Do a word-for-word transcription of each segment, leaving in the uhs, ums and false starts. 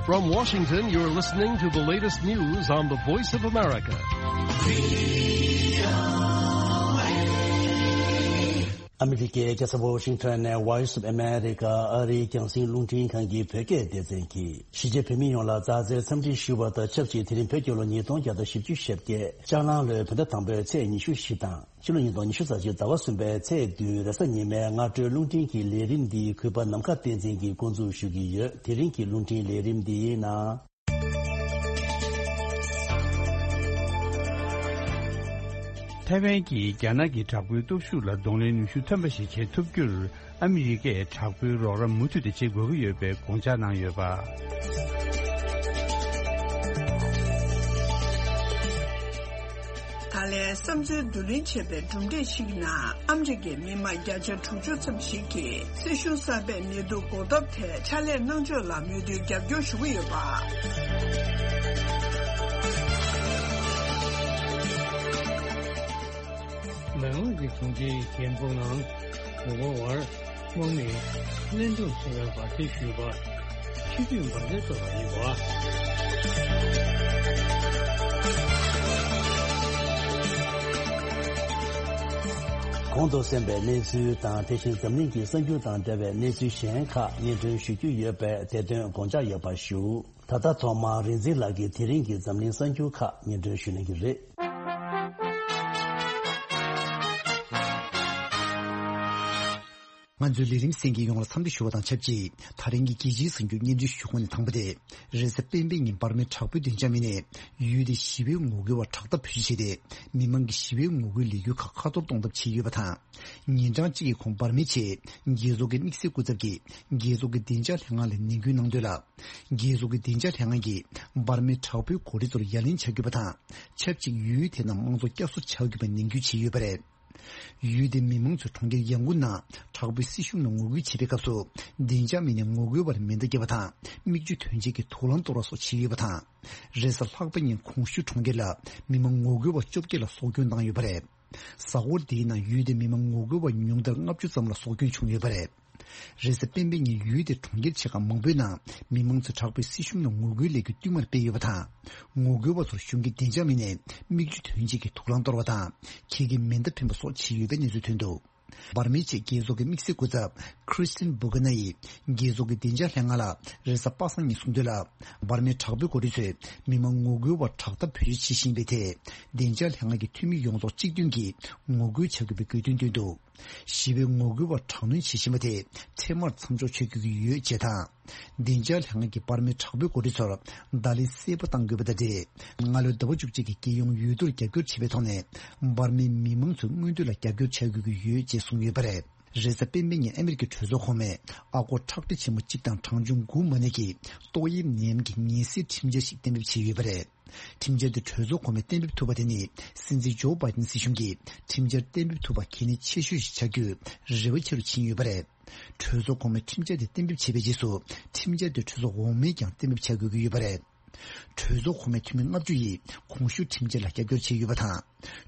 From Washington, you're listening to the latest news on the Voice of America. ཨ་མི་རི་ཀའི་རྒྱལ་ས་ཝོ་ཤིང་ཊོན་ནས་Voice of America ཨ་རིའི་རྒྱང་སྲིང་རླུང་འཕྲིན་ཁང་གི་བོད་སྐད་སྡེ་ཚན་གྱིས་གཞིས་བྱེས་བོད་མི་ཡོངས་ལ་མཛའ་བརྩེའི་འཚམས་འདྲི་ཞུ་བ་དང་ཆབས་ཅིག་དེ་རིང་བོད་རྒྱལ་ལོ་ཉིས་སྟོང་བརྒྱ་དང་བཞི་བཅུ་ཞེ་བརྒྱད་ལྕགས་གླང་ལོའི་བོད་ཟླ་དང་པོའི་ཚེས་ཉི་ཤུ་བཞི་དང་། ཕྱི་ལོ་ཉིས་སྟོང་ཉི་ཤུ་རྩ་གཅིག་ཟླ་བ་གསུམ་པའི་ཚེས་བདུན་རེས་གཟའ་ཉི་མའི་སྔ་དྲོའི་རླུང་འཕྲིན་གྱི་ལས་རིམ་འདི་གུས་པ་ནམ་མཁའ་བསྟན་འཛིན་གྱིས་འགོ་འཛུགས་ཞུ་གི་ཡོད། དེ་རིང་གི་རླུང་འཕྲིན་ལས་རིམ་འདིའི་ནང་། ཐའེ་ཝན་གྱིས་རྒྱ་ནག་གི་དྲག་པོའི་སྟོབས་ཤུགས་ལ་གདོང་ལེན་ནུས་ཤུགས་ཐོན་པ་ཞིག་བྱེད་ཐུབ་རྒྱུར། ཨ་མི་རི་ཀས་དྲག་པོའི་རོགས་རམ་མུ་མཐུད་དེ་བྱེད་དགོས་ཀྱི་ཡོད་པའི་དགོངས་འཇགས་གནང་ཡོད་པ། ད་ལན་བསམ་ཚུལ་བསྡུ་ལེན་བྱས་པའི་གྲུབ་འབྲས་ཤིག་ནང་ཨ་མི་རི་ཀའི་མི་མང་བརྒྱ་ཆ་དྲུག་ཅུ་ཙམ་ཞིག་གིས་སྲིད་གཞུང་གསར་པས་ནད་དུག་འགོག་ཐབས་ཐད་ཕྱག་ལས་གནང་ཕྱོགས་ལ་མོས་མཐུན་རྒྱབ་སྐྱོར་ཞུ་གི་ཡོད་པ། ནང་ལོགས་ཀྱི་གྲོང་ཁྱེར་རྒྱལ་འབོར་ནང་དགུ་པ་བར་དམག་མིས་གླེན་གྲོགས་ཚོ་བའི་འབར་མདེལ་གཞུས་པ། སྤྱི་འཐུས་འབར་མདེལ་གཏོར་བ་ཡིན་པ། གོང་དུ་གསན་པའི་གནས་ཚུལ་དང་དེ་བཞིན་འཛམ་གླིང་གི་གསར་འགྱུར་དང་འབྲེལ་བའི་གནས་ཚུལ་གཞན་ཁག་སྙན་སྒྲོན་ཞུ་རྒྱུ་ཡོད་པས་དེ་དོན་དགོངས་འཇགས་ཡོད་པ་ཞུ། ད་ལྟ་ཐོག་མར་རིག་འཛིན་ལགས་ཀྱིས་དེ་རིང་གི་འཛམ་གླིང་གསར་འགྱུར་ཁག་སྙན་སྒྲོན་ཞུ་གནང་གི་རེད། ང་ཚོའི་ལས་རིམ་གསན་མཁན་ཡོངས་ལ་འཚམས་འདྲི་ཞུ་བ་དང་ཆབས་ཅིག་ད་རིང་གི་རྒྱལ་སྤྱིའི་གསར་འགྱུར་སྙན་སྒྲོན་ཞུ་གོ་ནས་དང་པོ་དེ། རེས་གཟའ་སྤེན་པའི་ཉིན་འབར་མའི་དྲག་པོའི་བདེ་འཇགས་མི་སྣས་ཡུལ་དེའི་ཞི་བའི་ངོ་རྒོལ་བ་དྲག་འཐབ་བོད་སྤྱི་བྱས་ཏེ། མི་མང་གི་ཞི་བའི་ངོ་རྒོལ་ལས་འགུལ་ཁག་ཁ་གཏོར་གཏོང་ཐབས་བྱས་ཡོད་པ་དང་། ཉིན་གྲངས་གཅིག་གི་གོང་འབར་མའི་ཆེད་རྒྱལ་ཚོགས་ཀྱི་དམིགས་བསལ་སྐུ་ཚབ་ཀྱིས་རྒྱལ་ཚོགས་ཀྱི་བདེ་འཇགས་ལྷན་ཁང་ལ་ནན་སྐུལ་གནང་དོན་ལ། རྒྱལ་ཚོགས་ཀྱི་བདེ་འཇགས་ལྷན་ཁང་གིས་འབར་མའི་དྲག་པོའི་འགོ་ཁྲིད་ཚོར་ཡ་ལན་བྱ་དགོས་པ་དང་། ཆབས་ཅིག་ཡུལ་དེ་ནང་དམངས་གཙོ་བསྐྱར་གསོ་བྱ་དགོས་པའི་ནན་སྐུལ་བྱས་ཡོད་པ་རེད། ཡུལ་དེའི་མི་མང་ཚོས་གྲོང་ཁྱེར་ཡང་ཀུན་ནང་དྲག་པོའི་སྲིད་གཞུང་ལ་ངོ་རྒོལ་བྱེད་པའི་སྐབས་སུ། བདེ་འཇགས་མི་སྣས་ངོ་རྒོལ་བར་མེ་མདའ་བརྒྱབ་པ་དང་། མིག་ཆུ་ཐོན་བྱེད་ཀྱི་དུག་རླངས་གཏོར་བ་སོགས་བྱས་ཡོད་པ་དང་། རེས་གཟའ་ལྷག་པའི་ཉིན་གོང་ཞུས་གྲོང་ཁྱེར་ལ་མི་མང་ངོ་རྒོལ་བ་བཅོ་བརྒྱད་ལ་སྲོག་སྐྱོན་བཏང་ཡོད་པ་རེད། གཟའ་འཁོར་འདིའི་ནང་ཡུལ་དེའི་མི་མང་ངོ་རྒོལ་བ་ཉུང་མཐར་ལྔ་བཅུ་ཙམ་ལ་སྲོག་སྐྱོན་བྱུང་ཡོད་པ་རེད། རེས་གཟའ་སྤེན་པའི་ཉིན་ཡུལ་དེའི་གྲོང་ཁྱེར་ཆེ་ཁག་མང་པོའི་ནང་མི་མང་ཚོས་དྲག་པོའི་སྲིད་གཞུང་ལ་ངོ་རྒོལ་ལས་འགུལ་བསྟུད་མར་སྤེལ་ཡོད་པ་དང་། ངོ་རྒོལ་བ་ཚོར་གཞུང་གི་བདེ་འཇགས་མི་སྣས་མིག་ཆུ་ཐོན་བྱེད་ཀྱི་དུག་རླངས་གཏོར་བ་དང་། ཁྱི་གི་མེ་མདའ་འཕེན་པ་སོགས་བྱས་ཡོད་པའི་གནས་ཚུལ་ཐོན་འདུག་འབར་མའི་ཆེད་རྒྱལ་ཚོགས་ཀྱི་དམིགས་བསལ་སྐུ་ཚབ་Christine Burgener ཡིས་རྒྱལ་ཚོགས་ཀྱི་བདེ་འཇགས་ལྷན་ཁང་ལ་རེས་གཟའ་པ་སངས་ཉིན་གསུངས་དོན་ལ། འབར་མའི་དྲག་པོའི་འགོ་ཁྲིད་ཚོས་མི་མང་ངོ་རྒོལ་བ་དྲག་འཐབ་བེད་སྤྱོད་བྱེད་བཞིན་པའི་ཐད། བདེ་འཇགས་ལྷན་ཁང་གི་འཐུས་མི་ཡོངས་རྫོགས་གཅིག་མཐུན་གྱིས་ངོ་རྒོལ་བྱ་དགོས་པའི་དགོས་འདུན་བཏོན་འདུག་ཞི་བའི་ངོ་རྒོལ་བ་དྲག་གནོན་བྱེད་བཞིན་པ་དེ་འཕྲལ་མར་མཚམས་འཇོག་བྱེད་དགོས་ཀྱི་ཡོད་ཅེས་དང་། བདེ་འཇགས་ལྷན་ཁང་གིས་འབར་མའི་དྲག་པོའི་འགོ་ཁྲིད་ཚོར་བརྡ་ལན་གསལ་པོ་གཏང་དགོས་པ་དང་འབྲེལ། སྔ་ལོའི་ཟླ་བ་བཅུ་གཅིག་གི་རྒྱལ་ཡོངས་འོས་བསྡུར་རྒྱབ་སྐྱོར་བྱས་པའི་ཐོག་ནས། འབར་མའི་མི་མང་ཚོའི་མངོན་འདོད་ལ་རྒྱབ་སྐྱོར་བྱ་དགོས་ཀྱི་ཡོད་ཅེས་གསུངས་ཡོད་པ་རེད། རེས་གཟའ་སྤེན་པའི་ཉིན་ཨ་མི་རི་ཀའི་གྲོས་ཚོགས་གོང་མས་ཨ་སྒོར་ཁྲག་ཁྲིག་ཆེན་མོ་གཅིག་དང་གྲངས་ཆུང་དགུ་མ་ནས་ཀྱི་ཏོག་དབྱིབས་ནད་ཡམས་ཀྱི་ངལ་སེལ་ཁྲིམས་འཆར་ཞིག་གཏན་འབེབས་བྱས་ཡོད་པ་རེད། ཁྲིམས་འཆར་དེ་གྲོས་ཚོགས་གོང་མས་གཏན་འབེབས་ཐུབ་པ་དེ་ནི་སྲིད་འཛིན་ཇོ་བྷའི་ཏིན་སྲིད་གཞུང་གིས་ཁྲིམས་འཆར་གཏན་འབེབས་ཐུབ་པ་གལ་གནད་ཆེ་ཤོས་ཤིག་ཆགས་རྒྱུའི་རེ་བ་ཆེ་རུ་ཕྱིན་ཡོད་པ་རེད། གྲོས་ཚོགས་གོང་མས་ཁྲིམས་འཆར་དེ་གཏན་འབེབས་བྱས་པའི་རྗེས་སུ་ཁྲིམས་འཆར་དེ་གྲོས་ཚོགས་འོག་མས་ཀྱང་གཏན་འབེབས་བྱ་དགོས་ཀྱི་ཡོད་པ་རེད། གྲོས་ཚོགས་གོང་མའི་འཐུས་མི་ལྔ་བཅུ་ཡིས་གོང་ཞུས་ཁྲིམས་འཆར་ལ་རྒྱབ་སྐྱོར་བྱས་ཡོད་པ་དང་།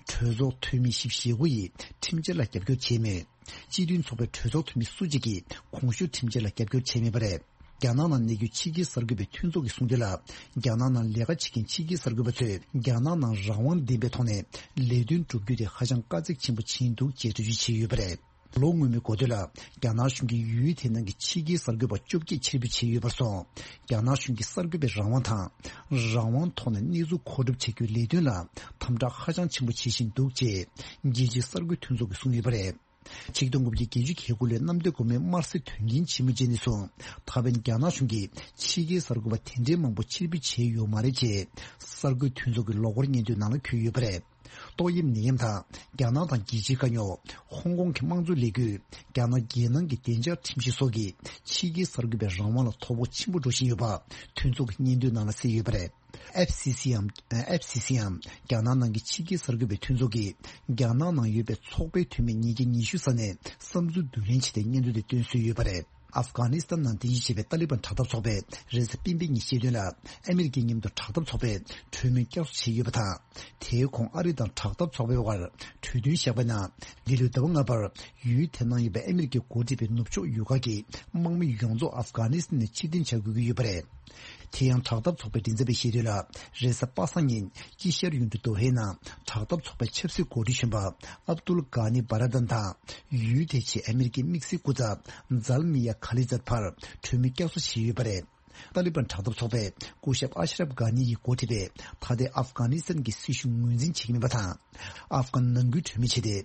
གྲོས་ཚོགས་འཐུས་མི་བཞི་བཅུ་ཞེ་དགུ་ཡིས་ཁྲིམས་འཆར་ལ་རྒྱབ་སྐྱོར་བྱས་མོད། སྤྱི་མཐུན་ཚོགས་པའི་གྲོས་ཚོགས་འཐུས་མི་སུ་གཅིག་གིས་གོང་ཞུས་ཁྲིམས་འཆར་ལ་རྒྱབ་སྐྱོར་བྱས་མེད་པ་རེད། རྒྱ་ནག་ནང་གནས་རྒྱུ་ཕྱི་རྒྱལ་གསར་འགོད་པའི་མཐུན་ཚོགས་ཀྱིས་གསུངས་དོན་ལ། རྒྱ་ནག་ནང་ལས་ཀ་བྱེད་མཁན་ཕྱི་རྒྱལ་གསར་འགོད་པ་ཚོས་རྒྱ་ནག་ནང་རང་དབང་ལྡན་པའི་ཐོག་ནས་ལས་དོན་བསྒྲུབ་རྒྱུ་དེ་ཧ་ཅང་དཀའ་ཚེགས་ཆེན་པོ་ཕྱིན་འདུག་ཅེས་འགྲེལ་བརྗོད་བྱས་ཡོད་པ་རེད། ལོ་སྔོན་མའི་འགོ་སྟོད་ལ། རྒྱ་ནག་གཞུང་གིས་ཡུལ་དེ་ནང་གི་ཕྱི་རྒྱལ་གསར་འགོད་པ་བཅོ་བརྒྱད་ཕྱིར་འབུད་བྱས་ཡོད་པར་སོང་། རྒྱ་ནག་གཞུང་གིས་གསར་འགོད་པའི་རང་དབང་དང་། རང་དབང་ཐོག་ནས་གནས་ཚུལ་མཁོ་སྒྲུབ་བྱེད་རྒྱུའི་ལས་དོན་ལ་དམ་དྲག་ཧ་ཅང་ཆེན་པོ་བྱེད་བཞིན་འདུག་ཅེས། རྒྱལ་སྤྱིའི་གསར་འགོད་མཐུན་ཚོགས་ཀྱིས་གསུངས་ཡོད་པ་རེད། ཆིག་སྟོང་དགུ་བརྒྱ་བརྒྱད་ཅུ་གྱ་དགུ་ལོའི་གནམ་བདེ་སྒོ་མོའི་དམར་གསོད་དོན་རྐྱེན་ཆེན་མོའི་རྗེས་ནས་བཟུང་། ད་ཕན་རྒྱ་ནག་གཞུང་གིས་ཕྱི་རྒྱལ་གསར་འགོད་པ་དེ་འདྲའི་མང་པོ་ཕྱིར་འབུད་བྱས་ཡོད་མ་རེད་ཅེས། གསར་འགོད་མཐུན་ཚོགས་ཀྱི་ལོ་འཁོར་སྙན་ཐོའི་ནང་ལ་འཁོད་ཡོད་པ་རེད། ཏོག་དབྱིབས་ནད་ཡམས་དང་། རྒྱ་ནག་དང་རྒྱལ་སྤྱིའི་དཀའ་རྙོག་ཧོང་ཀོང་གི་དམངས་གཙོའི་ལས་འགུལ། རྒྱ་ནག་རྒྱལ་ནང་གི་བདེ་འཇགས་ཁྲིམས་གཞི་སོགས་ཀྱིས་ཕྱི་རྒྱལ་གསར་འགོད་པའི་རང་དབང་ལ་དོ་ཕོག་ཆེན་པོ་འགྲོ་བཞིན་ཡོད་པ། མཐུན་ཚོགས་ཀྱི་སྙན་ཐོའི་ནང་ལ་གསལ་ཡོད་པ་རེད། ཨེཕ་སི་སི་འམ། ཨེཕ་སི་སི་འམ། རྒྱ་ནག་ནང་གི་ཕྱི་རྒྱལ་གསར་འགོད་པའི་མཐུན་ཚོགས་ཀྱིས། རྒྱ་ནག་ནང་ཡོད་པའི་ཚོགས་པའི་འཐུས་མི་ཉིས་བརྒྱ་ཉི་ཤུ་ས་ནས་བསམ་ཚུལ་བསྡུ་ལེན་བྱས་ཏེ་སྙན་ཐོ་དེ་བཏོན་སྲོལ་ཡོད་པ་རེད། ཨབ་གྷ་ནི་སི་ཐན་ནང་རྟེན་གཞི་བྱས་པའི་ཏཱ་ལི་བན་དྲག་འཐབ་ཚོགས་པས་རེས་གཟའ་སྤེན་པའི་ཉིན་བཤད་དོན་ལ། ཨ་མི་རི་ཀའི་མཉམ་དུ་དྲག་འཐབ་ཚོགས་པས་གྲོས་མོལ་བསྐྱར་གསོ་བྱས་ཡོད་པ་དང་། དེའི་གོང་ཨ་རི་དང་དྲག་འཐབ་ཚོགས་པའི་བར་གྲོས་མཐུན་བཞག་པའི་ནང་། འདི་ལོའི་ཟླ་བ་ལྔ་པར་ཡུལ་དེ་ནང་ཡོད་པའི་ཨ་མི་རི་ཀས་འགོ་ཁྲིད་པའི་ནུབ་ཕྱོགས་ཡུལ་ཁག་གི་དམག་མི་ཡོངས་རྫོགས་ཨབ་གྷ་ནི་སི་ཐན་ནས་ཕྱིར་འཐེན་བྱ་དགོས་ཀྱི་ཡོད་པ་རེད། དེ་ཡང་དྲག་འཐབ་ཚོགས་པའི་མགྲིན་ཚབ་པས་བཤད་དོན་ལ། རེས་གཟའ་པ་སངས་ཉིན་དཀྱིལ་ཤར་ཡུལ་གྲུ་དོ་ཧའི་ནང་དྲག་འཐབ་ཚོགས་པའི་ཆབ་སྲིད་འགོ་ཁྲིད་གཞོན་པ་ཨབ་ཏུལ་གྷ་ནི་བྷ་ར་དན་དང་ཡུལ་དེའི་ཆེད་ཨ་མི་རི་ཀའི་དམིགས་བསལ་སྐུ་ཚབ་ཛལ་མི་ཡ་ཁ་ལི་ཛད་བར་གྲོས་མོལ་བསྐྱར་གསོ་བྱས་ཡོད་པ་རེད། ཏཱ་ལི་བན་དྲག་འཐབ་ཚོགས་པས་སྐུ་ཞབས་ཨ་ཤ་རབ་གྷ་ནི་ཡིས་འགོ་ཁྲིད་པའི་ད་ལྟའི་ཨབ་གྷ་ནི་སི་ཐན་གྱི་སྲིད་གཞུང་ངོས་འཛིན་བྱེད་ཀྱི་མིན་པ་དང་། ཨབ་གྷན་ནང་ཁུལ་གྲོས་མོལ་བྱས་ཏེ།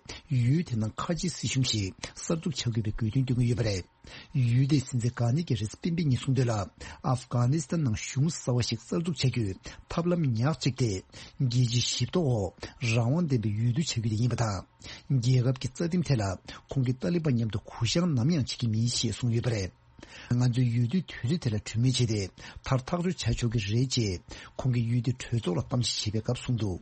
ཡུལ་དེ་ནང་ཁ་ཆེའི་སྲིད་གཞུང་ཞིག་གསར་འཛུགས་བྱ་དགོས་པའི་དགོས་འདུན་བསྐྱོན་གྱི་ཡོད་པ་རེད། ཡུལ་དེའི་སྲིད་འཛིན་གྷ་ནི་གིས་རེས་གཟའ་སྤེན་པའི་ཉིན་གསུངས་དོན་ལ། ཨབ་གྷ་ནི་སི་ཐན་ནང་གཞུང་གསར་བ་ཞིག་གསར་འཛུགས་བྱ་རྒྱུའི་ཐབས་ལམ་ཉག་གཅིག་སྟེ། རྒྱལ་སྤྱིའི་ཞིབ་རྟོག་འོག་རང་དབང་ལྡན་པའི་ཡུལ་དུ་བྱ་རྒྱུ་དེ་ཡིན་པ་དང་། རྒྱལ་ཁབ་ཀྱི་རྩ་ཁྲིམས་ཐད་ལ་ཁོང་གིས་ཏཱ་ལི་བན་མཉམ་དུ་གུ་བཤངས་ནམ་ཡང་བྱེད་ཀྱི་མིན་ཞེས་གསུངས་ཡོད་པ་རེད། ང་ཚོས་ཡུལ་དུས་དུས་ཚོད་དེ་ལ་གྲོས་མོལ་བྱས་ཏེ། མཐར་ཐག་གཅོད་བྱ་ཆོག་གི་རེད་ཅེས་ཁོང་གིས་ཡུལ་དུས་གྲོས་ཚོགས་ལ་གཏམ་བཤད་བྱེད་པའི་སྐབས་གསུངས་འདུག་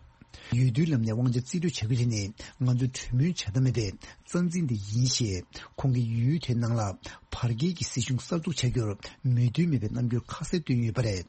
ཡུལ་དུས་ལམ་ནས་དབང་ཆ་རྩིས་སྤྲོད་བྱ་རྒྱུ་དེ་ནི་ང་ཚོས་གྲོས་མོལ་བྱ་ཐབས་མེད་པའི་རྩ་འཛིན་དེ་ཡིན་ཞེས། ཁོང་གིས་ཡུལ་དེའི་ནང་ལ་བར་བརྒལ་གྱི་སྲིད་གཞུང་གསར་འཛུགས་བྱ་རྒྱུར་མོས་མཐུན་མེད་པའི་རྣམ་འགྱུར་ཁ་གསལ་བཏོན་ཡོད་པ་རེད།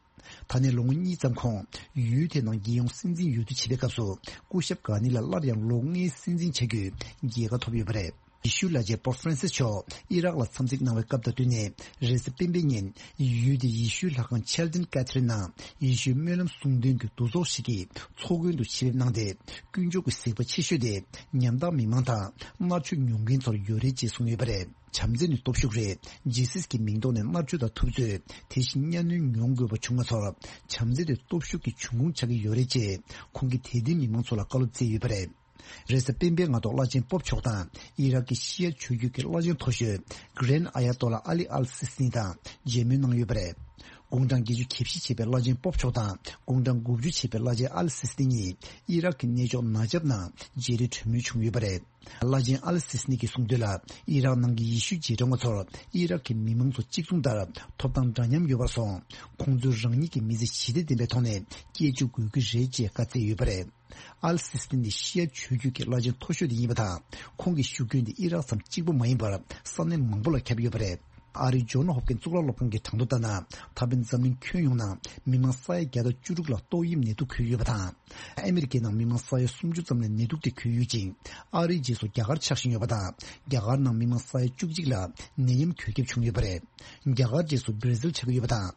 ད་ནས་ལོ་ངོ་གཉིས་ཙམ་གོང་། ཡུལ་དེའི་ནང་རྒྱལ་ཡོངས་སྲིད་འཛིན་འོས་བསྡུ་བྱེད་པའི་སྐབས་སུ། སྐུ་ཞབས་གྷ་ནི་ལ་སླར་ཡང་ལོ་ལྔའི་སྲིད་འཛིན་བྱ་རྒྱུའི་རྒྱལ་ཁ་ཐོབ་ཡོད་པ་རེད། ཡེ་ཤུའི་བླ་ཆེན་པོབ་ཧྥ་རན་སིས་མཆོག་ཨི་རག་ལ་འཚམས་གཟིགས་གནང་བའི་སྐབས་དང་བསྟུན་ནས། རེས་གཟའ་སྤེན་པའི་ཉིན། ཡུལ་དེའི་ཡེ་ཤུའི་ལྷ་ཁང་ཆལ་ཏིན་ཀེ་ཐི་རིན་ནང་ཡེ་ཤུའི་སྨོན་ལམ་གསུང་འདོན་གྱི་འདུ་ཚོགས་ཤིག་གི་ཚོགས་མགོན་དུ་ཆེད་ཕེབས་གནང་སྟེ། དཀོན་མཆོག་གི་གཟིགས་པ་ཆེ་ཤོས་དེ་ཉམ་ཐག་མི་མང་དང་མནར་གཅོད་མྱོང་མཁན་ཚོར་ཡོད་རེད་ཅེས་གསུངས་ཡོད་པ་རེད། བྱམས་བརྩེ་ནི་སྟོབས་ཤུགས་རེད། ཇི་སིས་ཀྱི་མིང་ཐོག་ནས་མནར་གཅོད་དང་ཐུབ་ཚོད། དེ་བཞིན་གཉའ་གནོན་མྱོང་དགོས་པ་བྱུང་བ་ཚོར། བྱམས་བརྩེ་དེ་སྟོབས་ཤུགས་ཀྱི་འབྱུང་ཁུངས་ཆགས་ཀྱི་ཡོད་རེད་ཅེས། ཁོང་གིས་དད་ལྡན་མི་མང་ཚོ་ལ་བཀའ་སློབ་སྩལ་ཡོད་པ་རེད། རེས་གཟའ་སྤེན་པའི་སྔ་དྲོ་བླ་ཆེན་པོབ་མཆོག་དང་ཨི་རག་གི་ཤི་ཡ་ཆོས་བརྒྱུད་ཀྱི་བླ་ཆེན་མཐོ་ཤོས་གྷི་རན་ཨ་ཡ་ཏོ་ལ་ཨ་ལི་ཨལ་སི་སི་ནི་དང་མཇལ་མོལ་གནང་ཡོད་པ་རེད། དགུང་གྲངས་བརྒྱད་ཅུ་གྱ་བཞི་བྱས་པའི་བླ་ཆེན་པོབ་མཆོག་དང་དགུང་གྲངས་དགུ་བཅུ་བྱས་པའི་བླ་ཆེན་ཨལ་སི་སི་ནི་གཉིས་ཨི་རག་གི་གནས་མཆོག་ནཱ་ཇབ་ནང་མཇལ་འཕྲད་གྲོས་མོལ་བྱུང་ཡོད་པ་རེད། བླ་ཆེན་ཨལ་སི་སི་ནི་གིས་གསུངས་དོན་ལ། ཨི་རག་ནང་གི་ཡེ་ཤུ་རྗེས་འབྲང་བ་ཚོར་ཨི་རག་གི་མི་མང་ཚོ་གཅིག་མཚུངས་ལྟར་ཐོབ་ཐང་འདྲ་མཉམ་ཡོད་པར་སོང་། ཁོང་ཚོས་རང་ཉིད་ཀྱི་མི་ཚེ་ཞི་བདེ་ལྡན་པའི་ཐོག་ནས་སྐྱེལ་བཅུག་དགོས་ཀྱི་རེད་ཅེས་བཀའ་སྩལ་ཡོད་པ་རེད། ཨལ་སི་སི་ནི་ཤི་ཡ་ཆོས་བརྒྱུད་ཀྱི་བླ་ཆེན་མཐོ་ཤོས་དེ་ཡིན་པ་དང་། ཁོང་གི་བཞུགས་མགྲོན་དེ་ཨི་རག་ཙམ་གཅིག་པུ་མ་ཡིན་པར་ས་གནས་མང་པོ་ལ་ཁྱབ་ཡོད་པ་རེད། ཨ་རིའི་ཇོན་ཧོབ་ཀིན་གཙུག་ལག་སློབ་ཁང་གི་གྲངས་ཐོ་ལྟར་ན། ད་ཕན་འཛམ་གླིང་ཁྱོན་ཡོངས་ནང་མི་མང་ས་ཡ་བརྒྱ་དང་བཅུ་དྲུག་ལ་ཏོག་དབྱིབས་ནད་དུག་འགོས་ཡོད་པ་དང་། ཨ་མི་རི་ཀའི་ནང་མི་མང་ས་ཡ་སུམ་ཅུ་ཙམ་ལ་ནད་དུག་དེ་འགོས་ཡོད་ཅིང་། ཨ་རིའི་རྗེས་སུ་རྒྱ་གར་ཆགས་བཞིན་ཡོད་པ་དང་། རྒྱ་གར་ནང་མི་མང་ས་ཡ་བཅུ་གཅིག་ལ་ནད་ཡམས་འགོས་ཁྱབ་བྱུང་ཡོད་པ་རེད། རྒྱ་གར་རྗེས་སུ་བྷི་ར་ཟིལ་ཆགས་ཀྱི་ཡོད་པ་དང་།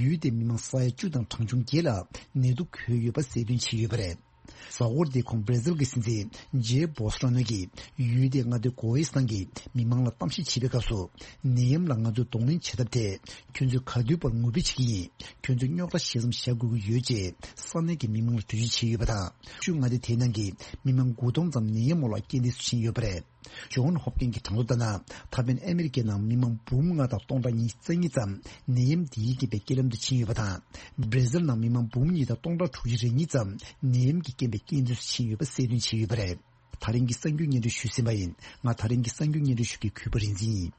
ཡུལ་དེའི་མི་མང་ས་ཡ་བཅུ་དང་གྲངས་ཆུང་བརྒྱད་ལ་ནད་དུག་འགོས་ཡོད་པ་གསལ་སྟོན་བྱས་ཡོད་པ་རེད། གཟའ་འཁོར་འདིའི་གོང་བྷི་ར་ཟིལ་གྱི་སྲིད་འཛིན་ཇེ་བོལ་སོ་ནོ་གིས་ཡུལ་དེའི་མངའ་སྡེ་གོ་ཨིས་ཐན་གྱི་མི་མང་ལ་གཏམ་བཤད་བྱེད་པའི་སྐབས་སུ། ནད་ཡམས་ལ་ང་ཚོས་གདོང་ལེན་བྱེད་ཐབས་ཐད། ཁྱོད་ཚོས་ག་དུས་བར་ངུ་འབོད་བྱེད་ཀྱི་ཡིན། ཁྱོད་ཚོས་རྙོག་དྲ་ཞིག་ཙམ་བཞག་དགོས་ཀྱི་ཡོད་ཅེས་ས་གནས་ཀྱི་མི་མང་ལ་འགྲེལ་བརྗོད་བྱས་ཡོད་པ་དང་། ཆུ་མངའ་སྡེ་དེའི་ནང་གི་མི་མང་དགུ་སྟོང་ཙམ་ནད་ཡམས་འོག་ལ་རྐྱེན་འདས་སུ་ཕྱིན་ཡོད་པ་རེད། ཇོན་ཧོབ་ཀིན་གྱི་གྲངས་ཐོ་ལྟར་ན། ད་ཕན་ཨ་མི་རི་ཀའི་ནང་མི་མང་འབུམ་ལྔ་དང་སྟོང་ཕྲག་ཉི་ཤུ་རྩ་གཉིས་ཙམ་ནད་ཡམས་འདིའི་རྐྱེན་པས་རྐྱེན་ལམ་དུ་ཕྱིན་ཡོད་པ་དང་། བྷི་ར་ཟིལ་ནང་མི་མང་འབུམ་གཉིས་དང་སྟོང་ཕྲག་དྲུག་ཅུ་རེ་གཉིས་ཙམ་ནད་ཡམས་ཀྱི་རྐྱེན་པས་རྐྱེན་འདས་སུ་ཕྱིན་ཡོད་པ་གསལ་སྟོན་བྱས་ཡོད་པ་རེད། ད་རིང་གི་གསར་འགྱུར་སྙན་སྒྲོན་ཞུས་ཟིན་པ་ཡིན། ང་ད་རིང་གི་གསར་འགྱུར་སྙན་སྒྲོན་ཞུ་མཁན་གུས་པ་རིག་འཛིན་ཡིན།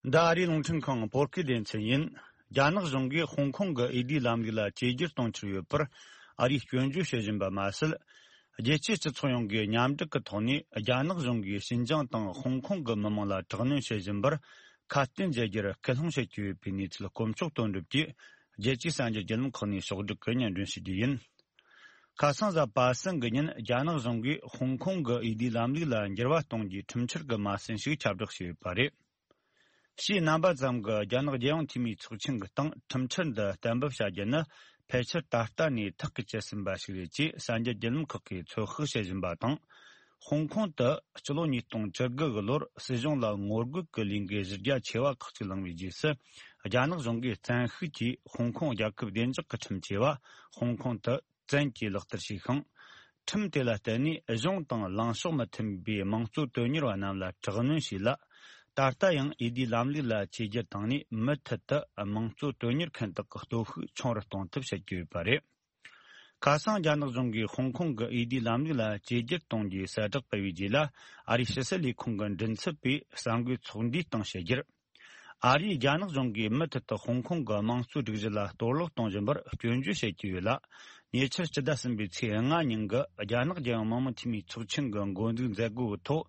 འདི་ཨ་རིའི་རླུང་འཕྲིན་ཁང་བོད་སྐད་སྡེ་ཚན་ཡིན། རྒྱ་ནག་གཞུང་གིས་ཧོང་ཀོང་གི་འོས་བསྡུའི་ལམ་ལུགས་ལ་བཅོས་བསྒྱུར་གཏོང་འཆར་ཡོད་པར་ཨ་རིས་སྐྱོན་བརྗོད་བྱེད་བཞིན་པ་མ་ཟད། རྒྱལ་སྤྱིའི་སྤྱི་ཚོགས་ཡོངས་ཀྱིས་མཉམ་འབྲེལ་གྱི་ཐོག་ནས་རྒྱ་ནག་གཞུང་གིས་ཞིན་ཅང་དང་ཧོང་ཀོང་གི་མི་དམངས་ལ་དྲག་གནོན་བྱེད་བཞིན་པར་ཁ་གཏད་འཇལ་རྒྱུར་སྐུལ་སློང་བྱེད་ཀྱི་ཡོད་པའི་གནས་ཚུལ་དཀོན་མཆོག་དོན་གྲུབ་ཀྱིས་རྒྱལ་སྤྱིའི་གསར་འགྱུར་བརྒྱུད་ལམ་ཁག་ནས་ཕྱོགས་བསྒྲིགས་ཀྱིས་སྙན་སྒྲོན་ཞུ་རྒྱུ་ཡིན། ཁ་སང་གཟའ་པ་སངས་ཀྱི་ཉིན་རྒྱ་ནག་གཞུང་གིས་ཧོང་ཀོང་གི་འོས་བསྡུའི་ལམ་ལུགས་ལ་འགྱུར་བ་གཏོང་རྒྱུའི་ཁྲིམས་འཆར་གྱི་མ་ཟིན་ཞིག་ཁྱབ་བསྒྲགས་བྱས་ཡོད་པ་རེད། ཕྱིའི་རྣམ་པ་ཙམ་གྱིས་རྒྱ་ནག་རྒྱལ་ཡོངས་འཐུས་མིའི་ཚོགས་ཆེན་གྱི་སྟེང་ཁྲིམས་འཆར་འདི་གཏན་འབེབས་བྱ་རྒྱུ་ནི་ཕལ་ཆེར་ད་ལྟ་ནས་ཐག་གིས་བཅད་ཟིན་པ་ཞིག་རེད་ཅེས་གསར་འགྱུར་བརྒྱུད་ལམ་ཁག་གིས་ཚོད་དཔག་བྱེད་བཞིན་པ་དང་། ཧོང་ཀོང་དུ་སྤྱི་ལོ་ཉིས་སྟོང་བཅུ་དགུ་གི་ལོར་སྲིད་གཞུང་ལ་ངོ་རྒོལ་གྱི་ལས་འགུལ་གཞི་རྒྱ་ཆེ་བ་ཁག་ཅིག་བསླངས་པའི་རྗེས་སུ། རྒྱ་ནག་གཞུང་གིས་བཙན་ཤུགས་ཀྱིས་ཧོང་ཀོང་རྒྱལ་ཁབ་བདེ་འཇགས་ཀྱི་ཁྲིམས་ཆེ་བ་ཧོང་ཀོང་དུ་བཙན་གྱིས་ལག་བསྟར་བྱས་ཤིང་། ཁྲིམས་དེ་ལ་བརྟེན་ནས་གཞུང་དང་ལངས་ཕྱོགས་མི་མཐུན་པའི་དམངས་གཙོ་དོན་གཉེར་བ་རྣམས་ལ་དྲག་གནོན་བྱས་ལ། ད་ལྟ་ཡང་འོས་བསྡུའི་ལམ་ལུགས་ལ་བཅོས་བསྒྱུར་བཏང་ནས་མུ་མཐུད་དུ་དམངས་གཙོ་དོན་གཉེར་མཁན་དག་གི་སྟོབས་ཤུགས་ཆུང་རུ་གཏོང་ཐབས་བྱེད་ཀྱི་ཡོད་པ་རེད། ཁ་སང་རྒྱ་ནག་གཞུང་གིས་ཧོང་ཀོང་གི་འོས་བསྡུའི་ལམ་ལུགས་ལ་བཅོས་བསྒྱུར་གཏོང་རྒྱུའི་གསལ་བསྒྲགས་སྤེལ་བའི་རྗེས་ལ། ཨ་རིའི་ཕྱི་སྲིད་ལས་ཁུངས་ཀྱི་མགྲིན་ཚབ་པས་གསར་འགོད་ཚོགས་འདུའི་སྟེང་བཤད་རྒྱུར། ཨ་རིས་རྒྱ་ནག་གཞུང་གིས་མུ་མཐུད་དུ་ཧོང་ཀོང་གི་དམངས་གཙོའི་སྒྲིག་གཞི་ལ་གཏོར་བརླག་གཏོང་བཞིན་པར་སྐྱོན་བརྗོད་བྱེད་ཀྱི་ཡོད་ལ། ཉེ་ཆར་སྤྱི་ཟླ་གསུམ་པའི་ཚེས་ལྔ་ཉིན་གྱི་རྒྱ་ནག་རྒྱལ་ཡོངས་མི་དམངས་འཐུས་མིའི་ཚོགས་ཆེན་གྱི་འགོ་འཛུགས་མཛད་སྒོའི་ཐོག་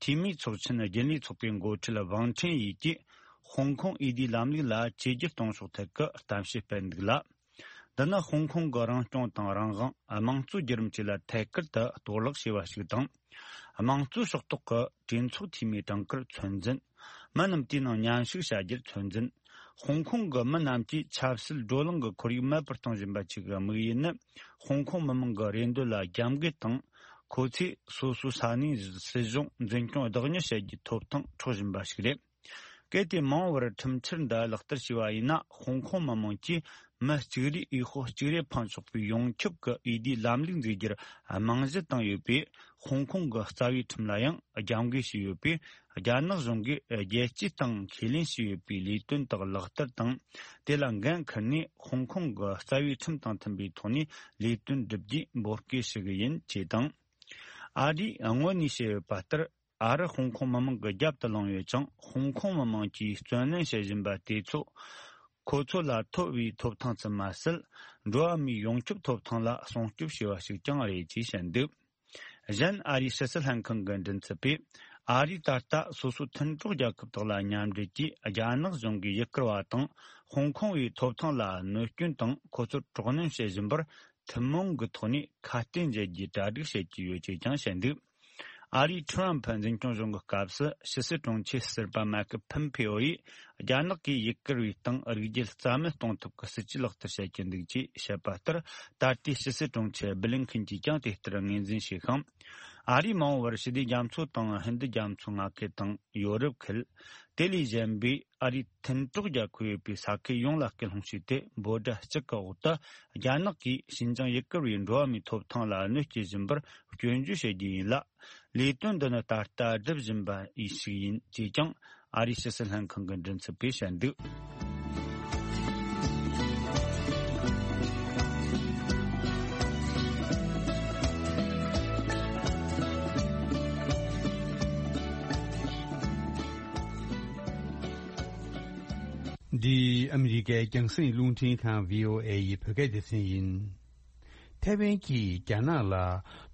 འཐུས་མིའི་ཚོགས་ཆེན་རྒྱུན་ལས་ཚོགས་པའི་འགོ་ཁྲིད་ཝང་ཁྲེན་ཡིས་ཀྱིས་ཧོང་ཀོང་འོས་བསྡུའི་ལམ་ལུགས་ལ་བཅོས་བསྒྱུར་གཏོང་ཕྱོགས་ཐད་ཀྱི་གཏམ་བཤད་སྤེལ་འདུག་ལ། འདི་ནི་ཧོང་ཀོང་གི་རང་སྐྱོང་དང་རང་དབང་། དམངས་གཙོའི་བརྒྱུད་རིམ་བཅས་ལ་ཐད་ཀར་དུ་གཏོར་བརླག་བྱས་པ་ཞིག་དང་། དམངས་གཙོའི་ཕྱོགས་གཏོགས་ཀྱི་གྲོས་ཚོགས་འཐུས་མིའི་གྲངས་ཀར་ཚོད་འཛིན། མི་རྣམས་དེའི་ནང་མཉམ་ཞུགས་བྱ་རྒྱུར་ཚོད་འཛིན། ཧོང་ཀོང་གི་མི་རྣམས་ཀྱིས་ཆབ་སྲིད་བགྲོ་གླེང་གི་ཁོར་ཡུག་མེད་པར་གཏོང་བཞིན་པ་བཅས་ཀྱི་དམིགས་ཡུལ་ནི། ཧོང་ཀོང་མི་མང་གི་རེ་འདོད་ལ་རྒྱབ་འགལ་དང་། ཁོ་ཚོས་སོ་སོའི་ས་གནས་སྲིད་གཞུང་འཛིན་སྐྱོང་བདག་གཉེར་བྱེད་རྒྱུའི་ཐོབ་ཐང་འཕྲོག་བཞིན་པ་ཞིག་རེད། གལ་ཏེ་མ་འོངས་པར་ཁྲིམས་འཆར་འདི་ལག་བསྟར་བྱས་པ་ཡིན་ན། ཧོང་ཀོང་མི་མང་གིས་མི་གཅིག་རེས་འོས་ཤོག་གཅིག་རེ་འཕེན་ཆོག་པའི་ཡོངས་ཁྱབ་ཀྱི་འོས་བསྡུའི་ལམ་ལུགས་འཛུགས་རྒྱུར་རྨང་གཞི་བཏིང་ཡོད་པས། ཧོང་ཀོང་གི་རྩ་བའི་ཁྲིམས་ལ་ཡང་རྒྱབ་འགལ་བྱས་ཡོད་པས། རྒྱ་ནག་གཞུང་གིས་རྒྱལ་སྤྱིའི་སྟེང་ཁས་ལེན་བྱས་ཡོད་པའི་ལས་དོན་དག་ལག་བསྟར་དང་། དེ་ལ་འགན་འཁུར་ནས། ཧོང་ཀོང་གི་རྩ་བའི་ཁྲིམས་དང་མཐུན་པའི་ཐོག་ནས་ལས་དོན་བསྒྲུབ་རྒྱུའི་འབོད་སྐུལ་ཞུ་གི་ཡིན་ཅེས་དང་། ཨ་རིས་སྔོན་ནས་བཤད་ཡོད་པ་ལྟར། ཨ་རི་ཧོང་ཀོང་མི་མང་གི་རྒྱབ་ཏུ་ལངས་ཡོད་ཅིང་། ཧོང་ཀོང་མི་མང་གིས་བརྩོན་ལེན་བྱེད་བཞིན་པ་དེ་ཚོ། ཁོ་ཚོ་ལ་ཐོབ་པའི་ཐོབ་ཐང་ཙམ་མ་ཟད། འགྲོ་བ་མིའི་ཡོངས་ཁྱབ་ཐོབ་ཐང་ལ་སྲུང་སྐྱོབ་བྱས་པ་ཞིག་ཀྱང་རེད་ཅེས་བཤད་འདུག་གཞན། ཨ་རིའི་ཕྱི་སྲིད་ལྷན་ཁང་གི་མགྲིན་ཚབ་པས། ཨ་རིས་ད་ལྟ་སོ་སོའི་མཐུན་གྲོགས་རྒྱལ་ཁབ་དག་ལ་མཉམ་འབྲེལ་གྱིས། རྒྱ་ནག་གཞུང་གིས་ཡུ་གུར་བ་དང་ཧོང་ཀོང་བའི་ཐོབ་ཐང་ལ་གནོད་སྐྱོན་དང་། ཁོ་ཚོར་དཀྲོག་གནོན་བྱེད་བཞིན་པར། ཐུན་མོང་གི་ཐོག་ནས་ཁ་གཏད་འཇལ་རྒྱུའི་གྲ་སྒྲིག་བྱེད་ཀྱི་ཡོད་ཅེས་ཀྱང་བཤད་འདུག་ཨ་རིའི་ཁྲི་རམ་ཕུ་འཛིན་སྐྱོང་གཞུང་གི་སྐབས་སུ། ཕྱི་སྲིད་དྲུང་ཆེ་ཟུར་པ་མཱིག་ཕོམ་ཕེ་ཨོ་ཡིས། རྒྱ་ནག་གིས་ཡུ་གུར་བའི་སྟེང་རིགས་རྒྱུད་རྩ་མེད་གཏོང་ཐབས་ཀྱི་སྲིད་ཇུས་ལག་བསྟར་བྱེད་ཀྱི་འདུག་ཅེས་བཤད་པ་ལྟར། ད་ལྟའི་ཕྱི་སྲིད་དྲུང་ཆེ་སྦི་ལིན་ཁིན་གྱིས་ཀྱང་དེ་ལྟར་ངོས་འཛིན་བྱས་ཤིང་། ཨ་རིས་མ་འོངས་པར་ཞི་བདེ་རྒྱ་མཚོ་དང་ཧིན་རྡུ་རྒྱ་མཚོའི་མངའ་ཁུལ་དང་། ཡོ་རོབ་ཁུལ། དེ་ལས་གཞན་པའི་ཨ་རིའི་མཐུན་གྲོགས་རྒྱལ་ཁབ་ཡོད་པའི་ས་ཁུལ་ཡོངས་ལ་སྐུལ་སློང་བྱས་ཏེ། འབོད་སྒྲ་གཅིག་གི་འོག་ཏུ། རྒྱ་ནག་གིས་ཞིན་ཅང་ཡུ་གུར་བའི་འགྲོ་བ་མིའི་ཐོབ་ཐང་ལ་གནོད་སྐྱེལ་བཞིན་པར་སྐྱོན་བརྗོད་བྱེད་རྒྱུ་ཡིན་ལ། ལས་དོན་འདི་ནི་ད་ལྟ་སྒྲུབ་བཞིན་པ་ཞིག་ཡིན་ཅེས་ཀྱང་ཨ་རིའི་ཕྱི་སྲིད་ལྷན་ཁང་གི་མགྲིན་ཚབ་པས་བཤད་འདུག་འདི་ཨ་མི་རི་ཀའི་རྒྱང་སྲིང་རླུང་འཕྲིན་ཁང་། བྷི་ཨོ་ཨེ་ཡི་བོད་སྐད་སྡེ་ཚན་ཡིན། ཐའེ་ཝན་གྱིས་རྒྱ་ནག་ལ་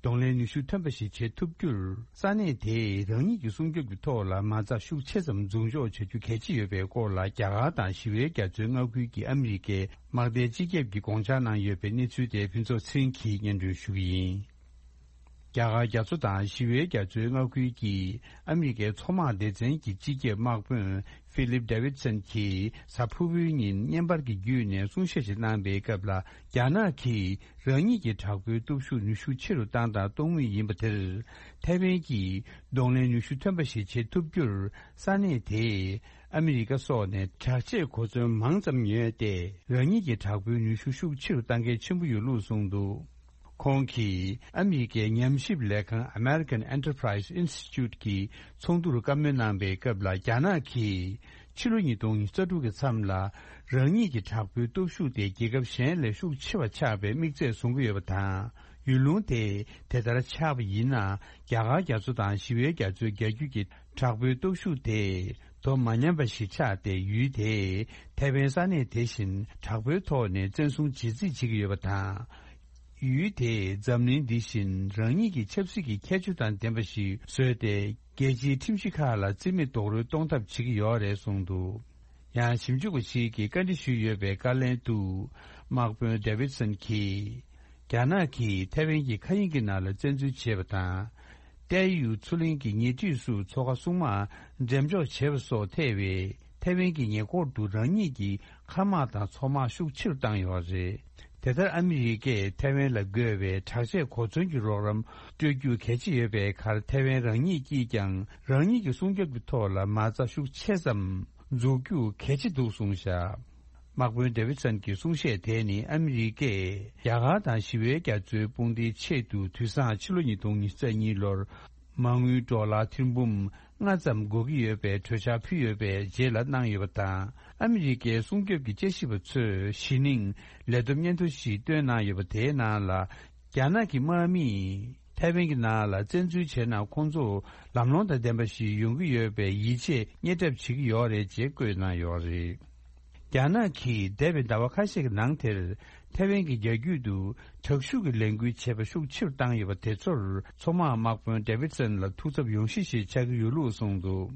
གདོང་ལེན་ནུས་ཤུགས་ཐོན་པ་ཞིག་བྱེད་ཐུབ་རྒྱུར། ས་གནས་དེས་རང་ཉིད་ཀྱི་སྲུང་སྐྱོབ་ཀྱི་ཐོག་ལ་མ་རྩ་ཤུགས་ཆེ་ཙམ་འཛུགས་འཇོག་བྱ་རྒྱུ་གལ་ཆེ་ཡོད་པའི་སྐོར་ལ། རྒྱ་གར་དང་ཞི་བའི་རྒྱ་མཚོའི་མངའ་ཁུལ་གྱི་ཨ་མི་རི་ཀའི་དམག་སྡེའི་སྤྱི་ཁྱབ་ཀྱིས་དགོངས་འཆར་གནང་ཡོད་པའི་གནས་ཚུལ་དེ་ཕུན་ཚོགས་ཚེ་རིང་གིས་སྙན་སྒྲོན་ཞུ་གི་ཡིན། རྒྱ་གར་རྒྱ་མཚོ་དང་ཞི་བའི་རྒྱ་མཚོའི་མངའ་ཁུལ་གྱི་ཨ་མི་རི་ཀའི་མཚོ་དམག་སྡེ་ཚན་གྱི་སྤྱི་ཁྱབ་དམག་དཔོན་ཧྥི་ལིབ་ཌེ་ཝིད་སན་གྱིས་གཟའ་ཕུར་བུའི་ཉིན་བརྙན་པར་གྱི་བརྒྱུད་ནས་གསུང་བཤད་ཞིག་གནང་པའི་སྐབས་ལ། རྒྱ་ནག་གིས་རང་ཉིད་ཀྱི་དྲག་པོའི་སྟོབས་ཤུགས་ནུས་ཤུགས་ཆེ་རུ་བཏང་དང་གཏོང་མུས་ཡིན་པ་དེར། ཐའེ་ཝན་གྱིས་གདོང་ལེན་ནུས་ཤུགས་ཐོན་པ་ཞིག་བྱེད་ཐུབ་རྒྱུར། ས་གནས་དེས་ཨ་མི་རི་ཀ་སོགས་ནས་དྲག་ཆས་གོ་མཚོན་མང་ཙམ་ཉོས་ཏེ། རང་ཉིད་ཀྱི་དྲག་པོའི་ནུས་ཤུགས་ཤུགས་ཆེ་རུ་གཏང་གལ་ཆེན་པོ་ཡོད་ལུགས་གསུངས་འདུག་ཁོང་གིས་ཨ་མི་རི་ཀའི་ཉམས་ཞིབ་ལས་ཁང་American Enterprise Institute གྱི་ཚོགས་འདུར་བཀའ་མོལ་གནང་པའི་སྐབས་ལ། རྒྱ་ནག་གིས་ཕྱི་ལོ་ཉིས་སྟོང་ཉི་ཤུ་རྩ་དྲུག་གི་མཚམས་ལ། རང་ཉིད་ཀྱི་དྲག་པོའི་སྟོབས་ཤུགས་དེ་རྒྱལ་ཁབ་གཞན་ལས་ཤུགས་ཆེ་བ་ཆགས་པའི་དམིགས་ཚད་བཟུང་གི་ཡོད་པ་དང་། ཡུལ་ལུང་དེ་དེ་ལྟར་ཆགས་པ་ཡིན་ན། རྒྱ་གར་རྒྱ་མཚོ་དང་ཞི་བའི་རྒྱ་མཚོའི་རྒྱ་རྒྱུད་ཀྱི་དྲག་པོའི་སྟོབས་ཤུགས་དེ་དོ་མ་མཉམ་པ་ཞིག་ཆགས་ཏེ། ཡུལ་དེས་ཐའེ་ཝན་ས་གནས་དེ་བཞིན་དྲག་པོའི་ཐོག་ནས་བཙན་བཟུང་བྱེད་རྩིས་བྱེད་ཀྱི་ཡོད་པ་དང་། ཡུལ་དེས་འཛམ་གླིང་འདི་བཞིན་རང་ཉིད་ཀྱི་ཆབ་སྲིད་ཀྱི་ཁྱད་ཆོས་དང་ལྡན་པ་ཞིག་བཟོས་ཏེ། རྒྱལ་སྤྱིའི་ཁྲིམས་གཞི་ཁག་ལ་རྩིས་མེད་རྡོག་རོལ་གཏོང་ཐབས་བྱེད་ཀྱི་ཡོད་རེད་གསུངས་འདུག་ཡང་ཞིབ་འཇུག་པ་ཞིག་གིས་བཀའ་འདྲི་ཞུས་ཡོད་པའི་བཀའ་ལན་དུ། དམག་དཔོན་ཌེ་ཝིད་སན་གྱིས། རྒྱ་ནག་གིས་ཐའེ་ཝན་གྱི་མཁའ་དབྱིངས་ཀྱི་ནང་ལ་བཙན་འཛུལ་བྱས་པ་དང་། ཏའེ་ཡུའུ་མཚོ་གླིང་གི་ཉེ་འཁྲིས་སུ་མཚོ་ཁ་སྲུང་དམག་འགྲེམས་འཇོག་བྱས་པ་སོགས་ཐེ་བའི་ཐའེ་ཝན་གྱི་ཉེ་འཁོར་དུ་རང་ཉིད་ཀྱི་མཁའ་དམག་དང་མཚོ་དམག་ཤུགས་ཆེ་རུ་བཏང་ཡོད་པ་རེད། དེ་ལྟར་ཨ་མི་རི་ཀས་ཐའེ་ཝན་ལ་དགོས་པའི་དྲག་ཆས་གོ་མཚོན་གྱི་རོགས་རམ་སྤྲོད་རྒྱུ་གལ་ཆེ་ཡོད་པའི་ཁར། ཐའེ་ཝན་རང་ཉིད་ཀྱིས་ཀྱང་རང་ཉིད་ཀྱི་སྲུང་སྐྱོབ་ཀྱི་ཐོག་ལ་མ་རྩ་ཤུགས་ཆེ་ཙམ་འཛུགས་རྒྱུ་གལ་ཆེ་འདུག་གསུངས་བཞག་དམག་དཔོན་ཌེ་ཝིད་སན་གྱི་གསུང་བཤད་དེ་ནི། ཨ་མི་རི་ཀས་རྒྱ་གར་དང་ཞི་བའི་རྒྱ་མཚོའི་དཔུང་སྡེའི་ཆེད་དུ་དུས་བཟང་ཕྱི་ལོ་ཉིས་སྟོང་ཉི་ཤུ་རྩ་གཉིས་ལོར་མ་དངུལ་ཌོ་ལར་ཐེར་འབུམ་ལྔ་ཙམ་དགོས་ཀྱི་ཡོད་པའི་གྲོས་འཆར་ཕུལ་ཡོད་པའི་རྗེས་ལ་གནང་ཡོད་པ་དང་། ཨ་མི་རི་ཀའི་སྲུང་སྐྱོབ་ཀྱི་དཔྱད་ཞིབ་པ་ཚོས་གཞི་ནས་ལས་བསྡོམས་སྙན་ཐོ་ཞིག་བཏོན་གནང་ཡོད་པ། དེའི་ནང་ལ། རྒྱ་ནག་གི་དམག་མིས་ཐའེ་ཝན་གྱི་ནང་ལ་བཙན་འཛུལ་བྱས་ན། ཁོང་ཚོ་ལམ་ལྷོང་དང་ལྡན་པ་ཞིག་ཡོང་གི་ཡོད་པའི་ཡིད་ཆེས་རྙེད་གྲབས་བྱེད་ཀྱི་ཡོད་རེད་ཅེས་བཀོད་གནང་ཡོད་རེད། རྒྱ་ནག་གིས་འདས་པའི་ཟླ་བ་ཁ་ཤས་ཀྱི་ནང་དེར་ཐའེ་ཝན་གྱི་རྒྱ་རྒྱུད་དུ་དྲག་ཤུགས་ཀྱི་ལས་འགུལ་བྱེད་པ་ཤུགས་ཆེ་རུ་བཏང་ཡོད་པ་དེ་ཚོར་མཚོ་དམག་དམག་དཔོན་ཌེ་ཝིད་སན་ལ་ཐུགས་འཚབ་ཡོང་གཞི་ཞིག་ཆགས་ཀྱི་ཡོད་ལུགས་གསུངས་འདུག་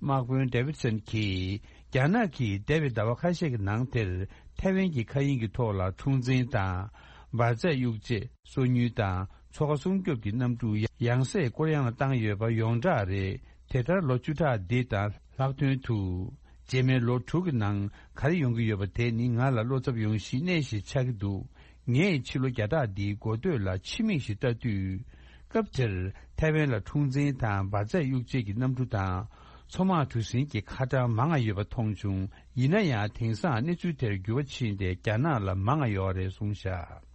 དམག་དཔོན་ཌེ་ཝིད་སན་གྱིས། རྒྱ་ནག་གིས་འདས་པའི་ཟླ་བ་ཁ་ཤས་ཀྱི་ནང་དེར་ཐའེ་ཝན་གྱི་མཁའ་དབྱིངས་ཀྱི་ཐོག་ལ་འཁྲུག་འཛིང་དང་། འབར་རྫས་གཡུག་རྗེས་སོ་ཉུལ་དང་། མཚོ་ཁ་སྲུང་སྐྱོབ་ཀྱི་གནམ་གྲུ་ཡང་སེ་བསྐོར་གཡེང་ལ་བཏང་ཡོད་པ་ཡོངས་གྲགས་རེད། དེ་ལྟར་ལོ་བཅུ་ཕྲག་འདི་དང་ ལྷག་དོན་དུ། རྗེས་མའི་ལོ་དྲུག་གི་ནང་ག་རེ་ཡོང་གི་ཡོད་པ་དེ་ནི་ང་ལ་བློ་འཚབ་ཡོང་གཞི་གནས་ཤིག་ཆགས་ཀྱི་འདུག་ངས་ཕྱི་ལོ་བརྒྱ་ཕྲག་འདིའི་འགོ་སྟོད་ལ་ཕྱི་མིག་ཞིག་ལྟ་དུས། སྐབས་དེར་ཐའེ་ཝན་ལ་འཁྲུག་འཛིང་དང་འབར་རྫས་གཡུག་བྱེད་ཀྱི་གནམ་གྲུ་དང་། མཚོ་དམག་གྲུ་གཟིངས་ཀྱི་ཁ་གྲངས་མང་ང་ཡོད་པ་མཐོང་བྱུང་། ཡིན་ན་ཡང་དེང་སང་གནས་ཚུལ་དེར་འགྱུར་བ་ཕྱིན་ཏེ་རྒྱ་ནག་ལ་མང་ང་ཡོད་རེད་གསུངས་བཞག་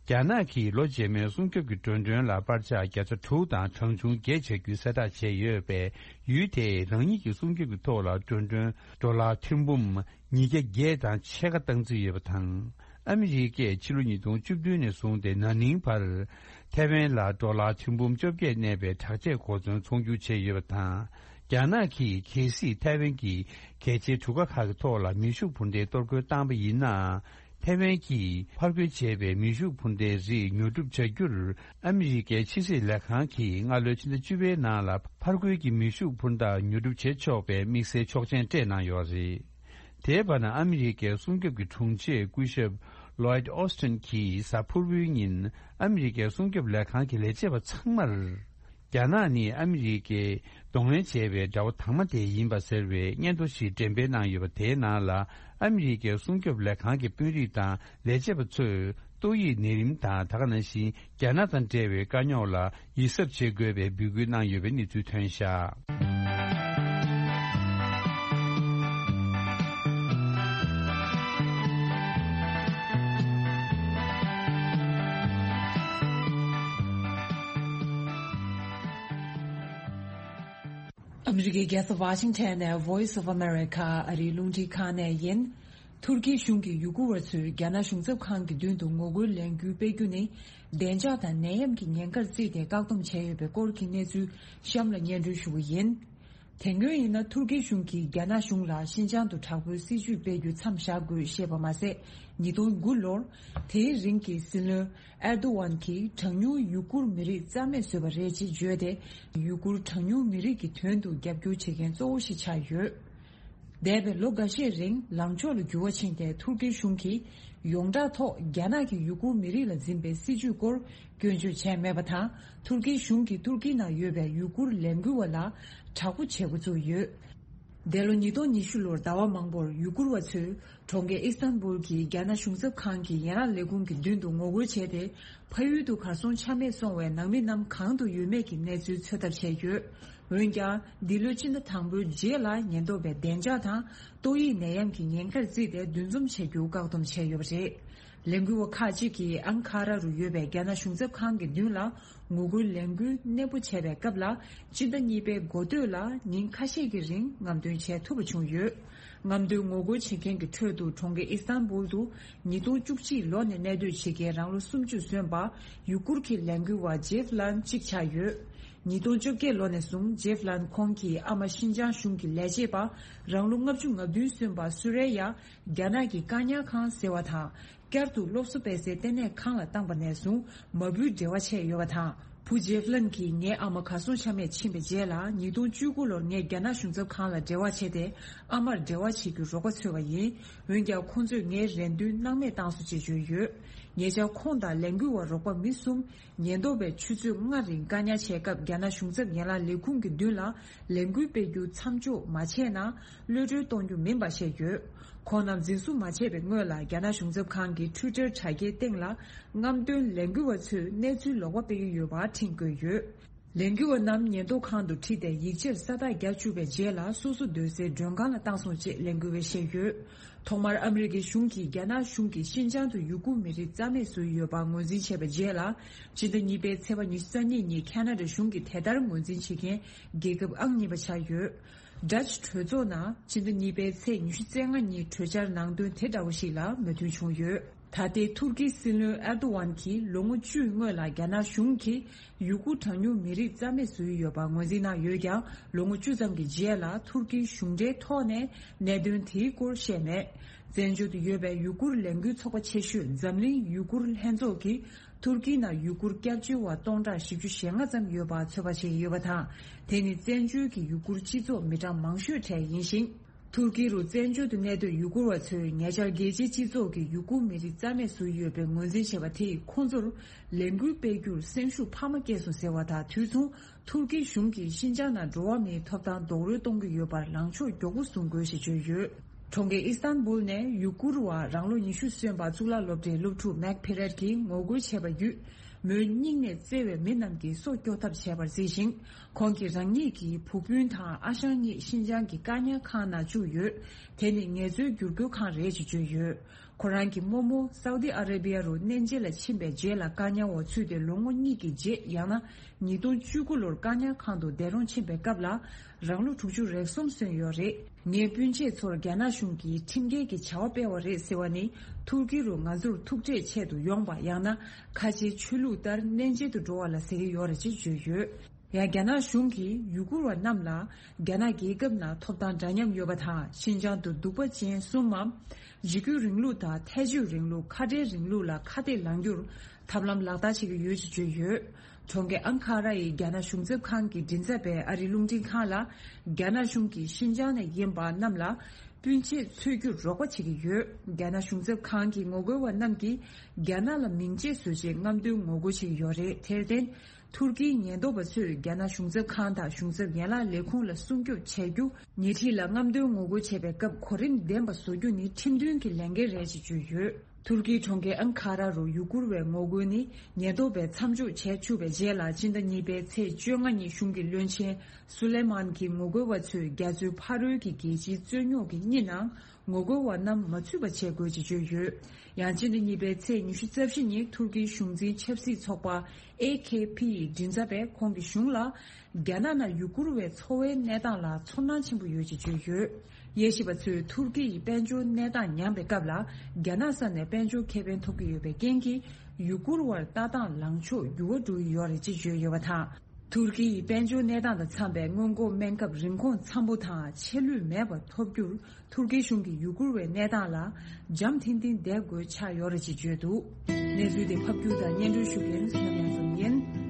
རྒྱ་ནག་གིས་ལོ་རྗེས་མའི་སྲུང་སྐྱོབ་ཀྱི་འགྲོ་གྲོན་ལ་པར་ཆག་བརྒྱ་ཆ་དྲུག་དང་གྲངས་ཆུང་བརྒྱད་བྱ་རྒྱུའི་གསལ་བསྒྲགས་བྱས་ཡོད་པས། ཡུལ་དེས་རང་ཉིད་ཀྱི་སྲུང་སྐྱོབ་ཀྱི་ཐོག་ལ་འགྲོ་གྲོན་ཌོ་ལར་ཐེར་འབུམ་ཉིས་བརྒྱ་བརྒྱད་དང་ཕྱེད་ཀ་བཏང་རྩིས་ཡོད་པ་དང་། ཨ་མི་རི་ཀས་ཕྱི་ལོ་ཉིས་སྟོང་བཅུ་བདུན་ནས་བཟུང་སྟེ་ན་ནིང་བར། ཐའེ་ཝན་ལ་ཌོ་ལར་ཐེར་འབུམ་བཅོ་བརྒྱད་གནས་པའི་དྲག་ཆས་གོ་མཚོན་ཚོང་སྒྱུར་བྱས་ཡོད་པ་དང་། རྒྱ་ནག་གིས་གལ་སྲིད་ཐའེ་ཝན་གྱི་གལ་ཆེའི་གྲུ་ཁ་ཁག་གི་ཐོག་ལ་མེ་ཤུགས་འཕུར་མདེལ་གཏོར་རྒོལ་བཏང་པ་ཡིན་ན། ཐའེ་ཝན་གྱིས་ཕར་རྒོལ་བྱས་པའི་མེ་ཤུགས་འཕུར་མདེལ་རིགས་ཉོ་སྒྲུབ་བྱ་རྒྱུར། ཨ་མི་རི་ཀའི་ཕྱི་སྲིད་ལས་ཁང་གིས་སྔ་ལོའི་ཕྱི་ཟླ་བཅུ་པའི་ནང་ལ་ཕར་རྒོལ་གྱི་མེ་ཤུགས་འཕུར་མདའ་ཉོ་སྒྲུབ་བྱེད་ཆོག་པའི་དམིགས་བསལ་ཆོག་མཆན་སྤྲད་གནང་ཡོད་རེད། དེའི་བར་ན་ཨ་མི་རི་ཀའི་སྲུང་སྐྱོབ་ཀྱི་དྲུང་ཆེ་སྐུ་ཞབས་Lloyd Austin་གྱིས་གཟའ་ཕུར་བུའི་ཉིན་ཨ་མི་རི་ཀའི་སྲུང་སྐྱོབ་ལས་ཁང་གི་ལས་བྱེད་པ་ཚང་མར། རྒྱ་ནག་ནི་ཨ་མི་རི་ཀས་གདོང་ལེན་བྱས་པའི་དགྲ་བོ་དང་མ་དེ་ཡིན་པ་ཟེར་བའི་སྙན་ཐོ་ཞིག་འགྲེམས་སྤེལ་གནང་ཡོད་པ། དེའི་ནང་ལ་ཨ་མི་རི་ཀའི་སྲུང་སྐྱོབ་ལས་ཁང་གི་དཔོན་རིགས་དང་ལས་བྱེད་པ་ཚོས་ཏོག་དབྱིབས་ནད་རིམས་དང་། ད་ག་ནང་བཞིན་རྒྱ་ནག་དང་འབྲེལ་བའི་དཀའ་རྙོག་ལ་ཡིད་གཟབ་བྱེད་དགོས་པའི་འབོད་སྐུལ་གནང་ཡོད་པའི་གནས་ཚུལ་ཐོན་བཞག་ཨ་མི་རི་ཀའི་རྒྱལ་ས་ཝ་ཤིང་ཊོན་ནས་Voice of America ཨ་རིའི་རླུང་འཕྲིན་ཁང་ནས་ཡིན། ཐུར་ཁེའི་གཞུང་གིས་ཡུ་གུར་བ་ཚོས་རྒྱ་ནག་གཞུང་ཚབ་ཁང་གི་མདུན་དུ་ངོ་རྒོལ་ལས་འགུལ་སྤེལ་རྒྱུ་ནི། བདེ་འཇགས་དང་ནད་ཡམས་ཀྱི་ཉེན་ཁར་བརྩིས་ཏེ་བཀག་སྡོམ་བྱས་ཡོད་པའི་སྐོར་གྱི་གནས་ཚུལ་གཤམ་ལ་སྙན་སྒྲོན་ཞུ་གི་ཡིན། དེ་སྔོན་ཡིན་ན་ཐུར་ཁེའི་གཞུང་གིས་རྒྱ་ནག་གཞུང་ལ་ཤིན་ཅང་དུ་དྲག་པོའི་སྲིད་ཇུས་སྤེལ་རྒྱུ་མཚམས་བཞག་དགོས་ཞེས་པ་མ་ཟད། ཉིས་སྟོང་དགུ་ལོར་དེའི་རིང་གི་སྲིད་བློན་ཨེར་དོ་ཝན་གྱིས་གྲངས་ཉུང་ཡུ་གུར་མི་རིགས་རྩ་མེད་བཟོས་པ་རེད་ཅེས་བརྗོད་དེ། ཡུ་གུར་གྲངས་ཉུང་མི་རིགས་ཀྱི་དོན་དུ་རྒྱབ་སྐྱོར་བྱེད་མཁན་གཙོ་བོ་ཞིག་ཆགས་ཡོད། འདས་པའི་ལོ་འགའ་ཤས་རིང་ལངས་ཕྱོགས་ལ་འགྱུར་བ་ཕྱིན་ཏེ། ཐུར་ཁེའི་གཞུང་གིས་ཡོངས་གྲགས་ཐོག་རྒྱ་ནག་གིས་ཡུ་གུར་མི་རིགས་ལ་འཛིན་པའི་སྲིད་ཇུས་སྐོར་སྐྱོན་བརྗོད་བྱས་མེད་པ་དང་། ཐུར་ཁེའི་གཞུང་གིས་ཐུར་ཁེའི་ནང་ཡོད་པའི་ཡུ་གུར་ལས་འགུལ་བ་ལ་དྲག་པོ་བྱེད་འགོ་བཙུགས་ཡོད། འདས་ལོ་ཉིས་སྟོང་ཉི་ཤུ་ལོར་ཟླ་བ་མང་པོར་ཡུ་གུར་བ་ཚོས་གྲོང་ཁྱེར་ཨི་སི་ཐན་བུལ་གྱི་རྒྱ་ནག་གཞུང་ཚབ་ཁང་གི་ཡན་ལག་ལས་ཁུངས་ཀྱི་མདུན་དུ་ངོ་རྒོལ་བྱས་ཏེ། ཕ་ཡུལ་དུ་གར་སོང་ཆ་མེད་སོང་བའི་ནང་མི་རྣམས་གང་དུ་ཡོད་མེད་ཀྱི་གནས་ཚུལ་འཚོལ་ཐབས་བྱས་ཡོད། འོན་ཀྱང་། འདི་ལོའི་སྤྱི་ཟླ་དང་པོའི་རྗེས་ལ་ཉེན་རྟོག་པས་བདེ་འཇགས་དང་ཏོག་དབྱིབས་ནད་ཡམས་ཀྱི་ཉེན་ཁར་བརྩིས་ཏེ་འདུ་འཛོམས་བྱ་རྒྱུ་བཀག་སྡོམ་བྱས་ཡོད་པ་རེད། ལས་འགུལ་བ་ཁག་ཅིག་གིས་ཨང་ཁ་ར་རུ་ཡོད་པའི་རྒྱ་ནག་གཞུང་ཚབ་ཁང་གི་མདུན་ལ་ངོ་རྒོལ་ལས་འགུལ་གནས་སྤོ་བྱས་པའི་སྐབས་ལ། སྤྱི་ཟླ་གཉིས་པའི་འགོ་སྟོད་ལ་ཉིན་ཁ་ཤས་ཀྱི་རིང་རྔམ་སྟོན་བྱས་ཐུབ་པ་བྱུང་ཡོད། རྔམ་སྟོན་ངོ་རྒོལ་བྱེད་མཁན་གྱི་ཁྲོད་དུ་གྲོང་ཁྱེར་ཨི་སི་ཐན་བུལ་དུ་ཉིས་སྟོང་བཅུ་གཅིག་ལོ་ནས་གནས་སྡོད་བྱེད་མཁན་རང་ལོ་སུམ་ཅུ་སོན་པ་ཡུ་གུར་གྱི་ལས་འགུལ་བ་ཇེབ་ལན་གཅིག་ཆགས་ཡོད། ཉིས་སྟོང་བཅོ་བརྒྱད་ལོ་ནས་བཟུང་ཇེབ་ལན་ཁོང་གི་ཨ་མ་ཤིན་ཅང་གཞུང་གི་ལས་བྱེད་པ་རང་ལོ་ལྔ་བཅུ་ང་བདུན་སོན་པ་སུ་རེ་ཡ་རྒྱ་ནག་གི་བཀག་ཉར་ཁང་ཟེར་བ་དང་། བསྐྱར་དུ་སློབ་གསོ་སྤེལ་སའི་ལྟེ་གནས་ཁང་ལ་བཏང་པ་ནས་བཟུང་མ་བུའི་འབྲེལ་བ་བྱས་ཡོད་པ་དང་། བུ་ཇེབ་ལན་གྱིས་ངའི་ཨ་མ་གར་སོང་ཆ་མེད་ཕྱིན་པའི་རྗེས་ལ་ཉིས་སྟོང་བཅུ་དགུ་ལོར་ངས་རྒྱ་ནག་གཞུང་ཚབ་ཁང་ལ་འབྲེལ་བ་བྱས་ཏེ། ཨ་མར་འབྲེལ་བ་བྱེད་རྒྱུའི་རོགས་པ་འཚོལ་བ་ཡིན། འོན་ཀྱང་ཁོང་ཚོས་ངའི་རེ་འདུན་སྣང་མེད་བཏང་སོང་ཅེས་བརྗོད་ཡོད། ཉེ་ཆར་ཁོང་དང་ལས་འགུལ་བ་རོགས་པ་མི་གསུམ། ཉེན་རྟོག་པས་ཆུ་ཚོད་ལྔ་རིང་བཀག་ཉར་བྱས་སྐབས། རྒྱ་ནག་གཞུང་ཚབ་ཡན་ལག་ལས་ཁུངས་ཀྱི་མདུན་ལ་ལས་འགུལ་སྤེལ་རྒྱུ་མཚམས་འཇོག་མ་བྱས་ན། གློད་གྲོལ་གཏོང་རྒྱུ་མིན་པ་བཤད་ཡོད། ཁོང་རྣམས་འཛིན་བཟུང་མ་བྱས་པའི་སྔོན་ལ། རྒྱ་ནག་གཞུང་ཚབ་ཁང་གི་ཊུའི་ཊར་དྲ་རྒྱའི་སྟེང་ལ། རྔམ་སྟོན་ལས་འགུལ་བ་ཚོས་གནས་ཚུལ་ལོག་པ་སྤེལ་གྱི་ཡོད་པ་འཕྲིན་བཀོད་ཡོད། ལས་འགུལ་བ་རྣམས་ཉེན་རྟོག་ཁང་དུ་ཁྲིད་དེ་ཡིག་ཆར་ས་རྟགས་བརྒྱབ་བཅུག་པའི་རྗེས་ལ། སོ་སོ་སྡོད་སའི་མགྲོན་ཁང་ལ་བཏང་སོང་ཅེས་ལས་འགུལ་བས་བཤད་ཡོད། ཐོག་མར་ཨ་མི་རི་ཀའི་གཞུང་གིས་རྒྱ་ནག་གཞུང་གིས་ཤིན་ཅང་དུ་ཡུ་གུར་མི་རིགས་རྩ་མེད་བཟོས་ཡོད་པ་ངོས་འཛིན་བྱས་པའི་རྗེས་ལ། སྤྱི་ཟླ་གཉིས་པའི་ཚེས་པ་ཉི་ཤུ་རྩ་གཉིས་ཉིན་ཁ་ན་ཌ་གཞུང་གིས་དེ་ལྟར་ངོས་འཛིན་བྱེད་མཁན་རྒྱལ་ཁབ་ཨང་གཉིས་པ་ཆགས་ཡོད། ཌ་ཅི་གྲོས་ཚོགས་ནང་སྤྱི་ཟླ་གཉིས་པའི་ཚེས་ཉི་ཤུ་རྩ་ལྔ་ཉིན་གྲོས་འཆར་ནང་དོན་དེ་འདྲ་བོ་ཞིག་ལ་མོས་མཐུན་བྱུང་ཡོད། ད་ལྟའི་ཐུར་ཁེའི་སྲིད་བློན་ཨེར་དོ་ཝན་གྱིས་ལོ་ངོ་བཅུའི་སྔོན་ལ་རྒྱ་ནག་གཞུང་གིས་ཡུ་གུར་གྲངས་ཉུང་མི་རིགས་རྩ་མེད་བཟོས་ཡོད་པ་ངོས་འཛིན་གནང་ཡོད་ཀྱང་། ལོ་ངོ་བཅུ་ཙམ་གྱི་རྗེས་ལ་ཐུར་ཁེའི་གཞུང་འབྲེལ་ཐོག་ནས་གནད་དོན་དེའི་སྐོར་བཤད་མེད། བཙན་བྱོལ་དུ་ཡོད་པའི་ཡུ་གུར་ལས་འགུལ་ཚོགས་པ་ཆེ་ཤོས་འཛམ་གླིང་ཡུ་གུར་ལྷན་ཚོགས་ཀྱིས། ཐུར་ཁེའི་ནང་ཡུ་གུར་སྐྱབས་བཅོལ་བ་སྟོང་ཕྲག་བཞི་བཅུ་ཞེ་ལྔ་ཙམ་ཡོད་པ་ཚོད་དཔག་བྱེད་ཀྱི་ཡོད་པ་དང་། དེ་ནི་བཙན་བྱོལ་གྱི་ཡུ་གུར་སྤྱི་ཚོགས་མི་གྲངས་མང་ཤོས་གྲས་ཡིན་ཞིང་། ཐུར་ཀི་རུ་བཙན་བྱོལ་དུ་གནས་སྡོད་ཡུ་གུར་བ་ཚོས་ཉེ་ཆར་རྒྱལ་སྤྱིའི་སྤྱི་ཚོགས་ཀྱིས་ཡུ་གུར་མི་རིགས་རྩ་མེད་བཟོས་ཡོད་པའི་ངོས་འཛིན་བྱས་པ་དེས་ཁོང་ཚོར་ལས་འགུལ་སྤེལ་རྒྱུར་སེམས་ཤུགས་འཕར་མ་སྐྱེས་སོང་ཟེར་བ་དང་། དུས་མཚུངས་ཐུར་ཀིའི་གཞུང་གིས་ཤིན་ཅང་ནང་འགྲོ་བ་མིའི་ཐོབ་ཐང་རྡོག་རོལ་གཏོང་གི་ཡོད་པར་ལངས་ཕྱོགས་མགྱོགས་པོ་བཟུང་དགོས་ཞེས་བརྗོད་ཡོད། གྲོང་ཁྱེར་ཨི་སི་ཐན་བུལ་ནས་ཡུ་གུར་བ་རང་ལོ་ཉི་ཤུ་སོན་པ་གཙུག་ལག་སློབ་གྲྭའི་སློབ་ཕྲུག་མེག་ཕེ་རེད་ཀྱིས་ངོ་རྒོལ་བྱས་པ་བརྒྱུད། མོའི་སྙིང་ནས་བརྩེ་བའི་མི་རྣམས་ཀྱིས་སྲོག་སྐྱོབ་ཐབས་བྱས་པར་གཟིགས་ཤིང་། ཁོང་གིས་རང་ཉིད་ཀྱི་བུ་སྤུན་དང་ཨ་ཞང་གཉིས་ཤིན་ཅང་གི་བཀག་ཉར་ཁང་ནང་བཅུག་ཡོད། དེ་ནི་ངལ་རྩོལ་བསྒྱུར་བཀོད་ཁང་རེད་ཅེས་བརྗོད་ཡོད། ཁོ་རང་གི་རྨོ་མོ་སའུ་ཏི་ཨ་རེ་བི་ཡ་རུ་གནས་མཇལ་ལ་ཕྱིན་པའི་རྗེས་ལ་བཀག་ཉར་འོག་ཚུད་དེ་ལོ་ངོ་གཉིས་ཀྱི་རྗེས། ཡང་ན་ཉིས་སྟོང་བཅུ་དགུ་ལོར་བཀག་ཉར་ཁང་དུ་བསྡད་རུང་ཕྱིན་པའི་སྐབས་ལ་རང་ལོ་དྲུག་ཅུ་རེ་གསུམ་སོན་ཡོད་རེད། ངའི་སྤུན་མཆེད་ཚོར་རྒྱ་ནག་གཞུང་གིས་ཁྲིམས་འགལ་གྱི་བྱ་བ་སྤེལ་བ་རེད་ཟེར་བ་ནི་ཐུར་ཀི་རུ་ང་ཚོར་ཐུག་འཕྲད་ཆེད་དུ་ཡོང་པ། ཡང་ན་ཁ་ཆེའི་ཆོས་ལུགས་ལྟར་གནས་མཇལ་དུ་འགྲོ་བ་ལ་ཟེར་གྱི་ཡོད་རེད་ཅེས་བརྗོད་ཡོད། ཡང་རྒྱ་ནག་གཞུང་གིས་ཡུ་གུར་བ་རྣམས་ལ་རྒྱ་ནག་རྒྱལ་ཁབ་ནང་ཐོབ་ཐང་འདྲ་མཉམ་ཡོད་པ་དང་། ཤིན་ཅང་དུ་གདུག་པ་ཅན་གསུམ་མམ། འཇིགས་སྐུལ་རིང་ལུགས་དང་ཐལ་སྤྱོད་རིང་ལུགས། ཁ་བྲལ་རིང་ལུགས་ལ་ཁ་གཏད་ལངས་རྒྱུར་ཐབས་ལམ་ལག་བསྟར་བྱེད་ཀྱི་ཡོད་ཅེས་བརྗོད་ཡོད། གྲོང་ཁྱེར་ཨན་ཁ་ར་ཡི་རྒྱ་ནག་གཞུང་ཚབ་ཁང་གིས་མགྲིན་ཚབ་པའི་ཨ་རིའི་རླུང་འཕྲིན་ཁང་ལ། རྒྱ་ནག་གཞུང་གིས་ཤིན་ཅང་ནས་ཡིན་པ་རྣམས་ལ་སྤུན་མཆེད་འཚོལ་རྒྱུར་རོགས་པ་བྱེད་ཀྱི་ཡོད། རྒྱ་ནག་གཞུང་ཚབ་ཁང་གི་ངོ་རྒོལ་བ་རྣམས་ཀྱིས་རྒྱ་ནག་ལ་མིང་ཆད་བཟོ་ཆེད་རྔམ་སྟོན་ངོ་རྒོལ་བྱེད་ཀྱི་ཡོད་རེད། དེར་བརྟེན། ཐུར་ཀིའི་ཉེན་རྟོག་པ་ཚོས་རྒྱ་ནག་གཞུང་ཚབ་ཁང་དང་གཞུང་ཚབ་ཡན་ལག་ལས་ཁུངས་ལ་སྲུང་སྐྱོབ་བྱ་རྒྱུ། ཉེ་འཁྲིས་ལ་རྔམ་སྟོན་ངོ་རྒོལ་བྱེད་པའི་སྐབས་གོ་རིམ་ལྡན་པ་བཟོ་རྒྱུ་ནི་ཁྲིམས་མཐུན་གྱི་ལས་འགན་རེད་ཅེས་བརྗོད་ཡོད། ཐུར་ཀིའི་གྲོང་ཁྱེར་ཨན་ཁ་ར་རུ་ཡུ་གུར་བའི་ངོ་རྒོལ་ནི་ཉེན་རྟོག་པས་མཚམས་འཇོག་བྱས་བཅུག་པའི་རྗེས་ལ། སྤྱི་ཟླ་གཉིས་པའི་ཚེས་བཅོ་ལྔ་ཉིན་གཞུང་གི་བློན་ཆེན་སུ་ལེ་མཱན་གྱིས་ངོ་རྒོལ་བ་ཚོས་རྒྱ་མཚོའི་ཕ་རོལ་གྱི་རྒྱལ་སྤྱིའི་རྩོད་རྙོག་གི་རྙི་ནང་ངོ་རྒོལ་བ་རྣམས་མ་ཚུད་པ་བྱེད་དགོས་ཅེས་བརྗོད་ཡོད། ཡང་སྤྱི་ཟླ་གཉིས་པའི་ཚེས་ཉི་ཤུ་རྩ་བཞི་ཉིན་ཐུར་ཀིའི་གཞུང་འཛིན་ཆབ་སྲིད་ཚོགས་པ་ཨེ་ཁེ་ཕི་ཡི་མགྲིན་ཚབ་པས་ཁོང་གི་གཞུང་ལ། རྒྱ་ནག་ནང་ཡུ་གུར་བའི་འཚོ་བའི་གནས་སྟངས་ལ་ཚོར་སྣང་ཆེན་པོ་ཡོད་ཅེས་བརྗོད་ཡོད། དབྱེ་ཞིབ་པ་ཚོས་ཐུར་ཀི་ཡི་དཔལ་འབྱོར་གནས་སྟངས་ཉམས་པའི་སྐབས་ལ། རྒྱ་ནག་ས་ནས་དཔལ་འབྱོར་ཁེ་ཕན་ཐོབ་ཀྱི་ཡོད་པའི་རྐྱེན་གྱིས། ཡུ་གུར་བར་ལྟ་སྟངས་ལངས་ཕྱོགས་འགྱུར་བ་འགྲོ་གི་ཡོད་རེད་ཅེས་བརྗོད་ཡོད་པ་དང་། ཐུར་ཀི་ཡི་དཔལ་འབྱོར་གནས་སྟངས་དང་འཚམ་པའི་སྔོན་འགོག་སྨན་ཁབ་རིན་གོང་འཚམ་པོ་དང་ཆད་ལུས་མེད་པར་ཐོབ་རྒྱུར། ཐུར་ཀི་གཞུང་གིས་ཡུ་གུར་བའི་གནས་སྟངས་ལ་འཇམ་ཐིང་ཐིང་བསྡད་དགོས་ཆགས་ཡོད་རེད་ཅེས་བརྗོད་འདུག། གནས་ཚུལ་དེ་ཕབ་སྒྱུར་དང་སྙན་སྒྲོན་ཞུ་མཁན་བསོད་ནམས་ལྷ་འཛོམས་ཡིན།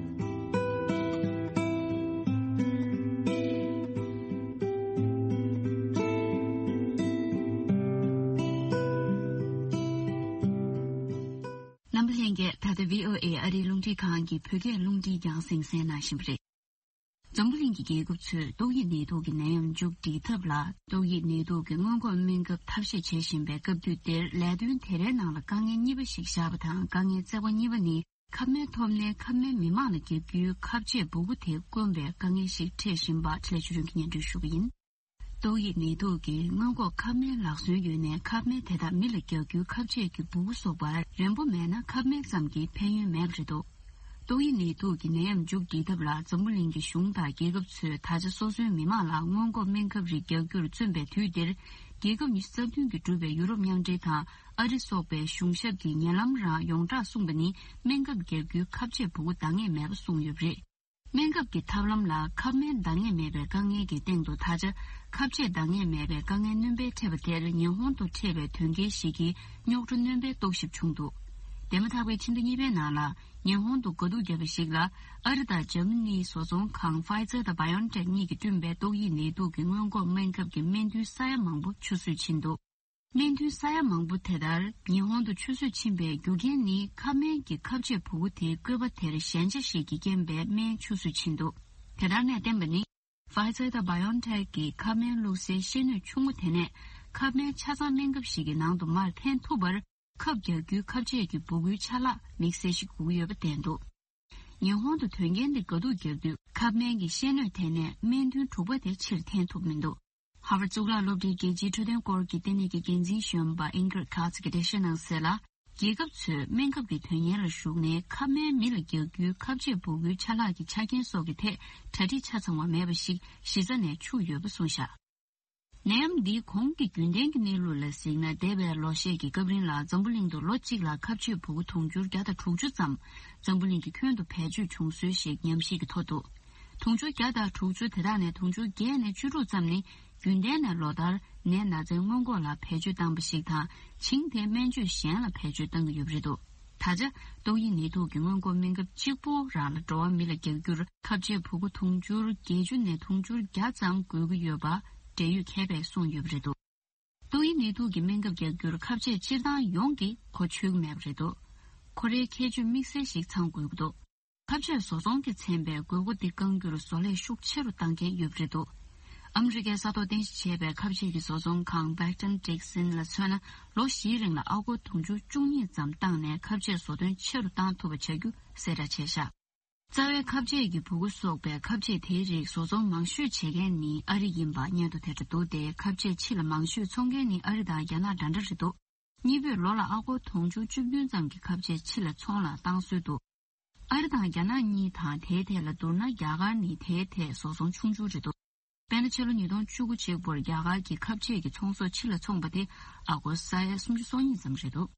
རྣམ་པ་ལྷན་རྒྱས། ད་ལྟ་བྷི་ཨོ་ཨེ་ཨ་རིའི་རླུང་འཕྲིན་ཁང་གི་བོད་སྐད་རླུང་འཕྲིན་རྒྱང་སྲིང་གསན་གནང་བཞིན་པ་རེད། འཛམ་བུ་གླིང་གི་རྒྱལ་ཁབ་ཚོས་ཏོག་དབྱིབས་ནད་དུག་གི་ནད་ཡམས་མཇུག་སྒྲིལ་ཐབས་ལ། ཏོག་དབྱིབས་ནད་དུག་གི་སྔོན་འགོག་སྨན་ཁབ་ཐབས་ཤེས་བྱེད་བཞིན་པའི་སྐབས་དུས་འདིར། ལས་དོན་དེ་རའི་ནང་ལ་དཀའ་ངལ་གཉིས་པ་ཞིག་བཞག་པ་དང་། དཀའ་ངལ་རྩ་བ་གཉིས་པ་ནི། ཁབ་སྨན་ཐོབ་ནའི་ཁབ་སྨན་མི་མང་ལ་བརྒྱབ་རྒྱུའི་ཁབ་ཆས་སྦུ་གུ་དེ་དཀོན་པའི་དཀའ་ངལ་ཞིག་འཕྲད་བཞིན་པ། ཁྲི་ལས་ཆོས་སྒྲོན་གྱིས་སྙན་སྒྲོན་ཞུ་གི་ཡིན། ཏོག་དབྱིབས་ནད་དུག་གི་སྔོན་འགོག་ཁབ་སྨན་ལག་སོན་ཡོད་ནའི་ཁབ་སྨན་དེ་དག་མི་ལ་རྒྱག་རྒྱུའི་ཁབ་ཆས་ཀྱི་སྦུ་གུ་སོགས་པར་རན་པོ་མེད་ན་ཁབ་སྨན་ཙམ་གྱིས་ཕན་ཡོན་མེད་པ་རེད་འདུག། ཏོག་དབྱིབས་ནད་དུག་གི་ནད་ཡམས་མཇུག་སྒྲིལ་ཐབས་ལ་འཛམ་བུ་གླིང་གི་གཞུང་དང་རྒྱལ་ཁབ་ཚོས་ད་ཆ་སོ་སོའི་མི་མང་ལ་སྔོན་འགོག་སྨན་ཁབ་རིགས་རྒྱག་རྒྱུར་བརྩོན་པའི་དུས་འདིར། རྒྱལ་ཁབ་ཉི་ཤུ་རྩ་བདུན་གྱིས་གྲུབ་པའི་ཡུ་རོབ་མཉམ་འབྲེལ་དང་ཨ་རི་སོགས་པའི་གཞུང་ཞབས་ཀྱིས་ཉེ་ལམ་རང་ཡོངས་གྲགས་གསུངས་པ་ནི། སྨན་ཁབ་རྒྱག་རྒྱུའི་ཁབ་ཆས་སྦུ་གུ་འདང་ངེས་མེད་པ་གསུངས་ཡོད་པ་རེད། སྨན་ཁབ་ཀྱི་ཐབས་ལམ་ལ་ཁབ་སྨན་འདང་ངེས་མེད་པའི་དཀའ་ངལ་གྱི་སྟེང་དུ། ད་ཆ་ཁབ་ཆས་འདང་ངེས་མེད་པའི་དཀའ་ངལ་སྣོན་པ་འཕྲད་པ་དེར། ཉི་ཧོང་དུ་འཕྲད་པའི་དོན་རྐྱེན་ཞིག་གིས་རྙོག་དྲ་སྣོན་པའི་རྟོག་ཞིབ་བྱུང་འདུག། འདས་མ་ཐག་པའི་ཕྱི་ཟླ་གཉིས་པའི་ནང་ལ། ཉི་ཧོང་དུ་དགའ་སྡུག་བརྒྱབ་པ་ཞིག་ལ། ཨ་རི་དང་འཇར་མ་ནིའི་བཟོ་ཚོང་ཁང་Pfizer་དང་BioNTech་གཉིས་ཀྱིས་བསྐྲུན་པའི་ཏོག་དབྱིབས་ནད་དུག་གི་སྔོན་འགོག་སྨན་ཁབ་ཀྱི་སྨན་ཐུན་ས་ཡ་མང་པོ་ཆུད་ཟོས་ཕྱིན་འདུག། སྨན་ཐུན་ས་ཡ་མང་པོ་དེ་ལྟར་ཉི་ཧོང་དུ་ཆུད་ཟོས་ཕྱིན་པའི་རྒྱུ་རྐྱེན་ནི། ཁབ་སྨན་གྱི་ཁབ་ཆས་སྦུ་གུ་དེའི་བཀོད་པ་དེར་ཞན་ཆ་ཞིག་གིས་རྐྱེན་པས་སྨན་ཆུད་ཟོས་ཕྱིན་འདུག། དེ་ལྟར་ནས་བསྟན་པ་ནི། Pfizer་དང་BioNTech་གི་ཁབ་སྨན་བླུགས་སའི་ཤེལ་སྣོད་ཆུང་ངུ་དེ་ནས། ཁབ་སྨན་ཆ་ཚང་སྨན་ཁབ་ཞིག་གི་ནང་དུ་མར་འཐེན་ཐུབ་པར། ཁབ་རྒྱག་རྒྱུའི་ཁབ་ཆས་ཀྱི་སྦུ་གུའི་ཆ་ལག་དམིགས་བསལ་ཞིག་དགོས་ཀྱི་ཡོད་པ་བསྟན་འདུག། ཉི་ཧོང་དུ་དོན་རྐྱེན་འདི་ག་འདུག་བརྒྱབ་དུས། ཁབ་སྨན་གྱི་ཤེལ་སྣོད་དེ་ནས་སྨན་ཐུན་དྲུག་པ་དེ་ཕྱིར་འཐེན་ཐུབ་མི་འདུག། ཧ་ཝར་གཙུག་ལག་སློབ་གྲྭའི་རྒྱལ་སྤྱིའི་འཕྲོད་བསྟེན་སྐོར་གྱི་ལྟེ་གནས་ཀྱི་འགན་འཛིན་གཞོན་པ་Ingrid Katz་གྱིས་འགྲེལ་བཤད་གནང་གསལ་ལ། རྒྱལ་ཁབ་ཚོས་སྨན་ཁབ་ཀྱི་དོན་གཉེར་ལ་ཞུགས་ནས། ཁབ་སྨན་མི་ལ་རྒྱག་རྒྱུའི་ཁབ་ཆས་སྦུ་གུའི་ཆ་ལག་གི་ཆ་རྐྱེན་སོགས་ཀྱི་ཐད་གྲ་སྒྲིག་ཆ་ཚང་བ་མེད་པ་ཞིག་གཞི་རྩ་ནས་འཆུག་ཡོད་པ་གསུངས་བཞག། ནད་ཡམས་འདིའི་གོང་གི་རྒྱུན་ལྡན་གྱི་གནས་ལུགས་ལ་གཟིགས་ན། འདས་པའི་ལོ་ཤས་ཀྱི་སྐབས་རིང་ལ་འཛམ་བུ་གླིང་དུ་ལོ་གཅིག་ལ་ཁབ་ཆས་སྦུ་གུ་དུང་ཕྱུར་བརྒྱ་དང་དྲུག་ཅུ་ཙམ་འཛམ་བུ་གླིང་གི་ཁྱོན་དུ་བེད་སྤྱོད་བྱུང་སྲོལ་ཞིག་ཉམས་ཞིབ་ཀྱི་ཐོག་ཏུ། དུང་ཕྱུར་བརྒྱ་དང་དྲུག་ཅུ་དེ་དག་ནས་དུང་ཕྱུར་བརྒྱད་ནས་བཅུ་དྲུག་ཙམ་ནི། རྒྱུན་ལྡན་ནས་ལོ་ལྟར་ནད་ན་ཚའི་སྔོན་འགོག་ལ་བེད་སྤྱོད་བཏང་བ་ཞིག་དང་། བྱིངས་ཏེ་སྨན་བཅོས་གཞན་ལ་བེད་སྤྱོད་བཏང་གི་ཡོད་པ་རེད་འདུག། ད་ཆ་ཏོག་དབྱིབས་ནད་དུག་གི་སྔོན་འགོག་སྨན་ཁབ་གཅིག་པོ་རང་ལ་འགྲོ་བ་མི་ལ་རྒྱག་རྒྱུར་ཁབ་ཆས་སྦུ་གུ་དུང་ཕྱུར་བརྒྱད་ཅུ་ནས་དུང་ཕྱུར་བརྒྱ་ཙམ་དགོས་ཀྱི་ཡོད་པ། འབྲེལ་ཡོད་མཁས་པས་གསུངས་ཡོད་པ་རེད་འདུག་ཏོག་དབྱིབས་ནད་དུག་གི་སྨན་ཁབ་རྒྱག་རྒྱུར་ཁ་ཆད་སྤྱིར་བཏང་ཡོངས་ཀྱིས་གོ་ཆོད་ཀྱི་མེད་པ་རེད་འདུག་ཁོ་རའི་ཁྱད་ཆོས་དམིགས་བསལ་ཞིག་ཚང་དགོས་ཀྱི་འདུག་ཁ་ཆད་བཟོ་ཚོང་གིས་མཚོན་པའི་དགོས་མཁོ་འདི་བསྐང་རྒྱུར་བཟོ་ལས་ཤུགས་ཆེ་རུ་བཏང་མཁན་ཡོད་པ་རེད་འདུག་ཨ་མི་རི་ཀའི་ས་ཐོག་རྟེན་གཞི་བྱས་པའི་ཁ་ཆད་ཀྱི་བཟོ་ཚོང་ཁང་Becton Dickinson ལ་མཚོན་ན། ལོ་བཞིའི་རིང་ལ་ཨ་སྒོར་དུང་ཕྱུར་བཅུ་གཉིས་ཙམ་བཏང་ནས་ཁ་ཆད་བཟོ་དོན་ཆེ་རུ་བཏང་ཐུབ་པ་བྱ་རྒྱུ་གསལ་བསྒྲགས་བྱས་ཤག་རྩ་བའི་ཁ་ཆད་ཀྱི་སྦུ་གུ་སོགས་པའི་ཁ་ཆད་དེའི་རིགས་བཟོ་ཚོང་མང་ཤོས་བྱེད་མཁན་ནི་ཨ་རི་ཡིན་པ་སྙན་ཐོ་དེ་འདྲ་འདུག་སྟེ། ཁ་ཆད་ཕྱི་ལ་མང་ཤོས་འཚོང་མཁན་ནི་ཨ་རི་དང་རྒྱ་ནག་འདྲ་འདྲ་རེད་འདུག་གཉིས་པོས་ལོ་ལ་ཨ་སྒོར་དུང་ཕྱུར་བཅུ་བདུན་ཙམ་གྱི་ཁ་ཆད་ཕྱི་ལ་ཚོང་ལ་བཏང་སྲོལ་འདུག་ཨ་རི་དང་རྒྱ་ནག་གཉིས་དང་དེའི་ཐད་ལ་བསྡུར་ན། རྒྱ་གར་ནི་དེའི་ཐད་བཟོ་ཚོང་ཆུང་ཆུང་རེད་འདུག་དཔེར་ན། ཕྱི་ལོ་ཉིས་སྟོང་བཅུ་དགུ་གཅིག་པུར་རྒྱ་གར་གྱི་ཁ་ཆད་ཀྱི་ཚོང་ཟོག་ཕྱི་ལ་འཚོང་པ་དེ་ཨ་སྒོར་ས་ཡ་སུམ་ཅུ་སོ་གཉིས་ཙམ་རེད་འདུག་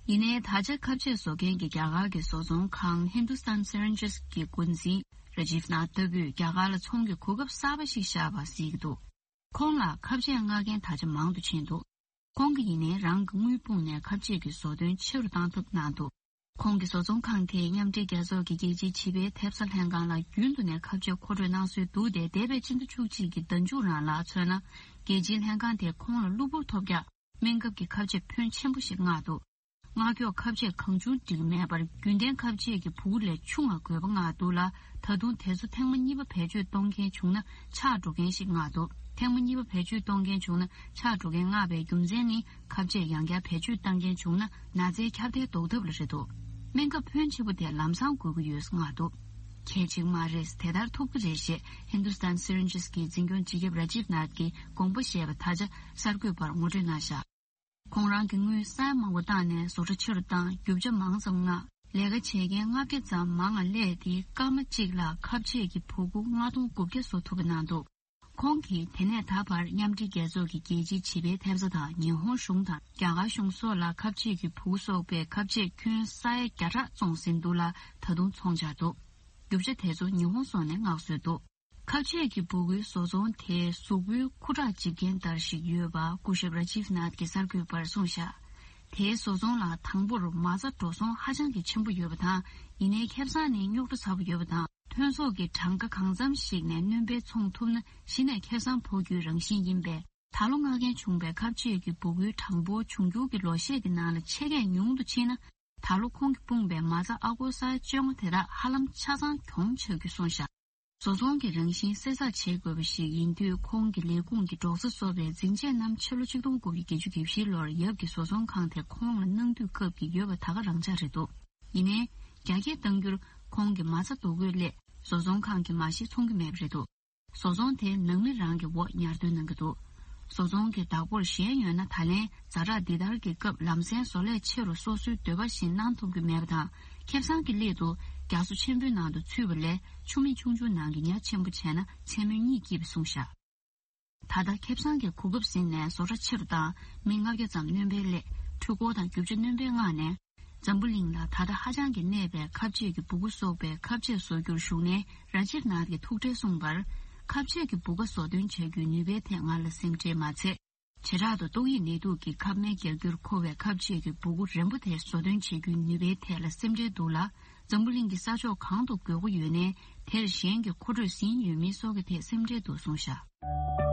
ཡིན་ནའི། ད་ཆ་ཁ་ཆད་བཟོ་མཁན་གྱི་རྒྱ་གར་གྱི་བཟོ་ཚོང་ཁང་Hindustan Syringes གི་འགོ་འཛིན་Rajiv Nath ལྟ་བུས་རྒྱ་གར་ལ་ཚོང་གི་གོ་སྐབས་གསར་པ་ཞིག་ཤར་བ་གཟིགས་ཀྱི་འདུག་ཁོང་ལ་ཁ་ཆད་མངགས་མཁན་ད་ཆ་མང་དུ་ཕྱིན་འདུག་ཁོང་གིས་ཡིན་ནའི་རང་གི་དངུལ་སྤུངས་ནས་ཁ་ཆད་ཀྱི་བཟོ་དོན་ཆེ་རུ་བཏང་ཐབས་གནང་འདུག་ཁོང་གི་བཟོ་ཚོང་ཁང་དེས་མཉམ་འབྲེལ་རྒྱལ་ཚོགས་ཀྱི་རྒྱལ་སྤྱིའི་བྱིས་པའི་ཐེབས་རྩ་ལྷན་ཁང་ལ་རྒྱུན་དུ་ནས་ཁ་ཆད་མཁོ་སྤྲོད་གནང་སྲོལ་འདུག་སྟེ། འདས་པའི་སྤྱི་ཟླ་བཅུ་གཅིག་གི་ཟླ་མཇུག་རང་ལ་མཚོན་ན། རྒྱལ་སྤྱིའི་ལྷན་ཁང་དེས་ཁོང་ལ་གློ་བུར་ཐོལ་རྒྱག་སྨན་ཁབ་ཀྱི་ཁ་ཆད་ཕོན་ཆེན་པོ་ཞིག་མངགས་འདུག་མངགས་ཀྱོག་ཁ་ཆད་གང་བྱུང་འགྲིག་མེད་པར། རྒྱུན་ལྡན་ཁ་ཆད་ཀྱི་སྦུ་གུ་ལས་ཆུང་བ་དགོས་པ་མངགས་འདུག་ལ། ད་དུང་དེ་ཚོ་ཐེངས་མ་གཉིས་པ་བེད་སྤྱོད་གཏོང་མཁན་བྱུང་ན་ཆག་འགྲོ་མཁན་ཞིག་མངགས་འདུག་ཐེངས་མ་གཉིས་པ་བེད་སྤྱོད་གཏོང་མཁན་བྱུང་ན་ཆག་འགྲོ་མཁན་མངགས་པའི་རྒྱུ་མཚན་ནི། ཁ་ཆད་ཡང་བསྐྱར་བེད་སྤྱོད་བཏང་མཁན་བྱུང་ན་ན་ཚའི་ཁྱབ་གདལ་ཟློག་ཐབས་ལ་རེད་འདུག་སྨན་ཁབ་ཕོན་ཆེ་པོ་དེ་ལམ་སང་དགོས་ཀྱི་ཡོད་མངགས་འདུག་གལ་ཆེ་མ་རེད། དེ་ལྟར་ཐུབ་ཀྱི་རེད་ཞེས་Hindustan Syringes གི་འཛིན་སྐྱོང་སྤྱི་ཁྱབ་Rajiv Nath གིས་དགོངས་པ་བཞེས་པ་ད་ཆ་གསར་འགོད་པར་ངོ་སྤྲོད་གནང་བཞག་ཁོང་རང་གིས་དངུལ་ས་ཡ་མང་པོ་བཏང་ནས་བཟོ་གྲྭ་ཆེ་རུ་བཏང་། རྒྱུ་ཆ་མང་ཙམ་མངགས། ལས་ཀ་བྱེད་མཁན་ལྔ་བརྒྱ་ཙམ་མང་བ་སླེབས་ཏེ། སྐར་མ་གཅིག་ལ་ཁ་ཆད་ཀྱི་སྦུ་གུ་ལྔ་སྟོང་དགུ་བརྒྱ་བཟོ་ཐུབ་པ་གནང་འདུག་ཁོང་གིས་དེ་ནས་ད་བར་མཉམ་འབྲེལ་རྒྱལ་ཚོགས་ཀྱི་རྒྱལ་སྤྱིའི་བྱིས་པའི་ཐེབས་རྩ་དང་། ཉི་ཧོང་གཞུང་དང་རྒྱ་གར་གཞུང་སོགས་ལ་ཁ་ཆད་ཀྱི་སྦུ་གུ་སོགས་པའི་ཁ་ཆད་ཁྱོན་ས་ཡ་བརྒྱ་ཕྲག་བཙོང་ཟིན་འདུག་ལ། ད་དུང་ཚོང་རྒྱག་འདུག་རྒྱུ་ཆ་དེ་ཚོ་ཉི་ཧོང་སོགས་ནས་མངགས་སྲོལ་འདུག་ཁ་ཆད་ཀྱི་སྦུ་གུའི་བཟོ་ཚོང་དེའི་གཟུགས་པོའི་ཁུ་ཁྲག་འཇིབ་མཁན་ལྟར་ཞིག་ཡོད་པ་སྐུ་ཞབས་Rajiv Nath གིས་གསར་འགོད་པར་གསུངས་བཞག་དེའི་བཟོ་ཚོང་ལ་དང་པོར་མ་རྩ་འགྲོ་སོང་ཧ་ཅང་གི་ཆེན་པོ་ཡོད་པ་དང་། ཡིན་ནའི་ཁེ་བཟང་ནི་རྙོག་དྲ་ཚ་པོ་ཡོད་པ་དང་། ཐོན་ཟོག་གི་གྲངས་ཀ་གང་འཚམ་ཞིག་ནས་སྣོན་པ་འཚོང་ཐུབ་ན་གཞི་ནས་ཁེ་བཟང་ཕོག་རྒྱུའི་རང་བཞིན་ཡིན་པས། ད་ལོ་མངགས་མཁན་བྱུང་བའི་ཁ་ཆད་ཀྱི་སྦུ་གུའི་གྲངས་འབོར་འབྱུང་འགྱུར་གྱི་ལོ་ཤས་ཀྱི་ནང་ལ་ཆེད་མཁས་ཉུང་དུ་ཕྱིན་ན། ད་ལོ་ཁོང་གིས་སྤུངས་པའི་མ་རྩ་ཨ་སྒོར་ས་ཡ་བཅོ་ལྔ་དེ་དག་ཧ་ལམ་ཆ་ཚང་གྱོང་ཆག་རྒྱུ་གསུངས་བཞག་བཟོ་ཚོང་གི་རང་བཞིན་གསལ་བསྒྲགས་བྱེད་དགོས་པ་ཞིག་ཡིན་དུས། ཁོང་གི་ལས་ཁུངས་ཀྱི་འབྲོག་ས་བཟོ་བའི་འཛིན་ཆས་རྣམས་ཕྱི་ལོ་ཆིག་སྟོང་དགུ་བརྒྱ་བརྒྱད་ཅུ་གྱ་བཞིའི་ལོར་ཡབ་ཀྱི་བཟོ་ཚོང་ཁང་དེ་ཁོང་ལ་གནང་དུས་སྐབས་ཀྱི་ཡོད་པ་ད་ག་རང་ཆ་རེད་འདུག་ཡིན་ནའི། རྒྱ་སྐྱེད་གཏང་རྒྱུར་ཁོང་གི་མ་རྩ་བསྡུ་དགོས་སླད། བཟོ་ཚོང་ཁང་གིས་མ་གཞི་འཚོང་གི་མེད་པ་རེད་འདུག་བཟོ་ཚོང་དེ་ནང་མི་རང་གི་འོག་ཉར་འདོད་གནང་གི་འདུག་བཟོ་ཚོང་གི་བདག་པོར་ཞེན་ཡོད་ན། ད་ལན་ཛ་དྲག་འདི་ལྟར་གྱི་སྐབས་ལམ་སེང་བཟོ་ལས་ཆེ་རུ་སོ་སོའི་འདོད་པ་བཞིན་གནང་ཐུབ་ཀྱི་མེད་པ་དང་། ཁེ་བཟང་གི་སླད་དུ་རྒྱ་མཚོ་ཆེན་པོའི་ནང་དུ་ཚུད་པ་ལས། ཆུ་མིག་ཆུང་ཆུང་ནང་གི་ཉ་ཆེན་པོ་བྱས་ན་མཚན་མོའི་གཉིད་སྐྱིད་པ་གསུངས་བཞག་ད་ལྟ་ཁེ་བཟང་གི་གོ་སྐབས་ཟིན་ནས་བཟོ་གྲྭ་ཆེ་རུ་བཏང་། མི་ལྔ་བརྒྱ་ཙམ་སྣོན་པ་སླེབས། འཕྲུལ་འཁོར་དང་རྒྱུ་ཆ་སྣོན་པ་མངགས་ནས། འཛམ་བུ་གླིང་ལ་ད་ལྟ་ཧ་ཅང་གི་གནས་པའི་ཁ་ཆད་ཀྱི་སྦུ་གུ་སོགས་པའི་ཁ་ཆད་བཟོ་རྒྱུར་ཞུགས་ནས། ར་ཇིབ་ནཱཐ་གིས་ཐུགས་ཁྲལ་གསུངས་པར། ཁ་ཆད་ཀྱི་སྦུ་ག་བཟོ་སྟོན་བྱ་རྒྱུའི་ནུས་པའི་ཐད་ང་ལ་སེམས་ཁྲལ་མ་ཚད། བྱེ་བྲག་ཏུ་ཏོག་དབྱིབས་ནད་དུག་གི་ཁབ་སྨན་རྒྱག་རྒྱུར་མཁོ་བའི་ཁ་ཆད་ཀྱི་སྦུ་གུ་རན་པོ་དེ་བཟོ་སྟོན་བྱེད་རྒྱུའི་ནུས་པའི་ཐད་ལ་སེམས་ཁྲལ་འདུག་ལ། འཛམ་བུ་གླིང་གི་ས་ཕྱོགས་གང་དུ་དགོས་མཁོ་ཡོད་ནའི། དེར་གཞན་གྱིས་མཁོ་སྤྲོད་ཟིན་ཡོད་མིན་སོགས་ཀྱི་ཐད་སེམས་ཁྲལ་འདུག་གསུངས་བཞག་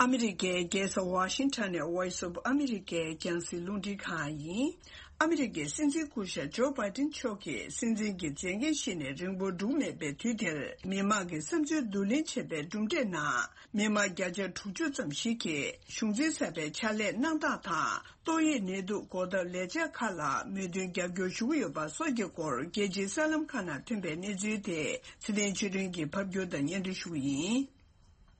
ཨ་མི་རི་ཀའི་རྒྱལ་ས་ཝ་ཤིང་ཊོན་ནས་Voice of America རྒྱང་སྲིང་རླུང་འཕྲིན་ཁང་ཡིན། ཨ་མི་རི་ཀའི་སྲིད་འཛིན་སྐུ་ཞབས་ཇོ་བྷའི་ཏིན་མཆོག་གིས་སྲིད་འཛིན་གྱི་མཛད་འགན་བཞེས་ནས་རིང་པོ་འགྲོ་མེད་པའི་དུས་དེར། མི་མང་གི་བསམ་ཚུལ་བསྡུ་ལེན་བྱས་པའི་གྲུབ་འབྲས་ནང་། མི་མང་བརྒྱ་ཆ་དྲུག་ཅུ་ཙམ་ཞིག་གིས་གཞུང་འཛིན་གསར་པའི་ཕྱག་ལས་གནང་སྟངས་དང་། ཏོག་དབྱིབས་ནད་དུག་འགོག་ཐབས་ལས་འཆར་ཁག་ལ་མོས་མཐུན་རྒྱབ་སྐྱོར་ཞུ་གི་ཡོད་པ་སོགས་ཀྱི་སྐོར། རྒྱལ་སྤྱིའི་གསར་ལམ་ཁག་ནང་ཐོན་པའི་གནས་ཚུལ་དེ་ཚེ་བརྟན་ཆོས་སྒྲོན་གྱིས་ཕབ་སྒྱུར་དང་སྙན་སྒྲོན་ཞུ་གི་ཡིན།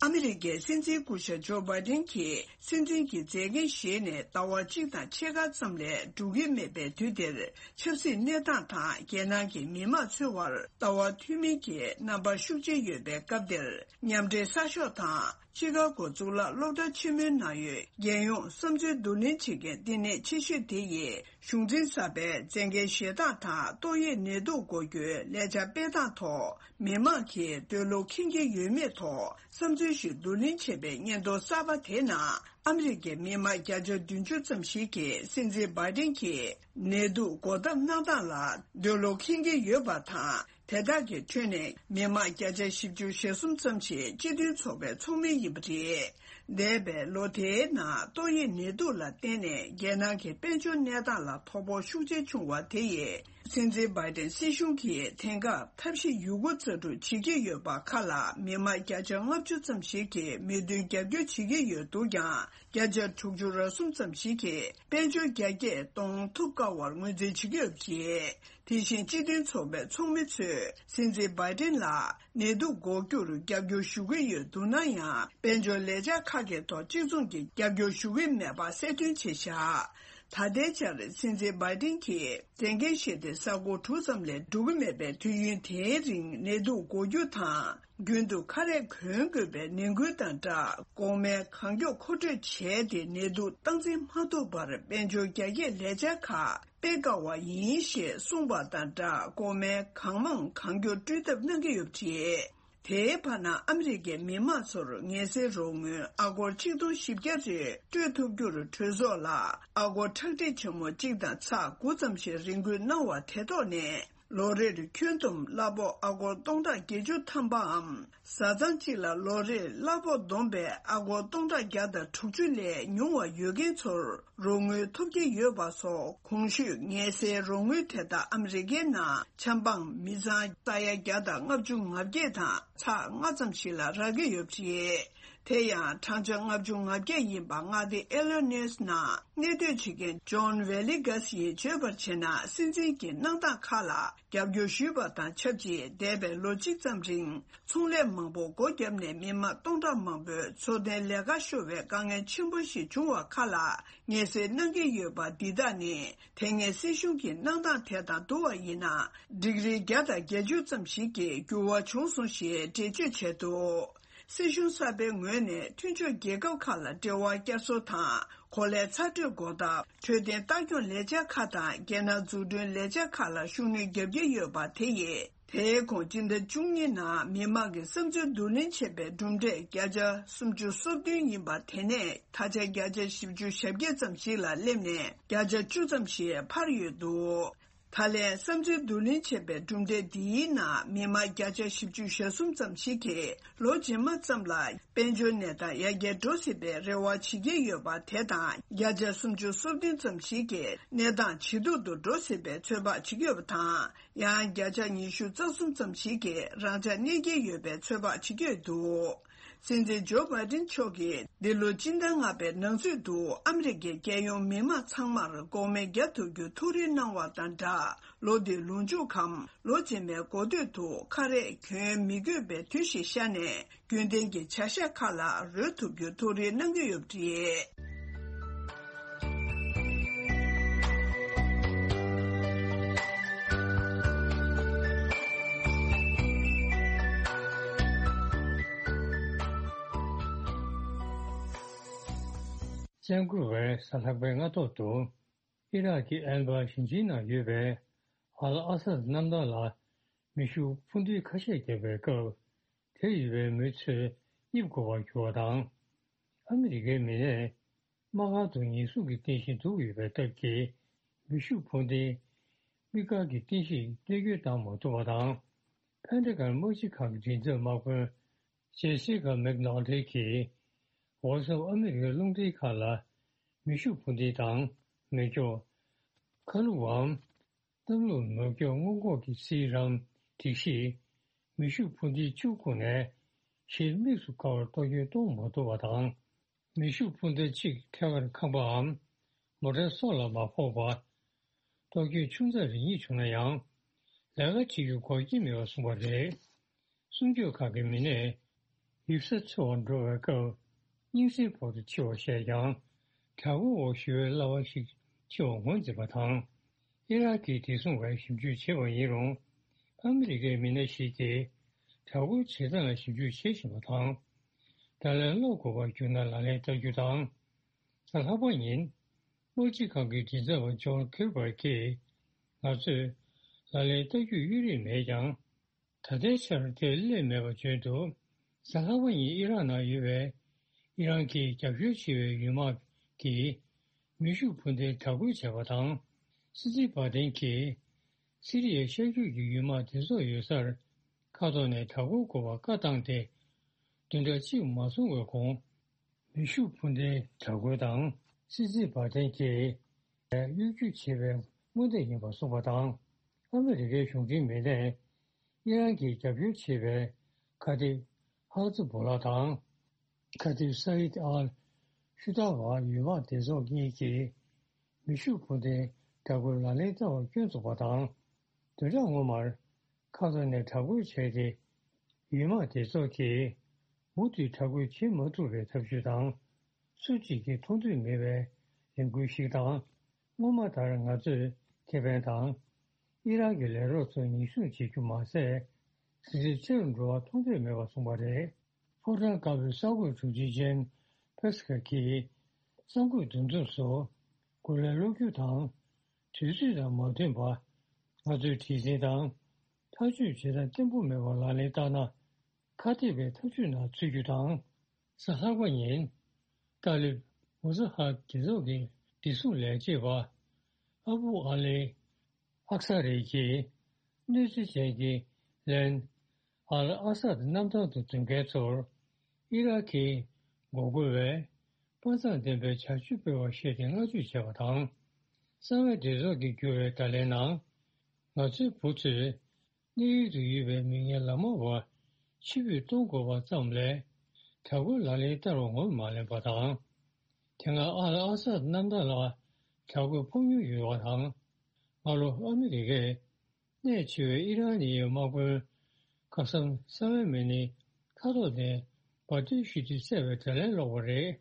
ཨ་མི་རི་ཀའི་སྲིད་འཛིན་སྐུ་ཞབས་ཇོ་བྷའི་ཌེན་གྱིས་སྲིད་འཛིན་གྱི་མཛད་འགན་བཞེས་ནས་ཟླ་བ་གཅིག་དང་ཕྱེད་ཀ་ཙམ་ལས་འགྲོ་གི་མེད་པའི་དུས་འདིར། ཆབ་སྲིད་གནས་སྟངས་དང་རྒྱལ་ནང་གི་མི་དམངས་ཚོའི་དབར་ལྟ་བ་མཐུན་མིན་གྱི་རྣམ་པ་ཤུགས་ཆེ་ཡོད་པའི་སྐབས་འདིར། མཉམ་འབྲེལ་གསར་ཤོག་དང་ཅི་ཀ་གོ་གཙུག་ལག་སློབ་གྲྭ་ཆེན་མོའི་ནང་ཡོད་རྒྱལ་ཡོངས་བསམ་ཚུལ་བསྡུ་ལེན་བྱེད་མཁན་བསྟི་གནས་ཆེ་ཤོས་དེ་ཡིས། གཞུང་འཛིན་གསར་པའི་མཛད་འགན་བཞེས་སྟངས་དང་ཏོག་དབྱིབས་ནད་དུག་འགོག་རྒྱུའི་ལས་འཆར་སྤེལ་སྟངས་ཐོག་མི་མང་གིས་འདོད་བློ་ཁེངས་ཀྱི་ཡོད་མེད་ཐོག་བསམ་ཚུལ་ཞིག་བསྡུ་ལེན་བྱས་པའི་སྙན་ཐོ་གསར་པ་དེའི་ནང་། ཨ་མི་རི་ཀའི་མི་མང་བརྒྱ་ཆ་བདུན་ཅུ་ཙམ་ཞིག་གིས་སྲིད་འཛིན་བྷའི་ཏིན་གྱིས་ནད་དུག་འགོག་ཐབས་གནང་སྟངས་ལ་འདོད་བློ་ཁེངས་ཀྱི་ཡོད་པ་དང་། དེ་དག་གི་ཁྲོད་ནས་མི་མང་བརྒྱ་ཆ་བཞི་བཅུ་ཞེ་གསུམ་ཙམ་ཞིག་སྤྱི་མཐུན་ཚོགས་པའི་ཚོགས་མི་ཡིན་པ་རེད། འདས་པའི་ལོ་དེའི་ནང་ཏོག་དབྱིབས་ནད་དུག་ལ་བརྟེན་ནས་རྒྱལ་ནང་གི་དཔལ་འབྱོར་གནས་སྟངས་ལ་དོ་ཕོག་ཤུགས་ཆེ་བྱུང་བ་དེ་ཡིས། སྲིད་འཛིན་བྷའི་ཏིན་སྲིད་གཞུང་གིས་དེང་སྐབས་ཐབས་ཤེས་ཡོད་རྒུ་རྩལ་སྤྲུགས་བྱེད་ཀྱི་ཡོད་པ་ཁག་ལ་མི་མང་བརྒྱ་ཆ་ལྔ་བཅུ་ཙམ་ཞིག་གིས་མོས་མཐུན་རྒྱབ་སྐྱོར་བྱེད་ཀྱི་ཡོད་འདུག་ཀྱང་། བརྒྱ་ཆ་དྲུག་ཅུ་རེ་གསུམ་ཙམ་ཞིག་གིས་དཔལ་འབྱོར་རྒྱ་སྐྱེད་གཏོང་ཐུབ་དཀའ་བར་ངོས་འཛིན་བྱེད་ཀྱི་ཡོད་པ་རེད། དེ་བཞིན་སྤྱི་མཐུན་ཚོགས་པའི་ཚོགས་མི་ཚོས་སྲིད་འཛིན་བྷའི་ཏིན་ལ་ནད་དུག་འགོག་རྒྱུར་རྒྱབ་སྐྱོར་ཞུ་གི་ཡོད་འདུག་ན་ཡང་། དཔལ་འབྱོར་ལས་འཆར་ཁག་གི་ཐོག་གཅིག་མཚུངས་ཀྱི་རྒྱབ་སྐྱོར་ཞུ་གི་མེད་པ་གསལ་སྟོན་བྱས་བཞག་ད་ལྟའི་ཆར་སྲིད་འཛིན་བྷའི་ཏིན་གྱིས་མཛད་འགན་བཞེས་ཏེ་ས་གོ་དྲུག་ཙམ་ལས་འགྲོ་གི་མེད་པའི་དུས་ཡུན་དེའི་རིང་ནད་དུག་འགོག་རྒྱུ་དང་། རྒྱུན་དུ་ཁ་རས་གོན་དགོས་པའི་ནན་སྐུལ་དང་སྦྲགས། འགོག་སྨན་གང་མགྱོགས་མཁོ་སྤྲོད་བྱས་ཏེ་ནད་དུག་སྟངས་འཛིན་མ་ཐུབ་པར་དཔལ་འབྱོར་རྒྱ་སྐྱེད་ལས་འཆར་ཁག་སྤེལ་དཀའ་བ་ཡིན་ཞེས་གསུངས་པ་དང་སྦྲགས། འགོག་སྨན་གང་མང་གང་མགྱོགས་སྤྲོད་ཐབས་གནང་གི་ཡོད་པ་རེད། དེའི་བར་ན་ཨ་མི་རི་ཀའི་མི་དམངས་ཚོར་ངལ་སེལ་རོགས་དངུལ་ཨ་སྒོར་ཆིག་སྟོང་བཞི་བརྒྱ་རེ་སྤྲོད་ཐུབ་རྒྱུར་གྲོས་ཚོགས་ལ་ཨ་སྒོར་ཁྲག་ཁྲིག་ཆེན་མོ་གཅིག་དང་ཚེག་དགུ་ཙམ་ཞིག་རེ་འགུལ་གནང་བ་དེ་ཐོག་ནས། ལོ་རེར་ཁྱོན་བསྡོམས་གླ་ཕོགས་ཨ་སྒོར་སྟོང་ཕྲག་བརྒྱད་ཅུ་ཐམ་པའམ། བཟའ་ཚང་གཅིག་ལ་ལོ་རེར་གླ་ཕོགས་བསྡོམས་པས་ཨ་སྒོར་སྟོང་ཕྲག་བརྒྱ་དང་དྲུག་ཅུ་ལས་ཉུང་བ་ཡོད་མཁན་ཚོར་རོགས་དངུལ་ཐོབ་ཀྱི་ཡོད་པ་སོགས། གོང་ཞུས་ངལ་སེལ་རོགས་དངུལ་དེ་དག་ཨ་མི་རི་ཀའི་ནང་ཆབ་འབངས་མི་ཚང་ས་ཡ་བརྒྱ་དང་ལྔ་བཅུ་ང་བརྒྱད་དང་ཚེག་ལྔ་ཙམ་ཞིག་ལ་རག་གི་ཡོད་པ་རེད། དེ་ཡང་བགྲང་བྱ་ལྔ་བཅུ་ང་བརྒྱད་ཡིན་པ་མངའ་སྡེ་ཨི་ལི་ནོས་ནང་གནས་སྡོད་བྱེད་མཁན་ཇོན་ཝེ་ལི་གྷ་སི་ཡིས་བརྗོད་པར་བྱས་ན། སྲིད་འཛིན་གྱི་གནང་སྟངས་ཁག་ལ་རྒྱབ་སྐྱོར་ཞུས་པ་དང་ཆབས་ཅིག་འདས་པའི་ལོ་གཅིག་ཙམ་རིང་ཚོང་ལས་མང་པོ་སྒོ་བརྒྱབ་ནས་མི་མང་སྟོང་ཕྲག་མང་པོས་འཚོ་རྟེན་ལས་ཀ་ཤོར་བའི་དཀའ་ངལ་ཆེན་པོ་ཞིག་བྱུང་བ་ཁག་ལ་ངལ་སེལ་གནང་གི་ཡོད་པ། འདི་དག་ནི་དེ་སྔའི་སྲིད་གཞུང་གི་གནང་སྟངས་དེ་དང་བསྡུར་བ་ཡིན་ན། ཌིག་རི་བརྒྱ་དང་བརྒྱད་ཅུ་ཙམ་ཞིག་གི་འགྱུར་བ་བྱུང་སོང་ཞེས་འགྲེལ་བརྗོད་བྱས་འདུག་སྲིད་གཞུང་གསར་པའི་ངོས་ནས་མཐུན་ཕྱོགས་རྒྱལ་ཁབ་ཁག་ལ་འབྲེལ་བ་བསྐྱར་གསོ་དང་། གོ་ལའི་ཚ་དྲོད་འགོག་ཐབས་འཕྲོད་བསྟེན་ལྟ་སྐྱོང་ལས་འཆར་ཁག་དང་། རྒྱལ་ནང་འཛུགས་སྐྲུན་ལས་འཆར་ཁག་ལ་ཤུགས་སྣོན་བརྒྱབ་ཀྱི་ཡོད་པ་དེ་ཡིས། དེའི་གོང་སྤྱི་ཟླ་བཅུ་གཉིས་ནང་མི་མང་གི་བསམ་ཚུལ་བསྡུ་ལེན་བྱས་པའི་གྲུབ་འབྲས་བརྒྱ་ཆ་སུམ་ཅུ་སོ་བདུན་ཡིན་པ། དེ་ནས་ད་ཆ་བརྒྱ་ཆ་བཞི་བཅུ་ཞེ་བརྒྱད་ཙམ་ཞིག་ལ་སླེབས་ནས་བརྒྱ་ཆ་བཅུ་ཙམ་ཞིག་འཕར་ཡོད་འདུག་ད་ལན་བསམ་ཚུལ་བསྡུ་ལེན་བྱས་པའི་གྲུབ་འབྲས་འདིའི་ནང་མི་མང་བརྒྱ་ཆ་བཞི་བཅུ་ཞེ་གསུམ་ཙམ་ཞིག་གིས་ལོ་རྗེས་མ་ཙམ་ལ་དཔལ་འབྱོར་གནས་སྟངས་ཡར་རྒྱས་འགྲོ་སྲིད་པའི་རེ་བ་བྱེད་ཀྱི་ཡོད་པ་དེ་དང་། བརྒྱ་ཆ་སུམ་ཅུ་སོ་བདུན་ཙམ་ཞིག་གིས་གནས་སྟངས་ཇེ་སྡུག་ཏུ་འགྲོ་སྲིད་པའི་ཚོད་དཔག་བྱེད་ཀྱི་ཡོད་པ་དང་། ཡང་བརྒྱ་ཆ་ཉི་ཤུ་རྩ་གསུམ་ཙམ་ཞིག་གིས་རང་འཇགས་གནས་ཀྱི་ཡོད་པའི་ཚོད་དཔག་བྱེད་ཀྱི་ཡོད་འདུག་སྲིད་འཛིན་ཇོ་བྷའི་ཏིན་མཆོག་གིས་འདི་ལོ་སྤྱི་ཟླ་ལྔ་པའི་ནང་ཚུད་དུ་ཨ་མི་རི་ཀའི་རྒྱལ་ཡོངས་མི་དམངས་ཚང་མར་འགོག་སྨན་བརྒྱབ་ཐུབ་རྒྱུ་ཐུགས་རེ་གནང་བ་དང་སྦྲགས། ལོ་འདིའི་ལོ་མཇུག་གམ་ལོ་རྗེས་མའི་འགོ་སྟོད་དུ་ཁ་རས་གྱོན་མི་དགོས་པའི་དུས་ཤིག་ཤར་ནས། རྒྱུན་ལྡན་གྱི་བྱ་གཞག་ཁག་ལ་རོལ་ཐུབ་རྒྱུ་ཐུགས་རེ་གནང་གི་ཡོད་པ་རེད། བཙན་བཀོལ་བའི་གཟའ་ལྷག་པའི་སྔ་ཐོག་ཏུ། ཨི་རག་གི་ཨན་བར་ཞིང་ཆེན་ནང་ཡོད་པའི་ཨལ་ཨ་སད་གནམ་ཐང་ལ་མེ་ཤུགས་འཕུར་མདེལ་ཁ་ཤས་བརྒྱབ་པའི་སྐབས། དེར་ཡོད་པའི་མི་ཚོས་རྙེད་དགོས་པར་གྱུར་བ་དང་། ཨ་མི་རི་ཀའི་མི་སྣས་དམག་སྒར་དུ་ཉེན་སྲུང་གི་རྟེན་གཞི་འདུག་ཡོད་པའི་སྟབས་ཀྱིས། མེ་ཤུགས་འཕུར་མདེལ་དམིགས་བཀར་གྱི་རྟེན་གཞིར་གནོད་སྐྱོན་བཏང་མ་ཐུབ་པ་དང་། ཕན་ཏ་གྷོན་དམག་སྤྱི་ཁང་གི་མགྲིན་ཚབ་དམག་དཔོན་ཇེ་སི་ཀ་མེག་ནོ་ལི་གིས། འོག་ཟམ་ཨ་མི་རི་ཀའི་རླུང་འཕྲིན་ཁག་ལ་མེ་ཤུགས་འཕུར་མདེལ་དང་མེ་སྒྱོགས། ཁ་ལུབ་བམ། གཏམ་ལུགས་མེ་སྒྱོགས་སྔོན་འགོག་གི་སིལ་རམ་སྒྲིག་གཞིས་མེ་ཤུགས་འཕུར་མདེལ་བཅུ་བཀོལ་ནས་གཞིར་དམིགས་སུ་བཀར་བར་གཏོར་སྐྱོན་གཏོང་མ་ཐུབ་པ་དང་། མེ་ཤུགས་འཕུར་མདེལ་གཅིག་ཐད་ཀར་ཁང་པའམ་མོ་ཊའི་སོ་ལ་མ་ཕོག་པར། གཏོར་སྐྱོན་ཆུང་ཙག་རེ་གཉིས་བྱུང་ན་ཡང་། ལས་ཀ་བྱེད་རྒྱུ་འགོག་རྐྱེན་མེད་པར་གསུངས་པ་རེད། གསུང་ཆོས་ཁག་གི་མི་སྣས། ཡིབ་ས་འཚོལ་བར་འགྲོ་བའི་སྐབས། སྙིང་སེར་ཕོག་ཏུ་འཆི་བར་བཤད་ཀྱང་། དྲག་པོའི་འོག་ཞི་བའི་བསླབ་པ་ཞིག་འཆི་བར་ངོས་འཛིན་པ་དང་། ཨི་རག་གིས་བདེ་སྲུང་བས་ཞིབ་འཇུག་བྱས་པ་ཡིན་རུང་། ཨ་མི་རི་ཀའི་མི་སྣ་ཞིག་གིས་དྲག་པོའི་བྱེད་སྟངས་ལ་ཞིབ་འཇུག་བྱེད་བཞིན་པ་དང་། ད་ལན་བློ་འགོག་པར་གྱུར་ན་ལག་ལེན་བསྟར་རྒྱུ་དང་། གཟའ་ལྷག་པ་ཉིན། དམག་སྤྱི་ཁང་གི་མགྲིན་ཚབ་པ་ཇོན་ཁིར་པར་གྱིས། ང་ཚོས་ལག་ལེན་བསྟར་རྒྱུར་གཡོལ་རིན་མེད་ཀྱང་། ད་ལྟའི་ཆར་དེ་སླེབས་མེད་པ་བརྗོད་འདུག་གཟའ་ལྷག་པ་ཉིན་ཨི་རག་ནང་ཡོད་པའི་ཨི་རན་གྱི་རྒྱབ་སྐྱོར་བྱེད་པའི་ཡུལ་དམག་གིས་མེ་ཤུགས་འཕུར་མདེལ་དྲག་རྒོལ་བྱས་པ་དང་། སྲིད་འཛིན་བྷ་དན་གྱིས་སི་རི་ཡའི་ཤར་རྒྱུད་ཀྱི་ཡུལ་དམག་སྡེ་ཚོགས་ཡོད་སར་མཁའ་ཐོག་ནས་དྲག་རྒོལ་དགོས་པར་བཀའ་བཏང་སྟེ། བདུན་ཕྲག་གཅིག་མ་སོང་བའི་གོང་། མེ་ཤུགས་འཕུར་མདེལ་དྲག་རྒོལ་དང་སྲིད་འཛིན་བྷ་དན་གྱིས་གཡོ་སྒྱུ་བྱེད་པའི་དངོས་འབྲེལ་ཡིན་པར་གསུངས་པ་དང་། ཨ་མི་རི་ཀའི་གཞུང་འབྲེལ་མི་སྣས་ཨི་རན་གྱིས་རྒྱབ་སྐྱོར་བྱེད་པའི་ཁ་གཏད་ཧ་ཛི་བྷོ་ལ་དང་། ཁ་ཏིབ་སཱ་ཨིད་ཨལ་ཤུ་ཏཱ་བ་ཡུལ་དམག་སྡེ་ཚོགས་གཉིས་ཀྱིས་མེ་ཤུགས་འཕུར་མདེལ་དྲག་རྒོལ་ལག་ལེན་བསྟར་བར་སྐྱོན་བཙུགས་པ་དང་། བདུན་ཕྲག་སྔོན་མར་མཁའ་ཐོག་ནས་དྲག་རྒོལ་བྱས་ཏེ། ཡུལ་དམག་སྡེ་ཚོགས་ཀྱིས་མུ་མཐུད་དྲག་རྒོལ་བྱེད་མ་ཐུབ་པའི་ཐབས་ཇུས་དང་། སུ་གཅིག་གིས་མཐོང་ཐོས་མེད་པའི་ལས་འགུལ་ཞིག་དང་། སྔོན་མ་ལྟར་ང་ཚོས་ཁེ་ཕན་དང་། ཨི་རག་གི་ལས་རོགས་ཚོ་ཉེན་སྲུང་བྱེད་རྒྱུ་མ་ཟད། ཟིན་བྲིས་ཆེ་རུ་འགྲོ་བ་མཐོང་ཐོས་མེད་པར་གསུངས་པ་རེད། ཕོ་བྲང་དཀར་པོའི་གསར་འགོད་དྲུང་ཆེ་ཇེན་ཕེ་སི་ཁེར་གྱིས་གསར་འགོད་འདུ་འཛོམས་སུ་གོ་ལའི་གློག་འཁྱུག་དང་དུས་ཚོད་དང་མ་མཐུན་པ། ང་ཚོའི་བྲེལ་ཟིང་དང་ཐག་གཅོད་བྱེད་སྟངས་བརྟན་པོ་མེད་པ་ལག་ལེན་བསྟར་ན། ཁ་གཏད་པའི་ཐག་གཅོད་ནང་ཚུད་རྒྱུ་དང་། གཟའ་ལྷག་པ་ཉིན། ཏཱ་ལིབ་མུ་ཛ་ཧར་སྡེ་ཚོགས་ཀྱི་བདེ་སྲུང་ལས་བྱེད་པ་ཨ་བུ་ཨ་ལེ། ཨག་ས་རེ་གྱིས་གནོད་འཚེ་ཅན་གྱི་ལན་ཨལ་ཨ་སཱད་གནམ་ཐང་དུ་འཛུལ་མཁན་ཚོར་ཨི་རག་གིས་འགོག་རྒོལ་བའི་དཔའ་མཛངས་ལྡན་པའི་བྱ་སྤྱོད་སྤེལ་བར་བཤད་དེ་བསྔགས་བརྗོད་བྱས་པ་དང་། གསང་བའི་སྡེ་ཚོགས་ཀྱིས་བསྒྱུར་བའི་བརྡ་ལན་ནང་། ང་ཚོའི་བུ་ཚོས་གནས་ཡུལ་དུ་ཡོད་པའི་མི་ངན་ལ་མ་བ་ཕྱིར་འབུད་གཏོང་དགོས་པ་ཙམ་ལས། དྲག་རྒོལ་ལག་ལེན་བསྟར་བ་ངོས་མ་ལེན་པ་དང་། དེ་སྔ་ཨལ་ཨ་སཱད་གནམ་ཐང་ལ་དྲག་རྒོལ་ཕོག་མྱོང་ཡོད་པ་དང་། སྔ་ལོ་ཨ་མི་རི་ཀས་གནས་ཆེ་བའི་ཨི་རན་ནི་ཡི་དམག་དཔོན་ཁ་སམ་སཱ་ལེ་མེ་ནི་མཁའ་ཐོག་ནས་འབར་མདེལ་གཞུས་ཏེ་བསད་པའི་དྲིན་ལན་སློག་པ་རེད།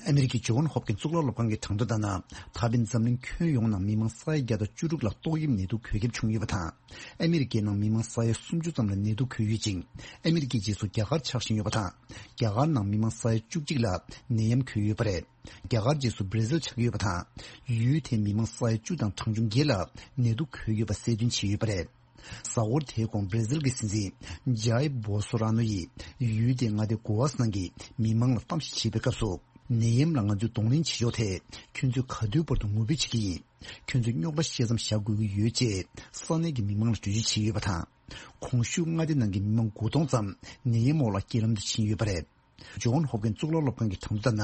ཨ་མི་རི་ཀའི་ཇོན་ཧོབ་ཀིན་གཙུག་ལག་སློབ་ཁང་གི་གྲངས་ཐོ་ལྟར་ན། ད་ཕན་འཛམ་གླིང་ཁྱོན་ཡོངས་ནང་མི་མང་ས་ཡ་བརྒྱ་དང་བཅུ་དྲུག་ལ་ཏོག་དབྱིབས་ནད་དུག་འགོས་ཁྱབ་བྱུང་ཡོད་པ་དང་། ཨ་མི་རི་ཀའི་ནང་མི་མང་ས་ཡ་སུམ་ཅུ་ཙམ་ལ་ནད་དུག་འགོས་ཡོད་ཅིང་། ཨ་མི་རི་ཀའི་རྗེས་སུ་རྒྱ་གར་ཆགས་བཞིན་ཡོད་པ་དང་། རྒྱ་གར་ནང་མི་མང་ས་ཡ་བཅུ་གཅིག་ལ་ནད་ཡམས་འགོས་ཡོད་པ་རེད། རྒྱ་གར་རྗེས་སུ་བྷར་ཛིལ་ཆགས་ཡོད་པ་དང་། ཡུལ་དེའི་མི་མང་ས་ཡ་བཅུ་དང་གྲངས་ཆུང་བརྒྱད་ལ་ནད་དུག་འགོས་ཡོད་པ་གསལ་སྟོན་བྱས་ཡོད་པ་རེད། གཟའ་འཁོར་དེའི་གོང་བྷར་ཛིལ་གྱི་སྲིད་འཛིན་ཇའི་བོ་སོ་ར་ནོ་ཡིས་ཡུལ་དེའི་མངའ་སྡེ་གོ་ཝཱ་སི་ནང་གི་མི་མང་ལ་གཏམ་བཤད་བྱེད་པའི་སྐབས་སུ། ནད་ཡམས་ལ་ང་ཚོས་གདོང་ལེན་བྱེད་ཕྱོགས་ཐད་ཁྱོད་ཚོས་ག་དུས་བར་དུ་ངུ་འབོད་བྱེད་ཀྱི་ཡིན། ཁྱོད་ཚོས་རྙོག་དྲ་བཤད་མཚམས་བཞག་དགོས་ཀྱི་ཡོད་ཅེས་ས་གནས་ཀྱི་མི་མང་ལ་གྲོས་ཆོད་བྱས་ཡོད་པ་དང་། གོང་ཞུས་མངའ་སྡེ་ནང་གི་མི་མང་དགུ་སྟོང་ཙམ་ནད་ཡམས་འོག་ལ་རྐྱེན་ལམ་དུ་ཕྱིན་ཡོད་པ་རེད། ཇོན་ཧོབ་ཀིན་གཙུག་ལག་སློབ་ཁང་གི་གྲངས་ཐོ་ལྟར་ན།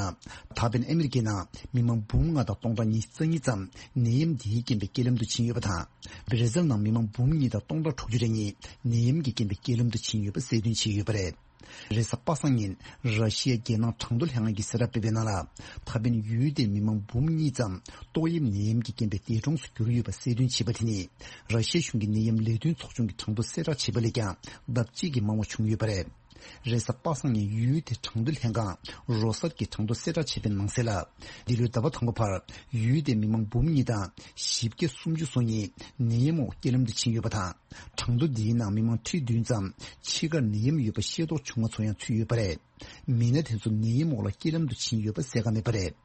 ད་ཕན་ཨ་མི་རི་ཀའི་ནང་མི་མང་འབུམ་ལྔ་དང་སྟོང་ཕྲག་ཉི་ཤུ་རྩ་གཉིས་ཙམ་ནད་ཡམས་འདིའི་རྐྱེན་པས་རྐྱེན་ལམ་དུ་ཕྱིན་ཡོད་པ་དང་། བྷར་ཛིལ་ནང་མི་མང་འབུམ་གཉིས་དང་སྟོང་ཕྲག་དྲུག་ཅུ་རེ་གཉིས་ནད་ཡམས་ཀྱི་རྐྱེན་པས་རྐྱེན་ལམ་དུ་ཕྱིན་ཡོད་པ་གསལ་སྟོན་བྱས་ཡོད་པ་རེད། རེས་གཟའ་པ་སངས་ཉིན་ར་ཤི་ཡའི་རྒྱལ་ནང་གྲངས་ཐོ་ལྷན་ཁང་གིས་གསལ་བསྒྲགས་སྤེལ་བའི་ནང་ལ། ད་ཕན་ཡུལ་དེའི་མི་མང་འབུམ་གཉིས་ཙམ་ཏོག་དབྱིབས་ནད་ཡམས་ཀྱི་རྐྱེན་པས་འདས་གྲོངས་སུ་གྱུར་ཡོད་པ་གསལ་སྟོན་བྱས་པ་དེ་ནི། ར་ཤི་ཡའི་གཞུང་གི་ནད་ཡམས་ལས་དོན་ཚོགས་ཆུང་གི་གྲངས་ཐོ་གསལ་བསྒྲགས་བྱས་པ་ལས་ཀྱང་ལྡབ་གཅིག་གིས་མང་བ་བྱུང་ཡོད་པ་རེད། རེས་གཟའ་པ་སངས་ཉིན་ཡུལ་དེའི་གྲངས་ཐོ་ལྷན་ཁང་རོ་སར་གྱིས་གྲངས་ཐོ་གསལ་བསྒྲགས་བྱས་པའི་ནང་གསལ་ལ། འདི་ལོའི་ཟླ་བ་དང་པོ་བར་ཡུལ་དེའི་མི་མང་འབུམ་གཉིས་དང་བཞི་བརྒྱ་སུམ་ཅུ་སོ་གཉིས་ནད་ཡམས་འོག་རྐྱེན་ལམ་དུ་ཕྱིན་ཡོད་པ་དང་། གྲངས་ཐོ་འདིའི་ནང་མི་མང་ཁྲི་བདུན་ཙམ་ཕྱི་ཁར་ནད་ཡམས་ཡོད་པ་ཤེས་རྟོགས་བྱུང་བ་ཚོ་ཡང་ཚུད་ཡོད་པ་རེད། མི་སྣ་དེ་ཚོ་ནད་ཡམས་འོག་ལ་རྐྱེན་ལམ་དུ་ཕྱིན་ཡོད་པ་གསལ་ཁ་མེད་པ་རེད།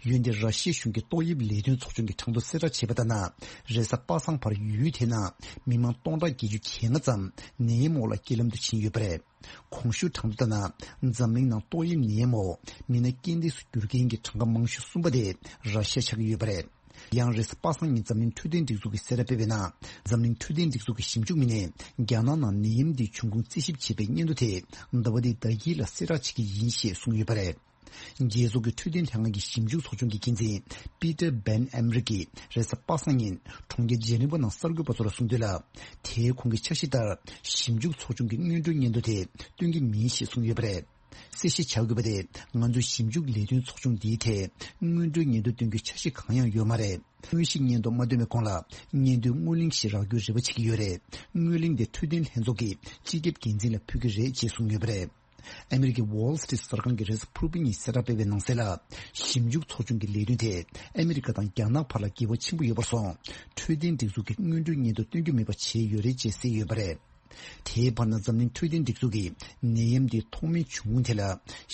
འོན་ཏེ་ར་ཤི་ཡའི་གཞུང་གི་ཏོག་དབྱིབས་ལས་དོན་ཚོགས་ཆུང་གིས་གྲངས་ཐོ་གསལ་བསྒྲགས་བྱས་པ་ལྟར་ན། རེས་གཟའ་པ་སངས་བར་ཡུལ་དེའི་ནང་མི་མང་སྟོང་ཕྲག་བརྒྱད་ཅུ་གྱ་ལྔ་ཙམ་ནད་ཡམས་འོག་ལ་རྐྱེན་ལམ་དུ་ཕྱིན་ཡོད་པ་རེད། གོང་ཞུས་གྲངས་ཐོ་ལྟར་ན། འཛམ་གླིང་ནང་ཏོག་དབྱིབས་ནད་ཡམས་འོག་མི་སྣ་རྐྱེན་འདས་སུ་གྱུར་མཁན་གྱི་གྲངས་ཀ་མང་ཤོས་གསུམ་པ་དེ་ར་ཤི་ཡ་ཆགས་ཀྱི་ཡོད་པ་རེད། ཡང་རེས་གཟའ་པ་སངས་ཉིན་འཛམ་གླིང་འཕྲོད་བསྟེན་སྒྲིག་འཛུགས་ཀྱིས་གསལ་བསྒྲགས་སྤེལ་བའི་ནང་། འཛམ་གླིང་འཕྲོད་བསྟེན་སྒྲིག་འཛུགས་ཀྱི་ཞིབ་འཇུག་མི་སྣས་རྒྱ་ནག་ནང་ནད་ཡམས་འདིའི་འབྱུང་ཁུངས་རྩད་ཞིབ་བྱེད་པའི་སྙན་ཐོ་དེ་ཟླ་བ་འདིའི་ཟླ་དཀྱིལ་ལ་གསལ་བསྒྲགས་བྱེད་ཀྱི་ཡིན་ཞེས་གསུངས་ཡོད་པ་རེད། རྒྱལ་ཚོགས་ཀྱི་འཕྲོད་བསྟེན་ལྷན་ཁང་གི་ཞིབ་འཇུག་ཚོགས་ཆུང་གི་འགན་འཛིན་པི་ཏར་བན་ཨེམ་རི་ཀྱིས་རེས་གཟའ་པ་སངས་ཉིན་གྲོང་ཁྱེར་ཇེ་ནི་ཝ་ནང་གསར་འགོད་པ་ཚོ་ལ་གསུངས་དོན་ལ། དེའི་ཁོང་གི་འཆར་གཞི་ལྟར་ཞིབ་འཇུག་ཚོགས་ཆུང་གི་སྔོན་འགྲོའི་སྙན་ཐོ་དེ་སྟོན་གྱི་མིན་ཞེས་གསུངས་ཡོད་པ་རེད། གསལ་བཤད་བྱ་དགོས་པ་དེ། ང་ཚོའི་ཞིབ་འཇུག་ལས་དོན་ཚོགས་ཆུང་འདིའི་ཐད་སྔོན་འགྲོའི་སྙན་ཐོ་སྟོན་རྒྱུའི་འཆར་གཞི་གང་ཡང་ཡོད་མ་རེད། དངོས་གཞི་སྙན་ཐོ་མ་བཏོན་པའི་གོང་ལ་སྙན་ཐོའི་སྔོན་གླེང་ཞིག་རག་རྒྱུའི་རེ་བ་བྱེད་ཀྱི་ཡོད་རེད། སྔོན་གླེང་དེ་འཕྲོད་བསྟེན་ལྷན་ཚོགས་ཀྱི་སྤྱི་ཁྱབ་འགན་འཛིན་ལ་ཕུལ་གྱི་རེད་ཅེས་གསུངས་ཡོད་པ་རེད། ཨ་མི་རི་ཀའི་Wall Street གསར་ཁང་གིས་རེས་གཟའ་ཕུར་བུ་ཉིན་གསལ་བསྒྲགས་སྤེལ་བའི་ནང་གསལ་ལ། ཞིབ་འཇུག་ཚོགས་ཆུང་གི་ལས་དོན་དེ་ཨ་མི་རི་ཀ་དང་རྒྱ་ནག་བར་ལ་འགལ་བ་ཆེན་པོ་ཡོད་པར་སོང་། འཕྲོད་བསྟེན་སྒྲིག་འཛུགས་ཀྱིས་སྔོན་འགྲོའི་སྙན་ཐོ་སྟོན་རྒྱུ་མེད་པ་བྱས་ཡོད་རེད་ཅེས་གསལ་ཡོད་པ་རེད། དེའི་བར་ན་འཛམ་གླིང་འཕྲོད་བསྟེན་སྒྲིག་འཛུགས་ཀྱིས་ནད་ཡམས་འདི་ཐོག་མའི་བྱུང་ཁུངས་ཐད་ལ་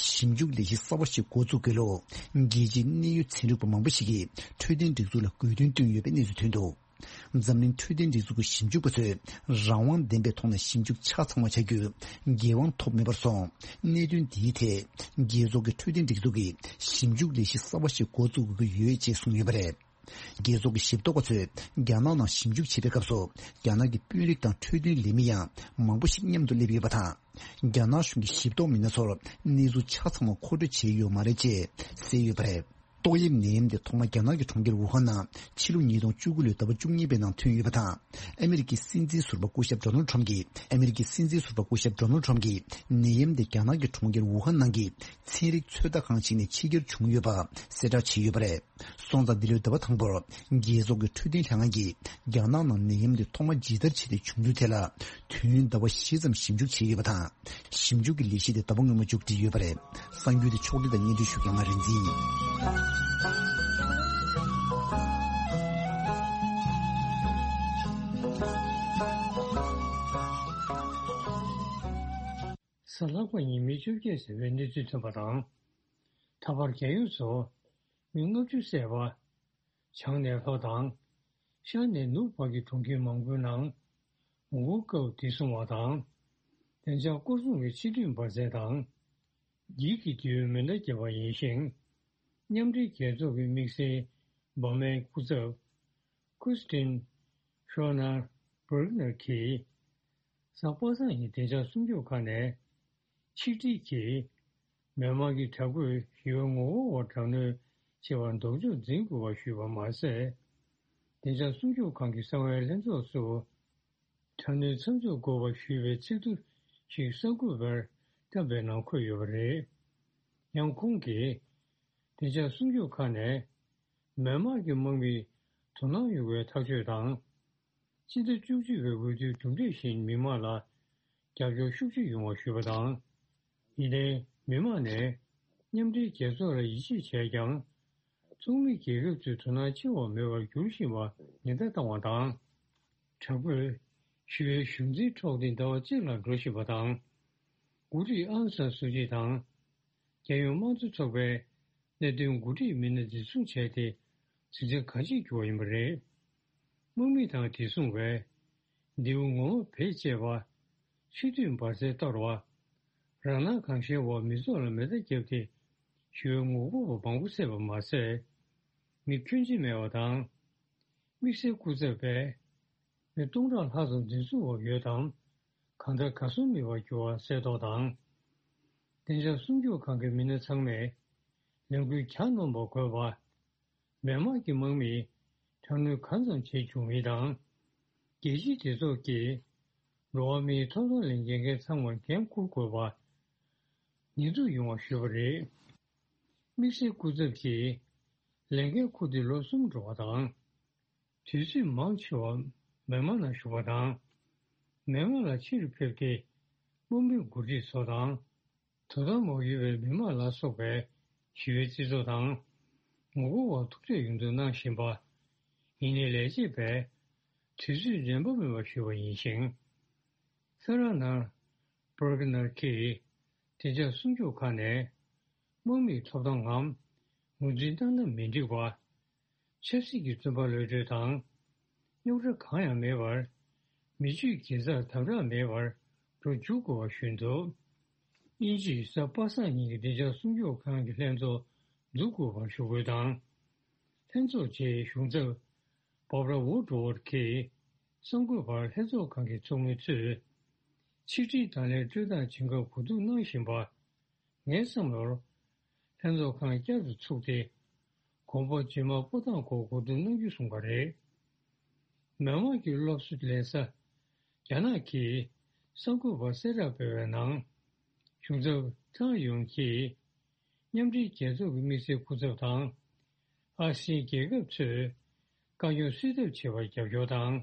ཞིབ་འཇུག་ལས་གཞི་གསར་བ་ཞིག་འགོ་བཙུགས་དགོས་ལུགས། རྒྱལ་སྤྱིའི་གནད་ཡོད་ཚན་རིག་པ་མང་པོ་ཞིག་གིས་འཕྲོད་བསྟེན་སྒྲིག་འཛུགས་ལ་དགོས་འདུན་བཏོན་ཡོད་པའི་གནས་ཚུལ་ཐོན་འདུག་འཛམ་གླིང་འཕྲོད་བསྟེན་སྒྲིག་འཛུགས་ཀྱི་ཞིབ་འཇུག་པ་ཚོས་རང་དབང་ལྡན་པའི་ཐོག་ནས་ཞིབ་འཇུག་ཆ་ཚང་བ་བྱ་རྒྱུར་འགན་དབང་ཐོབ་མེད་པར་སོང་། གནད་དོན་འདིའི་ཐད་རྒྱལ་ཚོགས་ཀྱི་འཕྲོད་བསྟེན་སྒྲིག་འཛུགས་ཀྱིས་ཞིབ་འཇུག་ལས་གཞི་གསར་བ་ཞིག་འགོ་བཙུགས་དགོས་ཀྱི་ཡོད་ཅེས་གསུངས་ཡོད་པ་རེད། རྒྱལ་ཚོགས་ཀྱི་ཞིབ་འཚོལ་བ་ཚོས་རྒྱ་ནག་ནང་ཞིབ་འཇུག་བྱེད་པའི་སྐབས་སུ། རྒྱ་ནག་གི་དཔོན་རིགས་དང་འཕྲོད་བསྟེན་ལས་མི་ཡང་མང་པོ་ཞིག་མཉམ་དུ་སླེབས་ཡོད་པ་དང་། རྒྱ་ནག་གཞུང་གི་ཞིབ་འཚོལ་མི་སྣ་ཚོར་གནས་ཚུལ་ཆ་ཚང་བ་མཁོ་སྤྲོད་བྱས་ཡོད་མ་རེད་ཅེས་གསལ་ཡོད་པ་རེད། ཏོག་དབྱིབས་ནད་ཡམས་དེ་ཐོག་མ་རྒྱ་ནག་གི་གྲོང་ཁྱེར་ཝུ་ཧན་ནང་ཕྱི་ལོ་ཉིས་སྟོང་བཅུ་དགུ་ལོའི་ཟླ་བ་བཅུ་གཉིས་པའི་ནང་ཐོན་ཡོད་པ་དང་། ཨ་མི་རི་ཀའི་སྲིད་འཛིན་ཟུར་པ་སྐུ་ཞབས་ཌོ་ནལ་ཁྲམ་གྱིས། ཨ་མི་རི་ཀའི་སྲིད་འཛིན་ཟུར་པ་སྐུ་ཞབས་ཌོ་ནལ་ཁྲམ་གྱིས་ནད་ཡམས་དེ་རྒྱ་ནག་གི་གྲོང་ཁྱེར་ཝུ་ཧན་ནང་གི་ཚན་རིག་ཚོད་ལྟ་ཁང་ཞིག་ནས་ཕྱི་གྱར་བྱུང་ཡོད་པ་གསལ་བསྒྲགས་བྱས་ཡོད་པ་རེད། སོང་ཙང་འདི་ལོའི་ཟླ་བ་དང་པོར་རྒྱལ་ཚོགས་ཀྱི་འཕྲོད་བསྟེན་ལྷན་ཁང་གིས་རྒྱ་ནག་ནང་ནད་ཡམས་འདི་ཐོག་མ་ཇི་ལྟར་བྱས་ཏེ་བྱུང་ཚུལ་ཐད་ལ་དུས་ཡུན་ཟླ་བ་བཞི་ཙམ་ཞིབ་འཇུག་བྱས་ཡོད་པ་དང་། ཞིབ་འཇུག་གི་ལས་གཞི་དེ་ཟླ་བ་སྔོན་མ་མཇུག་སྒྲིལ་ཡོད་པ་རེད། གསར་འགྱུར་དེ་ཕྱོགས་སྒྲིག་དང་སྙན་སྒྲོན་ཞུ་མཁན་ང་རིག་འཛིན་ཡིན། གཟའ་ལྷག་པ་ཉིན་མི་བཅོ་བརྒྱད་ཟིན་པའི་གནས་ཚུལ་ཐོན་པ་དང་། ད་བར་རྒྱལ་ཡོངས་སུ་མི་ལྔ་བཅུ་བསད་པ། བྱང་ནས་ལྷོ་དང་། ཤར་ནས་ནུབ་བར་གྱི་གྲོང་ཁྱེར་མང་པོའི་ནང་ངོ་རྒོལ་སྐབས་བདེ་སྲུང་བ་དང་། བདེ་འཇགས་སྐོར་སྲུང་གི་ཕྱི་འཐུས་འབར་རྫས་དང་། འགྱིག་གི་མདེའུས་མེ་མདའ་བརྒྱབ་པ་ཡིན་ཞིང་། མཉམ་འབྲེལ་རྒྱལ་ཚོགས་ཀྱི་དམིགས་བསལ་འབར་མའི་སྐུ་ཚབ་Christine Schroner Bergner གྱིས། གཟའ་པ་སངས་ཉིན་བདེ་འཇགས་སྲུང་སྐྱོབ་ཁང་ནས་ཆིག་སྒྲིལ་གྱིས། མེན་མར་གྱི་དྲག་པོས་ཞི་བའི་ངོ་རྒོལ་བར་དྲག་གནོན་བྱེད་པར་ལྡོག་ཕྱོགས་འཛིན་དགོས་པ་ཞུས་པ་མ་ཟད། བདེ་འཇགས་སྲུང་སྐྱོབ་ཁང་གི་གསང་བའི་ལྷན་ཚོགས་སུ། དྲག་གནོན་མཚམས་འཇོག་དགོས་པ་ཞུས་པའི་ཚིག་ཐོ་ཞིག་གསར་འགོད་པར་བཏབ་པའི་ནང་འཁོད་ཡོད་པ་རེད། ཡང་ཁོང་གིས། བདེ་འཇགས་སྲུང་སྐྱོབ་ཁང་ནས། མེན་མར་གྱི་དམག་མིས་དོ་སྣང་ཡོད་པའི་ཐག་གཅོད་དང་། སྤྱི་ཟླ་བཅུ་གཅིག་པའི་འོས་བསྡུའི་གྲུབ་འབྲས་བཞིན་མི་མང་ལ་རྒྱབ་སྐྱོར་ཤུགས་ཆེ་ཡོང་བ་ཞུས་པ་དང་། ཡིན་ནའི་མི་མང་ནས་མཉམ་འབྲེལ་རྒྱལ་ཚོགས་ལ་ཡིད་ཆེས་བྱས་ཀྱང་། ཚོགས་མི་རྒྱལ་ཁབ་ཚོས་དོ་སྣང་ཆེ་བ་མེད་པར་འགྱུར་བཞིན་པར་ཉེན་བརྡ་བཏང་བ་དང་། དྲག་པོས་ཞི་བའི་གཞུང་འཛིན་འཕྲོག་སྟེ་ཟླ་བ་གཅིག་ལ་འགྲོ་བཞིན་པ་དང་། འགོ་ཁྲིད་ཨང་སན་སུ་ཅི་དང་། རྒྱལ་ཡོངས་དམངས་གཙོ་ཚོགས་པའི་གནད་དོན་འགོ་ཁྲིད་མི་སྣ་འཛིན་བཟུང་བྱས་ཏེ། འཛིན་གྲྭ་གང་ཅིར་གྱུར་བ་ཡིན་པ་རེད། དམག་མི་དང་བདེ་སྲུང་བས། མདེའུ་ངོ་མ་བེད་སྤྱད་པ། ཕྱི་དུས་འབར་རྫས་གཏོར་བ། རང་སྣང་གང་ཤར་འོག་མི་ཚོགས་ལ་མེ་མདའ་བརྒྱབ་སྟེ། ཞི་བའི་ངོ་རྒོལ་བ་མང་པོ་བསད་པ་མ་ཟད། མི་ཁྱོན་ཆེ་མེད་པ་དང་། དམིགས་བསལ་སྐུ་ཚབ་པས། མི་སྟོང་ཕྲག་ལྷག་ཙམ་འཛིན་བཟུང་འོག་ཡོད་དམ། གང་ལྟར་གར་སོང་མེད་པར་གྱུར་བ་གསལ་རྟོགས་དང་། བདེ་འཇགས་སྲུང་སྐྱོབ་ཁང་གི་མི་སྣ་ཚང་མས། ལས་འགུལ་གྱ་ནོམ་པ་དགོས་པ། མེན་མར་གྱི་དམག་མིས་དྲག་གནོན་གང་ཙམ་བྱེད་བཅུག་མིན་དང་། རྒྱལ་སྤྱིའི་སྒྲིག་འཛུགས་ཀྱིས་འགྲོ་བ་མིའི་ཐོབ་ཐང་ལ་འགན་འཁྱེར་མཁན་ཚང་མར་འགན་འཁུར་དགོས་པ། ཉེས་འཛུགས་ཡོང་བ་ཞུས་པ་རེད། དམིགས་བསལ་སྐུ་ཚབ་ཀྱིས་ལས་འགན་འཁུར་ཏེ་ལོ་གསུམ་འགྲོ་བ་དང་། དུས་ཚོད་མང་ཆེ་བ་མེན་མར་ནང་བཞུགས་པ་དང་། མེན་མར་ལ་ཕྱིར་ཕེབས་ཏེ་དམག་མི་འགོ་ཁྲིད་ཚོ་དང་། དོ་དམ་འོག་ཡོད་པའི་མི་མང་ལ་སོགས་པའི་ཞི་བའི་རྩིས་ཚོགས་དང་། ངོ་རྒོལ་བར་ཐུག་འཕྲད་ཡོང་འདུག་གནང་བཞིན་པ། ཡིན་ནའི་ལས་བྱེད་པས་དུས་ཚོད་འདྲེན་པ་མེད་པ་ཞུས་པ་ཡིན་ཞིང་། ས་ར་ནར་པར་གི་ནར་གྱིས་བདེ་འཇགས་སྲུང་སྐྱོབ་ཁང་ནས་དམག་མིའི་ཐོབ་ཐང་ངམ་ངོས་འཛིན་བཏང་ན་མི་འགྲིག་པ། ཆབ་སྲིད་ཀྱི་བཙོན་པ་གློད་གྲོལ་དང་། རྙོག་དྲ་གང་ཡང་མེད་པར། མི་ཆོས་དགེ་རྩར་དམ་དྲག་མེད་པར་འགྲོ་འཇུག་དགོས་པ་ཞུས་འདུག་དབྱིན་ཇིས་གཟའ་པ་སངས་ཉིན་གྱི་བདེ་འཇགས་སྲུང་སྐྱོབ་ཁང་གི་ལྷན་ཚོགས་འཛུགས་དགོས་པར་ཞུ་སྐུལ་དང་། ལྷན་ཚོགས་རྗེས་གཞུང་ཚབ་Barbara Woodward གྱིས་གསར་འགོད་པར་ལྷན་ཚོགས་ཁང་གི་ཚོགས་མི་ཚོས་ཆིག་སྒྲིལ་དང་ལེན་སྤྲོད་སྟངས་ཇི་འགབ་གོ་བསྡུར་གནང་བཞིན་པ། ངའི་བསམ་བློར། ལྷན་ཚོགས་ཁང་བསྐྱར་དུ་ཚུགས་ཏེ། དགོན་པ་རྗེས་མ་སྤོ་ཐང་སྐོར་གོ་བསྡུར་གནང་རྒྱུ་གསུངས་པ་རེད། མི་མང་གི་སློབ་གསོ་ལེན་ས་རྒྱ་ནག་གིས་གསར་འགོད་པར་གསལ་བསྒྲགས་སྤེལ་བའི་ནང་། གཞུང་ཚབ་ཀྲང་ཡུང་གིས་མཉམ་འབྲེལ་རྒྱལ་ཚོགས་ཀྱི་དམིགས་བསལ་སྐུ་ཚབ་དང་། ཨ་སིའི་རྒྱལ་ཁབ་ཚོས་དཀའ་རྙོག་སེལ་ཐབས་བྱེད་པར་རྒྱབ་སྐྱོར་དང་།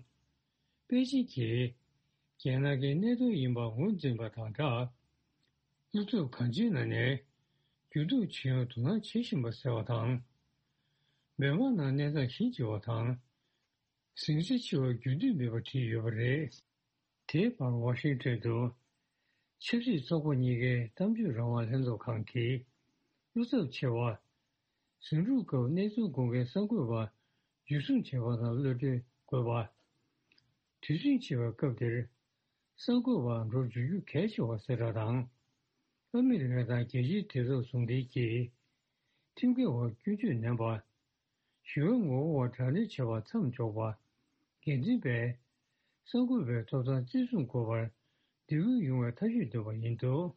པེ་ཅིན་གྱིས་རྒྱལ་ནང་གི་གནད་དོན་ཡིན་པ་ངོས་འཛིན་པ་དང་སྦྲགས། བློ་འཚབ་གང་ཅིའི་ནང་ནས་འགྱུར་ལྡོག་བྱེད་ཡོང་དོ་སྣང་བྱེད་བཞིན་པ་ཟེར་བ་དང་། མི་མང་ནང་གནས་སྟངས་གཞི་འགྱུར་བ་དང་། ཟིང་ཆ་ཆེ་བ་རྒྱུན་མཐུད་མེད་པ་བྲིས་ཡོད་པ་རེད། དེའི་བར་ཝ་ཤིང་ཊོན་དུ་ཆབ་སྲིད་ཚོགས་པ་གཉིས་ཀའི་གཏམ་བརྗོད་རང་དབང་ལྷན་ཚོགས་ཁང་གིས་བློ་འཚབ་ཆེ་བ། ཟིང་འཁྲུག་སྐབས་གནས་ཚུལ་དགོངས་མཁན་གསར་འགོད་པ་འཇུ་བཟུང་བྱས་པ་དང་གློད་གྲོལ་དགོས་པ། དུས་ཟིང་ཆེ་བའི་སྐབས་འདིར་གསར་འགོད་པ་འགྲོ་འཇུག་རྒྱུ་གལ་ཆེ་བ་གསལ་བསྒྲགས་དང་། ཨ་མི་རི་ཀ་དང་རྒྱལ་སྤྱིའི་དུས་རབས་ཟུང་འབྲེལ་གྱིས་ཁྲིམས་འགལ་བར་སྐྱོན་བརྗོད་ནན་པ། ཞི་བའི་ངོ་བོ་བ་དྲག་གནོན་བྱས་པ་མཚམས་འཇོག་པ། འགན་འཛིན་པས་གསར་འགོད་པའི་ཐོབ་ཐང་བརྩི་སྲུང་དགོས་པར་འདེད་སྐུལ་ཡོང་བའི་ཐག་གཅོད་བཏོན་པ་ཡིན་འདུག།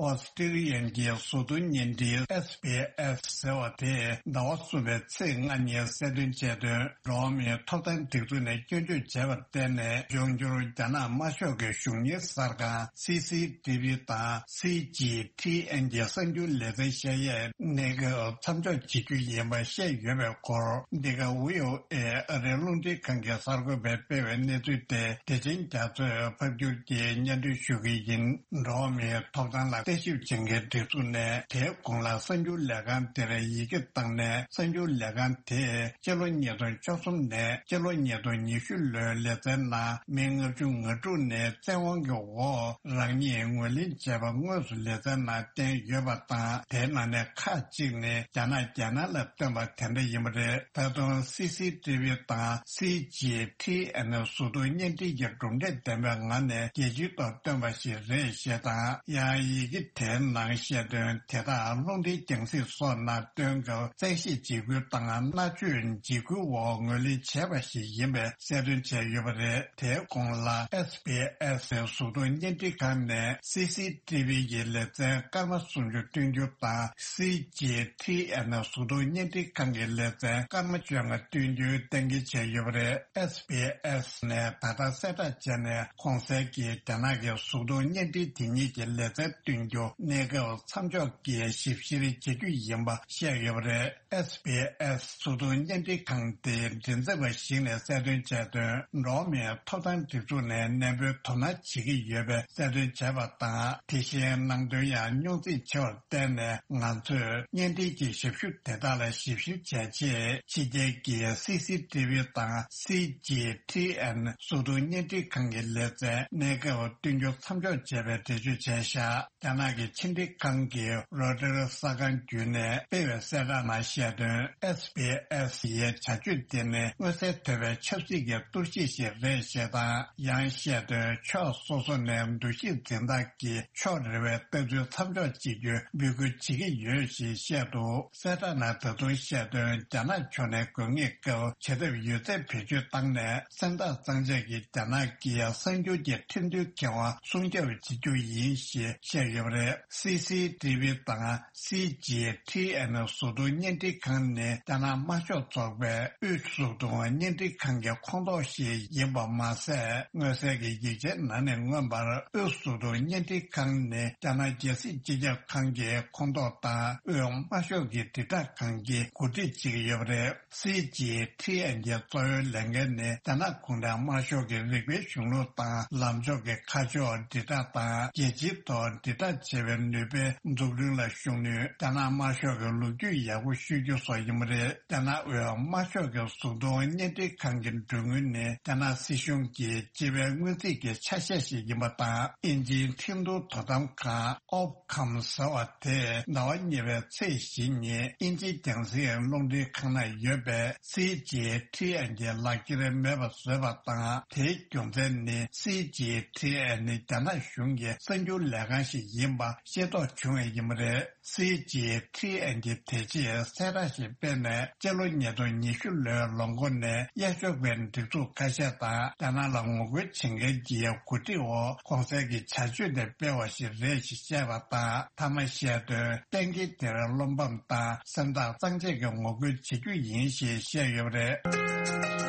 ཨོ་སི་ཀྲི་ལི་ཡན་གྱི་གཟུགས་མཐོང་བརྙན་འཕྲིན་ཨེས་བི་ཨེས་ཟེར་བ་དེས་ཟླ་བ་གསུམ་པའི་ཚེས་ལྔ་ཉིན་གསལ་སྟོན་བྱས་དོན། འགྲོ་བ་མིའི་ཐོབ་ཐང་སྒྲིག་འཛུགས་ནས་སྐྱོན་བརྗོད་བྱས་པར་བརྟེན་ནས་འབྱུང་འགྱུར་རྒྱ་ནག་དམར་ཤོག་གི་གཞུང་གཉེར་གསར་ཁང་སི་སི་ཏི་བི་དང་སི་ཇི་ཐི་ཨེན་གྱི་གསར་འགྱུར་ལེ་ཚན་བཤད་ཡས་གནས་སྐབས་མཚམས་འཇོག་བྱེད་རྒྱུ་ཡིན་པ་བཤད་ཡོད་པའི་སྐོར། འདི་ག་ཝི་ཨོ་ཨེ་ཨ་རིའི་རླུང་འཕྲིན་ཁང་གི་གསར་འགོད་པས་སྤེལ་བའི་གནས་ཚུལ་དེ་བདེ་ཆེན་རྒྱ་མཚོས་ཕབ་བསྒྱུར་གྱིས་སྙན་སྒྲོན་ཞུ་གི་ཡིན། འགྲོ་བ་མིའི་ཐོབ་ཐང་ལ་བརྟག་ཞིབ་བྱེད་མཁན་སྒྲིག་འཛུགས་ནས་དེའི་གོང་ལ་གསར་འགྱུར་ལས་ཁང་དེར་ཡི་གེ་བཏང་ནས། གསར་འགྱུར་ལས་ཁང་དེས་སྤྱི་ལོ་ཉིས་སྟོང་བཅུ་གསུམ་ནས་སྤྱི་ལོ་ཉིས་སྟོང་ཉི་ཤུ་ལོའི་ལེ་ཚན་ནང་མི་ལྔ་བཅུ་ང་དྲུག་ནས་བཙན་དབང་གི་འོག་རང་ཉིད་ངོས་ལེན་བྱས་པ་དངོས་སུ་ལེ་ཚན་ནང་བསྟན་ཡོད་པ་དང་། དེའི་ནང་ནས་ཁག་ཅིག་ནི་རྒྱ་ནག་རྒྱལ་ནང་ལ་བཏོན་པ་དེ་འདྲ་ཡིན་པ་རེད། ད་དུང་སི་སི་ཏི་བི་དང་སི་ཇི་ཐི་ཨེན་གཟུགས་མཐོང་བརྙན་འཕྲིན་གྱི་གྲུབ་འབྲས་ལྡན་པའི་ངང་ནས་རྒྱལ་སྤྱིའི་ཐོག་བཏོན་པ་ཞིག་རེད་ཞེས་དང་། ཡང་ཡི་གེ་དེའི་ནང་བཤད་དོན་དེ་དག་རླུང་འཕྲིན་རྒྱང་སྲིང་སོགས་ནང་བཏོན་སྐབས་བཙན་ཤེད་འཇིགས་སྐུལ་དང་མནར་གཅོད་འཇིགས་སྐུལ་འོག་ངོས་ལེན་བྱས་པ་ཞིག་ཡིན་པའི་གསལ་སྟོན་བྱས་ཡོད་པ་རེད། དེའི་གོང་ལ་ཨེས་བི་ཨེས་གཟུགས་མཐོང་བརྙན་འཕྲིན་ཁང་ནས་སི་སི་ཏི་བི་ཡི་ལེ་ཚན་སྐར་མ་སུམ་ཅུ་སྟོན་རྒྱུ་དང་། སི་ཇི་ཐི་ཨེན་གཟུགས་མཐོང་བརྙན་འཕྲིན་ཁང་གི་ལེ་ཚན་སྐར་མ་བཅོ་ལྔ་སྟོན་རྒྱུའི་གཏན་འཁེལ་བྱས་ཡོད་པ་རེད། ཨེས་བི་ཨེས་ནས་ད་ལྟ་གསལ་བསྒྲགས་བྱས་ནས། གོང་གསལ་གྱི་རྒྱ་ནག་གི་གཟུགས་མཐོང་བརྙན་འཕྲིན་དེ་ཉིད་ཀྱི་ལེ་ཚན་སྟོན་རྒྱུ་གནས་སྐབས་མཚམས་འཇོག་གིས་ཞིབ་བཤེར་བྱེད་རྒྱུ་ཡིན་པ་བཤད་ཡོད་པ་རེད། ཨེས་བི་ཨེས་གཟུགས་མཐོང་བརྙན་འཕྲིན་ཁང་དེའི་མགྲིན་ཚབ་པ་ཞིག་ནས་གསལ་སྟོན་བྱས་དོན། འགྲོ་བ་མིའི་ཐོབ་ཐང་སྒྲིག་འཛུགས་ནས་ནན་པོའི་དོ་སྣང་བྱེད་ཀྱི་ཡོད་པའི་གསལ་སྟོན་བྱས་པ་དང་། དེ་བཞིན་ནང་དོན་ཡང་རྙོག་འཛིང་ཆེ་བར་བརྟེན་ནས། ང་ཚོས་བརྙན་འཕྲིན་གྱི་ཞབས་ཞུ་དེ་དག་ལ་ཞིབ་བཤེར་བྱས་རྗེས། ཕྱི་རྒྱལ་གྱི་སི་སི་ཏི་བི་དང་སི་ཇི་ཐི་ཨེན་གཟུགས་མཐོང་བརྙན་འཕྲིན་ཁང་གི་ལེ་ཚན་གནས་སྐབས་སྟོན་རྒྱུ་མཚམས་འཇོག་བྱས་པའི་འགྲེལ་བརྗོད་བྱས་བཞག། རྒྱ་ནག་གི་ཕྱི་འབྲེལ་ཁང་གི་རོའི་ཊར་གསར་ཁང་བརྒྱུད་ནས་སྤེལ་བའི་གསལ་བསྒྲགས་ནང་བཤད་དོན། ཨེས་བི་ཨེས་ཡི་བྱ་སྤྱོད་དེ་ནི་མངོན་གསལ་དོད་པའི་ཆབ་སྲིད་ཀྱི་གཏོར་བཤིག་ཞིག་རེད་ཞེས་དང་། ཡང་བཤད་དོན། ཕྱོགས་སོ་སོ་ནས་འདུ་ཤེས་འཛིན་སྟངས་ཀྱི་ཕྱོགས་རེ་བའི་ལྟ་ཚུལ་མཚམས་འཇོག་བྱེད་རྒྱུའི་འབོད་སྐུལ་བྱེད་ཀྱི་ཡོད་ཞེས་བཤད་འདུག། གསལ་བསྒྲགས་ནང་ད་དུང་བཤད་དོན། རྒྱ་ནག་ཕྱོགས་ནས་དགོས་ངེས་སྐབས་བྱེད་ཐབས་ཡོད་ཚད་བེད་སྤྱོད་བཏང་ནས། སེམས་ཐག་གཙང་བཅད་ཀྱིས་རྒྱ་ནག་གི་གསར་འགྱུར་གྱི་ཁྲིམས་མཐུན་ཁེ་དབང་སྲུང་སྐྱོབ་བྱེད་རྒྱུ་ཡིན་ཞེས་བཤད་ཡོད་པ་རེད། སི་སི་ཏི་བི་དང་སི་ཇི་ཐི་ཨེན་གཟུགས་མཐོང་བརྙན་འཕྲིན་ཁང་ནི་རྒྱ་ནག་དམར་ཤོག་ཚོགས་པའི་དབུས་གཟུགས་མཐོང་བརྙན་འཕྲིན་ཁང་གི་ཁོངས་གཏོགས་ཤིག་ཡིན་པ་མ་ཟད། མངོན་གསལ་གྱི་ཡིག་ཆའི་ནང་ནས་མངོན་པར། དབུས་གཟུགས་མཐོང་བརྙན་འཕྲིན་ཁང་ནི་རྒྱ་ནག་རྒྱལ་སྲིད་སྤྱི་ཁྱབ་ཁང་གི་ཁོངས་གཏོགས་དང་། དབུས་དམར་ཤོག་གི་དྲིལ་བསྒྲགས་ཁང་གིས་གོ་སྒྲིག་བྱེད་ཀྱི་ཡོད་པ་རེད། སི་ཇི་ཐི་ཨེན་གྱི་གཙོ་བོའི་ལས་འགན་ནི་རྒྱ་ནག་གུང་ཁྲན་དམར་ཤོག་གི་རིག་པའི་གཞུང་ལུགས་དང་། ལམ་ཕྱོགས་ཀྱི་ཁ་ཕྱོགས་དྲིལ་བསྒྲགས་དང་། རྒྱལ་སྤྱིའི་ཐོག་དྲིལ་བསྒྲགས་བྱེད་པའི་ནུས་པའི་འཛུགས་སྐྲུན་ལ་ཤུགས་སྣོན། རྒྱ་ནག་དམར་ཤོག་གི་ལོ་རྒྱུས་ཡག་པོ་ཤོད་རྒྱུ་སོགས་ཡིན་པ་རེད། རྒྱ་ནག་དབུས་དམར་ཤོག་གི་གཟུགས་མཐོང་བརྙན་འཕྲིན་ཁང་གི་མགྲོན་དངུལ་ནི་རྒྱ་ནག་སྲིད་གཞུང་གི་སྤྱི་པའི་སྔོན་རྩིས་ཀྱི་ཆ་ཤས་ཤིག་ཡིན་པ་དང་། དབྱིན་ཇིའི་ཁྲིན་ཏུའུ་དོ་དམ་ཁང་། ཨོབ་ཁམ་ཟེར་བ་དེས་ཟླ་བ་གཉིས་པའི་ཚེས་བཞི་ཉིན་དབྱིན་ཇིའི་རྒྱང་སྲིང་རླུང་འཕྲིན་ཁང་ནང་ཡོད་པའི་སི་ཇི་ཐི་ཨེན་གྱི་ལག་འཁྱེར་མེད་པ་བཟོས་པ་དང་། དེའི་རྒྱུ་མཚན་ནི་སི་ཇི་ཐི་ཨེན་ནི་རྒྱ་ནག་གཞུང་གི་གསར་འགྱུར་ལས་ཁང་ཞིག་ཡིན། པ་ཤེས་རྟོགས་བྱུང་བ་ཡིན་པ་རེད། སི་ཇི་ཐི་ཨེན་གྱིས་དེ་རྗེས་གསལ་བསྒྲགས་ཤིག་སྤེལ་ནས། སྤྱི་ལོ་ཉིས་སྟོང་ཉི་ཤུ་ལོའི་ལོ་མགོ་ནས་གཡས་ཕྱོགས་པའི་སྒྲིག་འཛུགས་ཁ་ཤས་དང་། རྒྱ་ནག་ལ་ངོ་རྒོལ་བྱེད་མཁན་གྱི་གོ་སྒྲིག་འོག་གོང་གསལ་གྱི་བྱ་སྤྱོད་དེ་སྤེལ་བ་ཞིག་རེད་ཅེས་བཤད་པ་དང་། མཐའ་མ་བཤད་དོན། གཏན་འཁེལ་དེར་བློ་ཕམ་དང་སེམས་ཐག་གཙང་བཅད་ཀྱིས་ངོ་རྒོལ་བྱེད་རྒྱུ་ཡིན་ཞེས་བཤད་ཡོད་པ་རེད།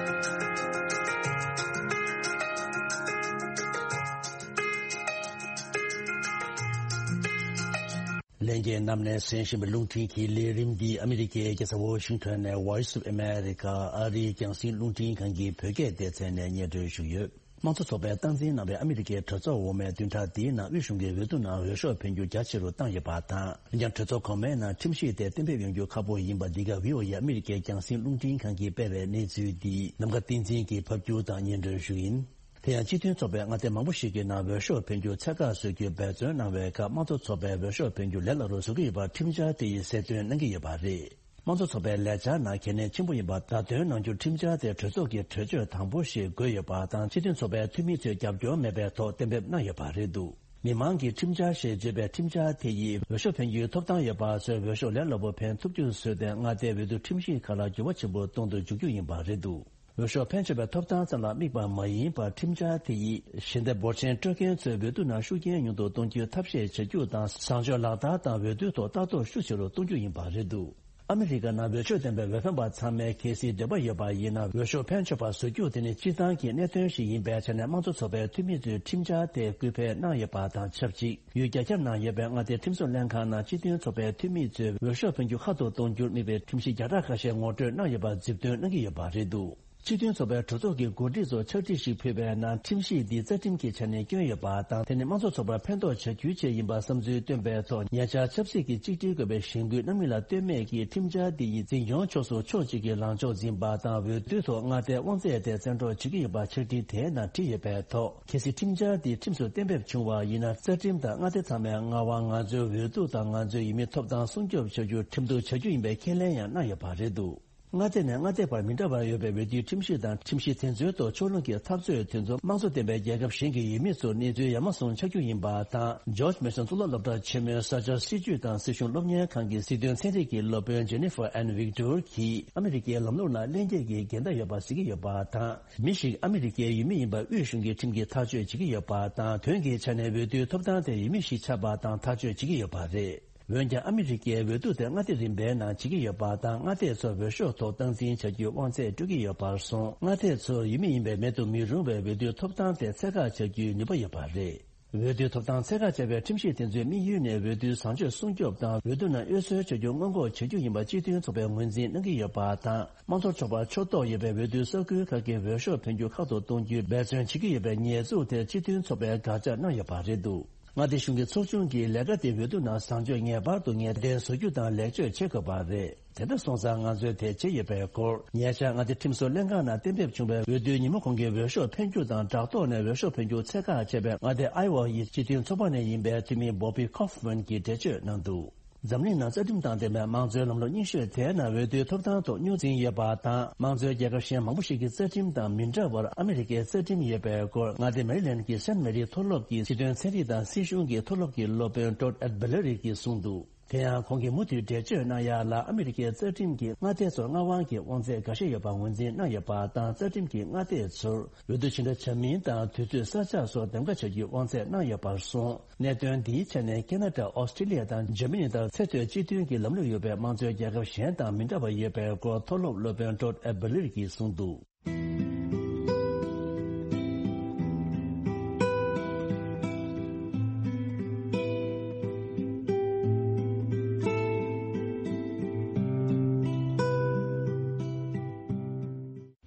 ལྷན་རྒྱས་རྣམས་ནས་གསན་བཞིན་པའི་རླུང་འཕྲིན་གྱི་ལས་རིམ་འདི་ཨ་མི་རི་ཀའི་རྒྱལ་ས་ཝོ་ཤིང་ཊོན་ནས་Voice of America ཨ་རིའི་རྒྱང་སྲིང་རླུང་འཕྲིན་ཁང་གི་བོད་སྐད་སྡེ་ཚན་ནས་སྙན་སྒྲོན་ཞུས་ཡོད། དམངས་གཙོ་ཚོགས་པས་སྟངས་འཛིན་གནང་བའི་ཨ་མི་རི་ཀའི་གྲོས་ཚོགས་འོག་མའི་བདུན་ཕྲག་འདིའི་ནང་དབུས་གཞུང་གིས་འོས་བསྡུ་ནང་འོས་ཤོག་འཕེན་རྒྱུ་རྒྱ་ཆེ་རུ་བཏང་ཡོད་པ་དང་། འོན་ཀྱང་གྲོས་ཚོགས་གོང་མའི་ནང་ཁྲིམས་གཞི་དེ་གཏན་འབེབས་ཡོང་རྒྱུ་ཁག་པོ་ཡིན་པ་འདི་ག་བྷི་ཨོ་ཨེ་ཨ་མི་རི་ཀའི་རྒྱང་སྲིང་རླུང་འཕྲིན་ཁང་གིས་སྤེལ་བའི་གནས་ཚུལ་འདི་ནམ་མཁའ་བསྟན་འཛིན་གྱིས་ཕབ་སྒྱུར་དང་སྙན་སྒྲོན་ཞུ་ཡིན། དེ་ཡང་སྤྱི་མཐུན་ཚོགས་པའི་མངའ་སྡེ་མང་པོ་ཞིག་གི་ནང་འོས་ཤོག་འཕེན་རྒྱུ་ཚད་བཀག་བཟོ་རྒྱུའི་འབད་བརྩོན་གནང་བའི་སྐབས། དམངས་གཙོ་ཚོགས་པས་འོས་ཤོག་འཕེན་རྒྱུ་ལས་སླ་རུ་བཟོ་གི་ཡོད་པ་ཁྲིམས་འཆར་དེ་ཡིས་གསལ་སྟོན་གནང་གི་ཡོད་པ་རེད། དམངས་གཙོ་ཚོགས་པའི་ལས་འཆར་ནང་གལ་གནད་ཆེན་པོ་ཡིན་པ་བརྡ་སྟོན་གནང་རྒྱུར་ཁྲིམས་འཆར་དེ་གྲོས་ཚོགས་ཀྱི་གྲོས་ཆོད་དང་པོ་ཞིག་དགོས་ཡོད་པ་དང་། སྤྱི་མཐུན་ཚོགས་པའི་འཐུས་མི་ཚོས་རྒྱབ་སྐྱོར་མེད་པའི་ཐོག་གཏན་འབེབས་གནང་ཡོད་པ་རེད་འདུག་མི་མང་གི་ཁྲིམས་འཆར་ཞེས་བརྗོད་པའི་ཁྲིམས་འཆར་དེ་ཡིས་འོས་ཤོག་འཕེན་རྒྱུའི་ཐོབ་ཐང་ཡོད་པ་ཚོས་འོས་ཤོག་ལས་སླ་པོ་འཕེན་ཐུབ་རྒྱུ་བཟོས་ཏེ། མངའ་སྡེའི་འོས་བསྡུ་ཁྲིམས་གཞིས་ཁག་ལ་འགྱུར་བ་ཆེན་པོ་གཏོང་དུ་འཇུག་རྒྱུ་ཡིན་པ་རེད་འདུག་འོས་ཤོག་འཕེན་ཆོག་པའི་ཐོབ་ཐང་ཙམ་ལ་དམིགས་པ་མ་ཡིན་པར། ཁྲིམས་འཆར་དེ་ཡིས་ཞལ་འདེབས་འབོར་ཆེན་སྤྲོད་མཁན་ཚོའི་འོས་བསྡུ་ནང་ཤུགས་རྐྱེན་ཉུང་དུ་གཏོང་རྒྱུའི་ཐབས་ཤེས་བྱ་རྒྱུ་དང་། བཟང་སྤྱོད་ལག་བསྟར་དང་འོས་བསྡུའི་ཐོག་ལྟ་རྟོག་ཤུགས་ཆེ་རུ་གཏོང་རྒྱུ་ཡིན་པ་རེད་འདུག་ཨ་མི་རི་ཀ་ནང་འོས་ཆོས་ལྡན་པའི་འོས་འཕེན་པ་ཚང་མས་གལ་སྲིད་འདོད་པ་ཡོད་པ་ཡིན་ན། འོས་ཤོག་འཕེན་ཆོག་པ་བཟོ་རྒྱུ་དེ་ནི་སྤྱིར་བཏང་གི་གནད་དོན་ཞིག་ཡིན་པའི་ཆ་ནས། དམངས་གཙོ་ཚོགས་པའི་འཐུས་མི་ཚོས་ཁྲིམས་འཆར་དེ་སྐུལ་སྤེལ་གནང་ཡོད་པ་དང་ཆབས་ཅིག་ཡུལ་རྒྱ་ཁྱབ་ནང་ཡོད་པའི་མངའ་སྡེའི་ཁྲིམས་བཟོ་ལྷན་ཁང་ནང་སྤྱི་མཐུན་ཚོགས་པའི་འཐུས་མི་ཚོས་འོས་ཤོག་འཕེན་རྒྱུ་ཁ་ཐོར་གཏོང་རྒྱུར་དམིགས་པའི་ཁྲིམས་གཞི་བརྒྱ་ཕྲག་ཁ་ཤས་ངོ་སྤྲོད་གནང་ཡོད་པ་མཛུབ་སྟོན་གནང་གི་ཡོད་པ་རེད་འདུག་སྤྱི་མཐུན་ཚོགས་པའི་གྲོས་ཚོགས་ཀྱི་འགོ་ཁྲིད་ཚོར་ཕྱག་བྲིས་ཤིག་ཕུལ་བའི་ནང་། ཁྲིམས་གཞི་འདི་རྩ་ཁྲིམས་ཀྱི་ཆ་ནས་སྐྱོན་ཡོད་པ་དང་། དེ་ནི་དམངས་གཙོ་ཚོགས་པར་ཕན་ཐོགས་བྱ་རྒྱུའི་ཆེད་ཡིན་པ་བསམ་ཚུལ་བཏོན་པའི་ཐོག་ཉེ་ཆར་ཆབ་སྲིད་ཀྱི་གཅིག་སྒྲིལ་དགོས་པའི་གཞེན་སྐུལ་གནང་མིན་ལ་ལྟོས་མེད་ཀྱིས། ཁྲིམས་འཆར་འདི་ཡིས་འཛིན་སྐྱོང་ཕྱོགས་སུ་ཕྱོགས་གཅིག་གི་ལངས་ཕྱོགས་འཛིན་པ་དང་། འོས་བསྡུའི་ཐོག་མངའ་སྡེའི་དབང་ཚད་དེ་བཙན་འཕྲོག་བྱེད་ཀྱི་ཡོད་པ་ཕྱག་བྲིས་དེའི་ནང་བྲིས་ཡོད་པའི་ཐོག་གལ་སྲིད་ཁྲིམས་འཆར་འདི་ཁྲིམས་སུ་གཏན་འབེབས་བྱུང་བ་ཡིན་ན། རྩ་ཁྲིམས་དང་མངའ་སྡེ་ཚང་མའི་མངའ་དབང་། ང་ཚོའི་འོས་བསྡུ་དང་ང་ཚོའི་ཡུལ་མིའི་ཐོབ་ཐང་སྲུང་སྐྱོབ་བྱ་རྒྱུར་ཁྲིམས་གཏུག་བྱ་རྒྱུ་ཡིན་པའི་ཁས་ལེན་ཡང་གནང་ཡོད་པ་རེད་འདུག་མངའ་སྡེ་ནས་མངའ་སྡེ་བར་མི་འདྲ་བར་ཡོད་པའི་འོས་བསྡུའི་ཁྲིམས་གཞི་དང་། ཁྲིམས་གཞི་དེ་ཚོའི་ཐོག་ཕྱོགས་ལྷུང་གི་འཐབ་རྩོད་དེ་ཚོ་དམངས་གཙོ་ལྡན་པའི་རྒྱལ་ཁབ་གཞན་གྱི་ཡུལ་མི་ཚོར་གནས་ཚུལ་ཡ་མ་ཟུང་ཆགས་རྒྱུ་ཡིན་པ་དང་། ཇོརྗ་མེ་སོན་གཙུག་ལག་སློབ་གྲྭ་ཆེན་མོའི་ས་ཆ་སྲིད་ཇུས་དང་སྲིད་གཞུང་སློབ་གཉེར་ཁང་གི་སྲིད་དོན་ཚན་རིག་གི་སློབ་དཔོན་ཇེ་ནི་ཧྥར་ཨན་ཝིག་ཏོར་གྱིས། ཨ་མི་རི་ཀའི་ལམ་ལུགས་ནང་ལྷན་སྐྱེས་ཀྱི་འགལ་ཟླ་ཡོད་པ་གཟིགས་ཀྱི་ཡོད་པ་དང་། མི་ཞིག་ཨ་མི་རི་ཀའི་ཡུལ་མི་ཡིན་པ་དབུས་གཞུང་གིས་ཁྲིམས་ཀྱིས་ཐག་གཅོད་བྱེད་ཀྱི་ཡོད་པ་དང་། དོན་གྱི་ཆ་ནས་འོས་བསྡུའི་ཐོབ་ཐང་དེ་ཡུལ་མི་ཞིག་ཆགས་པ་དང་ཐག་གཅོད་བྱེད་ཀྱི་ཡོད་པ་རེད། འོན་ཀྱང་ཨ་མི་རི་ཀའི་འོས་བསྡུ་དེ་མངའ་སྡེ་རིམ་པའི་ནང་བྱེད་ཀྱི་ཡོད་པ་དང་། མངའ་སྡེ་ཚོར་འོས་ཤོག་ཐོག་སྟངས་འཛིན་བྱ་རྒྱུའི་དབང་ཚད་སྤྲོད་ཀྱི་ཡོད་པར་སོང་། མངའ་སྡེ་ཚོར་ཡུལ་མི་ཡིན་པའི་མེད་དུ་མི་རུང་བའི་འོས་བསྡུའི་ཐོབ་ཐང་དེ་ཚད་བཀག་བྱ་རྒྱུའི་ནུས་པ་ཡོད་པ་རེད། འོས་བསྡུའི་ཐོབ་ཐང་ཚད་བཀག་བྱ་བའི་ཁྲིམས་གཞི་དེ་ཚོའི་དམིགས་ཡུལ་ནི་འོས་བསྡུའི་བཟང་སྤྱོད་སྲུང་སྐྱོབ་དང་། འོས་བསྡུ་ནང་དབུས་སྲོལ་བྱ་རྒྱུ་སྔོན་འགོག་བྱེད་རྒྱུ་ཡིན་པ་སྤྱི་མཐུན་ཚོགས་པས་ངོས་འཛིན་གནང་གི་ཡོད་པ་དང་། དམངས་གཙོ་ཚོགས་པར་ཕྱོགས་གཏོགས་ཡོད་པའི་འོས་བསྡུའི་ས་ཁུལ་ཁག་གི་འོས་ཤོག་འཕེན་རྒྱུ་ཁག་ཏུ་གཏོང་རྒྱུའི་འབད་བརྩོན་བྱེད་ཀྱི་ཡོད་པའི་ཉེས་འཛུགས་དེ་སྤྱི་མཐུན་ཚོགས་པས་དགག་བྱ་གནང་ཡོད་པ་རེད་འདུག་མངའ་སྡེ་གཞུང་གི་ཚོགས་ཆུང་གིས་ལས་ཀ་དེ་འོས་བསྡུ་ནང་བཟང་སྤྱོད་ངེས་པར་དུ་ངེས་གཏན་བཟོ་རྒྱུ་དང་ལེགས་བཅོས་བྱེད་དགོས་པ་རེད། དེ་འདྲ་སོང་ཙང་ང་ཚོས་དེ་བྱས་ཡོད་པའི་སྐོར། ཉེ་ཆར་མངའ་སྡེ་ཁྲིམས་བཟོ་ལྷན་ཁང་ནང་གཏན་འབེབས་བྱུང་བའི་འོས་བསྡུའི་ཉིན་མོ་གོང་གི་འོས་ཤོག་འཕེན་རྒྱུ་དང་སྦྲགས་ཐོག་ནས་འོས་ཤོག་འཕེན་རྒྱུ་ཚད་བཀག་བྱས་པའི་མངའ་སྡེ་ཨའི་ཝ་ཡི་སྤྱི་མཐུན་ཚོགས་པ་ནས་ཡིན་པའི་འཐུས་མི་བྷོ་བི་ཁོ་ཧྥ་མན་གྱིས་འགྲེལ་བརྗོད་གནང་འདུག་འཛམ་གླིང་ནང་རྩ་ཁྲིམས་དང་ལྡན་པའི་དམངས་གཙོའི་ལམ་ལུགས་རྙིང་ཤོས་དེའི་ནང་འོས་བསྡུའི་ཐོབ་ཐང་ཐོག་རྙོག་འཛིང་ཡོད་པ་དང་། དམངས་གཙོའི་རྒྱལ་ཁབ་གཞན་མང་པོ་ཞིག་གི་རྩ་ཁྲིམས་དང་མི་འདྲ་བར། ཨ་མི་རི་ཀའི་རྩ་ཁྲིམས་ཡོད་པའི་སྐོར། མངའ་སྡེ་མེ་རི་ལན་གྱི་སེན་མེ་རི་མཐོ་སློབ་ཀྱི་སྲིད་དོན་ཚན་རིག་དང་སྲིད་གཞུང་གི་མཐོ་སློབ་ཀྱི་སློབ་དཔོན་ཊོཌ་ཨེད་བྷི་ལེ་རི་གིས་གསུངས་འདུག་དེ་ཡང་ཁོང་གིས་མུ་མཐུད་འགྲེལ་བརྗོད་གནང་ཡག་ལ། ཨ་མི་རི་ཀའི་རྩ་ཁྲིམས་ཀྱིས་མངའ་སྡེ་ཚོར་མངའ་དབང་གི་དབང་ཚད་འགའ་ཤས་ཡོད་པ་ངོས་འཛིན་གནང་ཡོད་པ་དང་། རྩ་ཁྲིམས་ཀྱིས་མངའ་སྡེ་ཚོར་འོས་བསྡུ་ཕྱི་དྲགས་བྱ་མིན་དང་། དུས་ཚོད་གསར་རྒྱག་སོགས་འདེམས་ཀ་བྱ་རྒྱུའི་དབང་ཚད་གནང་ཡོད་པར་སོང་། གནད་དོན་འདིའི་ཆ་ནས་ཁེ་ན་ཌ། ཨོ་སི་ཀྲི་ལི་ཡ་དང་འཇར་མ་ནི་ལྟར་ཚད་མཐོའི་སྤྱི་མཐུན་གྱི་ལམ་ལུགས་ཡོད་པའི་དམངས་གཙོའི་རྒྱལ་ཁབ་གཞན་དང་མི་འདྲ་བ་ཡོད་པའི་སྐོར། མཐོ་སློབ་སློབ་དཔོན་ཊོཌ་ཨེད་བྷི་ལེ་རི་གིས་གསུངས་འདུག་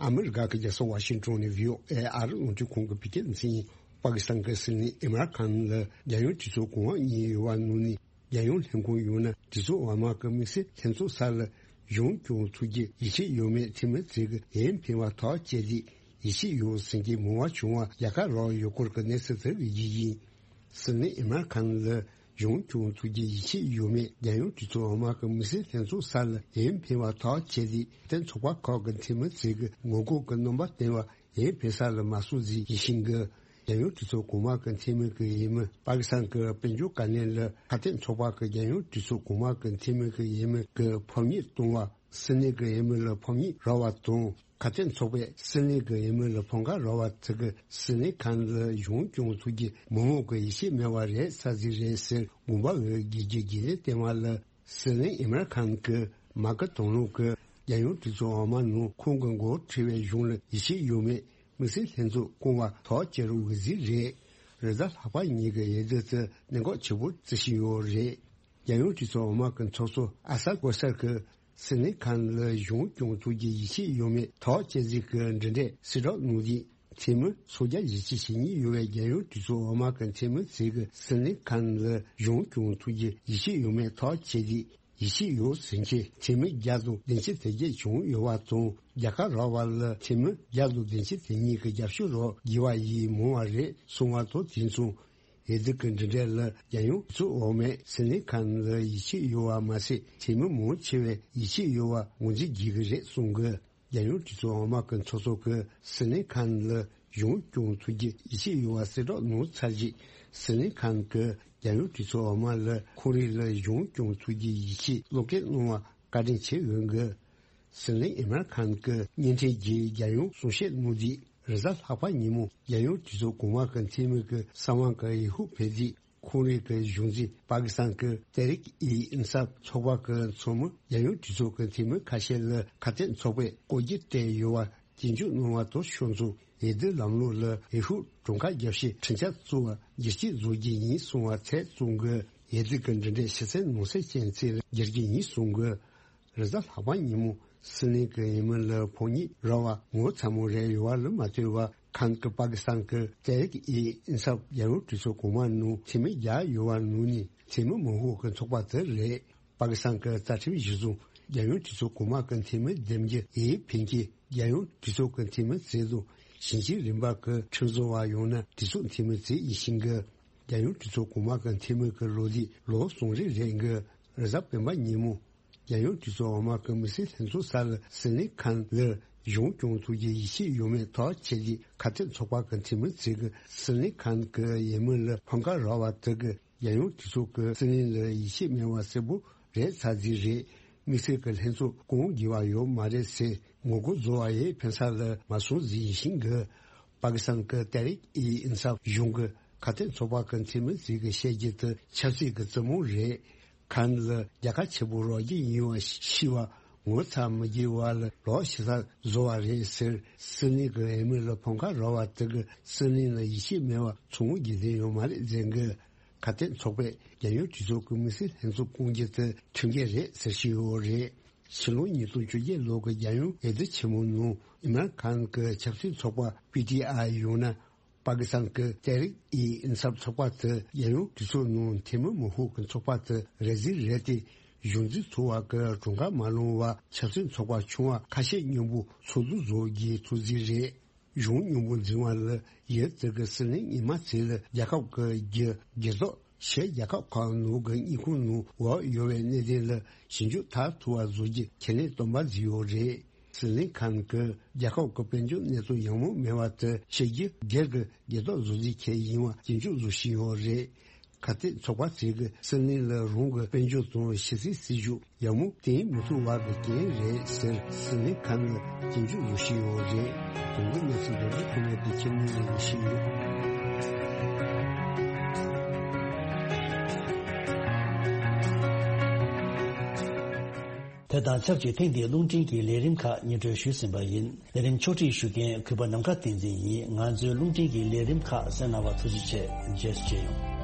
ཨ་མི་རི་ཀ་གི་རྒྱལ་ས་ཝ་ཤིང་ཊོན་ནས་བྷི་ཨོ་ཨེ་ཨ་རི་རླུང་འཕྲིན་ཁང་གི་བོད་སྐད་སྡེ་ཚན་ཡིན། པ་ཀི་སི་ཐན་གྱི་སྲིད་བློན་ཨིམ་རཱན་ཁཱན་ལ་རྒྱལ་ཡོངས་གྲོས་ཚོགས་གོང་འོག་གཉིས་ཡོད་པ་ནང་ནས། རྒྱལ་ཡོངས་ལྷན་ཁང་ཡོད་ན་གྲོས་ཚོགས་འོག་མ་གི་དམིགས་བསལ་ལྷན་ཚོགས་སར་ལ་གཞུང་སྐྱོང་ཐུབ་རྒྱུ་ཡིད་ཆེས་ཡོད་མེད་ཐེངས་མ་གཅིག་གི་འོས་འཕེན་པ་ཐག་བཅད་དེ། ཡིད་ཆེས་ཡོད་ཟེར་གྱི་མང་བ་བྱུང་བ་རྒྱལ་ཁ་རག་ཡོད་སྐོར་གྱི་གནས་ཚུལ་དེ་གི་རྒྱུ་ཡིན། སྲིད་བློན་ཨིམ་རཱན་ཁཱན་ལ་གཞུང་སྐྱོང་ཐུབ་རྒྱུ་ཡིད་ཆེས་ཡོད་མེད། རྒྱལ་ཡོངས་གྲོས་ཚོགས་འོག་མ་གི་དམིགས་བསལ་ལྷན་ཚོགས་སར་ལ་འོས་འཕེན་པ་ཐག་བཅད་དེ། དེ་ཚོགས་པ་ཁག་གི་འཐུས་མི་ཚོས་ཀྱི་ངོ་རྒོལ་གྱི་རྣམ་པ་བསྟན་པ། འོས་འཕེན་ས་ལ་མ་སོང་ཟིག་ཡིན་ཤིང་གི། རྒྱལ་ཡོངས་གྲོས་ཚོགས་གོང་མ་གི་འཐུས་མི་གི་འོས་མི། པ་ཀི་སི་ཐན་གྱི་དཔལ་འབྱོར་བཀའ་བློན་ལ་ཁ་གཏད་ཚོགས་པ་གི་རྒྱལ་ཡོངས་གྲོས་ཚོགས་གོང་མ་གི་འཐུས་མི་གི་འོས་མི་གི་ཕམ་ཉེས་གཏོང་བ། སྲིད་གནས་ཀྱི་འོས་མི་ལ་ཕམ་ཉེས་རག་པ་དང་། ཁ་གཏད་ཚོགས་པས་སྲིད་གནས་ཀྱི་འོས་མི་ལ་ཕམ་ཁ་རག་པ་དེ་གིས་སྲིད་བློན་ཁན་ལ་གཞུང་སྐྱོང་ཐུབ་རྒྱུ་མི་མང་གི་ཡིད་ཆེས་མེད་པ་རེད་ས་ཟིག་རེད་ཟེར། དགོངས་པ་འོས་བསྐྱེད་རྒྱུ་དགེ་ལེགས་བསྟན་མ་ལ། སྲིད་བློན་ཨིམ་རཱན་ཁན་གྱི་མ་སྐུལ་དང་བླངས་ཀྱིས་རྒྱལ་ཡོངས་གྲོས་ཚོགས་འོག་མ་ནང་ཁོང་གི་མགོ་ཁྲིད་པའི་གཞུང་ལ་ཡིད་ཆེས་ཡོད་མེད་དམིགས་བསལ་ལྷན་ཚོགས་བསྐོང་བ་ཐག་བཅད་རུ་འོས་ཟིན་རེད། རེས་གཟའ་ལྷག་པ་ཉིན་གྱི་འོས་བསྡུ་དེ་གནད་འགག་ཆེ་པོ་བརྩི་བཞིན་ཡོད་རེད། རྒྱལ་ཡོངས་གྲོས་ཚོགས་འོག་མ་གི་ཚོགས་གཙོ་ཨ་ས་གོ་སར་གྱིས་སྲིད་བློན་ཁན་ལ་གཞུང་སྐྱོང་ཐུབ་རྒྱུ་ཡིད་ཆེས་ཡོད་མེད་ཐག་བཅད་རྩིས་ཀྱི་འབྲེལ་འདྲིས་གསལ་བསྒྲགས་གནང་དུས། འཐུས་མི་སུམ་བརྒྱ་ཞེ་གཅིག་ཞེ་གཉིས་ཡོད་པའི་རྒྱལ་ཡོངས་གྲོས་ཚོགས་འོག་མ་གི་འཐུས་མི་ཚོས་ཀྱིས་སྲིད་བློན་ཁན་ལ་གཞུང་སྐྱོང་ཐུབ་རྒྱུ་ཡིད་ཆེས་ཡོད་མེད་ཐག་བཅད་དུས། ཡིད་ཆེས་ཡོད་ཟེར་མཁན་འཐུས་མི་བརྒྱ་དང་བདུན་ཅུ་དོན་བརྒྱད་བྱུང་ཡོད་པ་དང་། རྒྱལ་ཁ་རག་པ་ལ་འཐུས་མི་བརྒྱ་དང་བདུན་ཅུ་དོན་གཉིས་ཀྱི་རྒྱབ་སྐྱོར་རག་དགོས་པ་ཡིས་མང་བ་རེད་གསུངས་པ་དང་། དེ་མཚུངས། འོས་བསྡུ་གི་འབྲེལ་འདྲིས་ལ་རྒྱལ་ཡོངས་གྲོས་ཚོགས་འོག་མས་སྲིད་བློན་ཁན་ལ་ཡིད་ཆེས་ཡོད་པ་མ་ཟད། འཐུས་མི་མང་ཆེ་བས་ཡིད་ཆེས་ཡོད་པ་ངོས་འཛིན་བགྱིད་ཀྱི་རེད་གསུངས་ཀྱི། རྒྱལ་ཡོངས་གྲོས་ཚོགས་འོག་མ་གི་ཚོགས་གཙོ་གིས་སྲིད་བློན་ཁན་ལ་གཞུང་སྐྱོང་ཐུབ་རྒྱུ་ཡིད་ཆེས་ཡོད་པ་གསལ་བསྒྲགས་གནང་ཚར་རྗེས། སྲིད་བློན་ཁན་གྱིས་རྒྱལ་ཡོངས་གྲོས་ཚོགས་འོག་མ་ལ་ཁོང་རང་ལ་གཞུང་སྐྱོང་ཐུབ་རྒྱུ་ཡིད་ཆེས་བློ་སྐྱེད་གནང་བར་བཀའ་དྲིན་ཆེ་ཡོད་འདུག། སྲིད་བློན་ཨིམ་རཱན་ཁན་གྱིས་བརྙན་འཕྲིན་བརྒྱུད་རྒྱལ་ཡོངས་གསུང་བཤད་གནང་དུས། རེས་གཟའ་ལྷག་པ་ཉིན་མོ་རྒྱལ་ཡོངས་གྲོས་ཚོགས་གོང་མ་གི་འཐུས་མི་གི་གསང་བ་གི་འོས་ཤོག་ཕུལ་དུས། ཁོང་རང་གི་གཞུང་འཛིན་པ་ཀི་སི་ཐན་གྱི་ཏེ་རིག་ཨི་ཨིན་སབ་ཚོགས་པ་གི་ཚོགས་མི་རྒྱལ་ཡོངས་གྲོས་ཚོགས་ཀྱི་འཐུས་མི་ཁ་ཤས་ལ་ཁ་གཏད་ཚོགས་པས་བཀོད་རྒྱུ་སྤྲད་ཡོད་པ་སྐྱོན་བརྗོད་གནང་བ་དང་ཕྱོགས་མཚུངས། འོས་བསྡུ་ལམ་ལུགས་ལ་འོས་ཤོག་གྲངས་ཀ་རྒྱབ་བཤད་ཁྲིམས་འཆར་བཙུགས་པ་བསྒྱུར་བཅོས་བཟོ་རྒྱུ་ཡིན་གསུངས་པ་ཚད་བཙོང་གི། འོས་བསྡུ་གི་འབྲེལ་འདྲིས་ཕྱི་གསལ་ནང་གསལ་ཅན་ཅིག་ལ་བསྒྱུར་རྒྱུ་ཡིན་གསུངས་གི། རེས་གཟའ་ལྷག་པ་ཉིན་མོ་སྲིད་བློན་གྱི་འོས་མི་ལ་ཕམ་ཉེས་རག་པ་ངོ་ཚ་མོ་རེ་ཡོད་པ་ལ་མ་ལྟོས་པར། ཁན་གྱིས་པ་ཀི་སི་ཐན་གྱི་ཏེ་རིག་ཨི་ཨིན་སབ་རྒྱལ་ཡོངས་གྲོས་ཚོགས་གོང་མ་ནང་འཐུས་མི་བརྒྱ་ཡོད་པ་ནང་ནས་འཐུས་མི་མང་ཤོས་ཀྱི་ཚོགས་པ་དེ་རེད། པ་ཀི་སི་ཐན་གྱི་རྩ་ཁྲིམས་གཞིར་བཟུང་རྒྱལ་ཡོངས་གྲོས་ཚོགས་གོང་མ་གི་འཐུས་མི་འདེམས་རྒྱུ་འོས་འཕེན་མཁན་རྒྱལ་ཡོངས་གྲོས་ཚོགས་ཀྱི་འཐུས་མི་ཚོ་དང་། ཞིང་ཆེན་རིམ་པ་གི་ཁྲིམས་བཟོ་བ་ཡང་ན་གྲོས་ཚོགས་འཐུས་མི་ཚོ་ཡིན་ཞིང་གི། རྒྱལ་ཡོངས་གྲོས་ཚོགས་གོང་མ་གི་འཐུས་མི་གི་ལོ་ལུགས་ལོ་གསུམ་རེ་རེ་གི། རེས་གཟའ་སྤེན་པ་ཉིན་མོ། རྒྱལ་ཡོངས་གྲོས་ཚོགས་འོག་མ་གི་དམིགས་བསལ་ལྷན་ཚོགས་སར་སྲིད་བློན་ཁན་ལ་གཞུང་སྐྱོང་ཐུབ་རྒྱུ་ཡིད་ཆེས་ཡོད་མེད་ཐག་བཅད་དེ། ཁ་གཏད་ཚོགས་པ་གི་འཐུས་མི་ཚོས་ཀྱིས་སྲིད་བློན་ཁན་གྱི་འོས་མི་ལ་ཕམ་ཁ་རག་པ་དེ་གིས་རྒྱལ་ཡོངས་གྲོས་ཚོགས་ཀྱིས་སྲིད་བློན་ལ་ཡིད་ཆེས་མེད་པ་གསལ་པོ་རེད་ཚར་རྩིས་རེད། དམིགས་བསལ་གྱི་ལྷན་ཚོགས་བསྐོང་དགོས་པ་ཡོད་མ་རེད་ཟེར་ངོ་རྒོལ་བཟོ་བ་ཡང་ཕན་ས་ལ་མ་སོང་ཟིག་ཡིན་ཞིང་གི། པ་ཀི་སི་ཐན་གྱི་ཏེ་རིག་ཨི་ཨིན་སབ་གཞུང་གི་ཁ་གཏད་ཚོགས་པ་གི་འཐུས་མི་ཚོས་ཀྱིས་བཤད་རྒྱུ་དེ་ཆབ་སྲིད་ཀྱི་རྩེད་མོ་རེད། ཁན་ལ་རྒྱལ་ཁ་ཆེ་པོ་རག་རྒྱུ་ཡིན་པ་ཤེས་པ་ངོ་ཚ་མི་རྒྱུ་བ་ལ་ལོག་ཤི་ས་བཟོ་བ་རེད་ཟེར། སྲིད་བློན་གྱི་འོས་མི་ལ་ཕམ་ཁ་རག་པ་དེ་གིས་སྲིད་བློན་ལ་ཡིད་ཆེས་མེད་པ་ཚོང་རྒྱུ་དེ་ཡོད་མ་རེད་ཟེར་གི། ཁ་གཏད་ཚོགས་པས་རྒྱལ་ཡོངས་གྲོས་ཚོགས་ཀྱི་དམིགས་བསལ་ལྷན་ཚོགས་བསྐོང་རྒྱུ་དེ་ཁྲིམས་འགལ་རེད་ཟེར་བཞིན་ཡོད་རེད། ཕྱི་ལོ་ཉིས་སྟོང་བཅོ་བརྒྱད་ལོ་གི་རྒྱལ་ཡོངས་འོས་བསྡུ་ཆེན་མོ་ནང་ཨིམ་རཱན་ཁན་གྱི་ཆབ་སྲིད་ཚོགས་པ་པི་ཏི་ཨའི་ཡང་ན། པ་ཀི་སི་ཐན་གྱི་ཏེ་རིག་ཨི་ཨིན་སབ་ཚོགས་པ་དེ་རྒྱལ་ཡོངས་གྲོས་ཚོགས་ནང་འཐུས་མི་མང་ཤོས་ཀྱི་ཚོགས་པ་དེ་རེད་རྩིས་རེད་དེ། གཞུང་འཛིན་ཚོགས་པ་གི་གྲངས་ཀ་མ་ལོངས་པར་ཆབ་སྲིད་ཚོགས་པ་ཆུང་བ་ཁ་ཤས་མཉམ་པོ་ཚོགས་འདུ་བཟོ་རྒྱུའི་ཐུགས་འཛིན་རེད། གཞུང་མཉམ་པོ་འཛིན་པ་ལ་ཡུལ་དེ་གི་སྲིད་བློན་ཉི་མ་ཚེ་ལ་རྒྱལ་ཁབ་ཀྱི་རྒྱུ་སྒེར་ཐོག་ཕྱིའི་རྒྱལ་ཁབ་ཁག་ནང་གི་དངུལ་ཁང་ནང་འོག་ཡོད་པའི་གནད་དོན་ལ་ཞིབ་འཇུག་མཐར་ཐུག་པ་བཟོ་རྒྱུ་ཁས་ལེན་བཏོན་པ་ཟིག་ཡོད་རེད། སྲིད་བློན་ཁན་གྱིས་རྒྱལ་ཁབ་ཀྱི་དཔལ་འབྱོར་གནས་སྟངས་ཡག་མོ་མེད་པ་དེ་ཕྱི་རྒྱལ་སྒེར་གྱི་སྒེར་ཐོག་བཟོ་རྒྱུ་ཁས་ཡིན་པ་སྐྱོན་བརྗོད་བཟོ་བཞིན་ཡོད་རེད། ཁ་གཏད་ཚོགས་པ་ཚོས་ཀྱིས་སྲིད་བློན་ལ་རང་གི་དཔལ་འབྱོར་དང་ཕྱི་སྲིད་སྲིད་ཇུས་ཡག་མོ་བསྟན་མི་ཐུབ་པ་གི་རྐྱེན་རེད་ཟེར་སྲིད་བློན་ཁན་ལ་སྐྱོན་བརྗོད་བཟོ་བཞིན་ཡོད་རེད། དོན་གྱི་གནས་ཚུལ་རྡོ་རྗེ་ཁོ་ནས་དེ་ཁྱེད་ཉིད་ལ་ཡིན་བཞིན་ཡོད། དེ་དང་ཆབས་ཅིག་ཐེངས་འདིའི་རླུང་འཕྲིན་གྱི་ལས་རིམ་ཁག་སྙན་སྒྲོན་ཞུས་ཟིན་པ་ཡིན། ལས་རིམ་ཕྱོགས་སྒྲིག་ཞུ་མཁན་གུས་པ་ནམ་མཁའ་བསྟན་འཛིན་ཡིན། ང་ཚོའི་རླུང་འཕྲིན་གྱི་ལས་རིམ་ཁག་གསན་གནང་བར་ཐུགས་རྗེ་ཆེ། རྗེས་སུ་མཇལ་ཡོང་།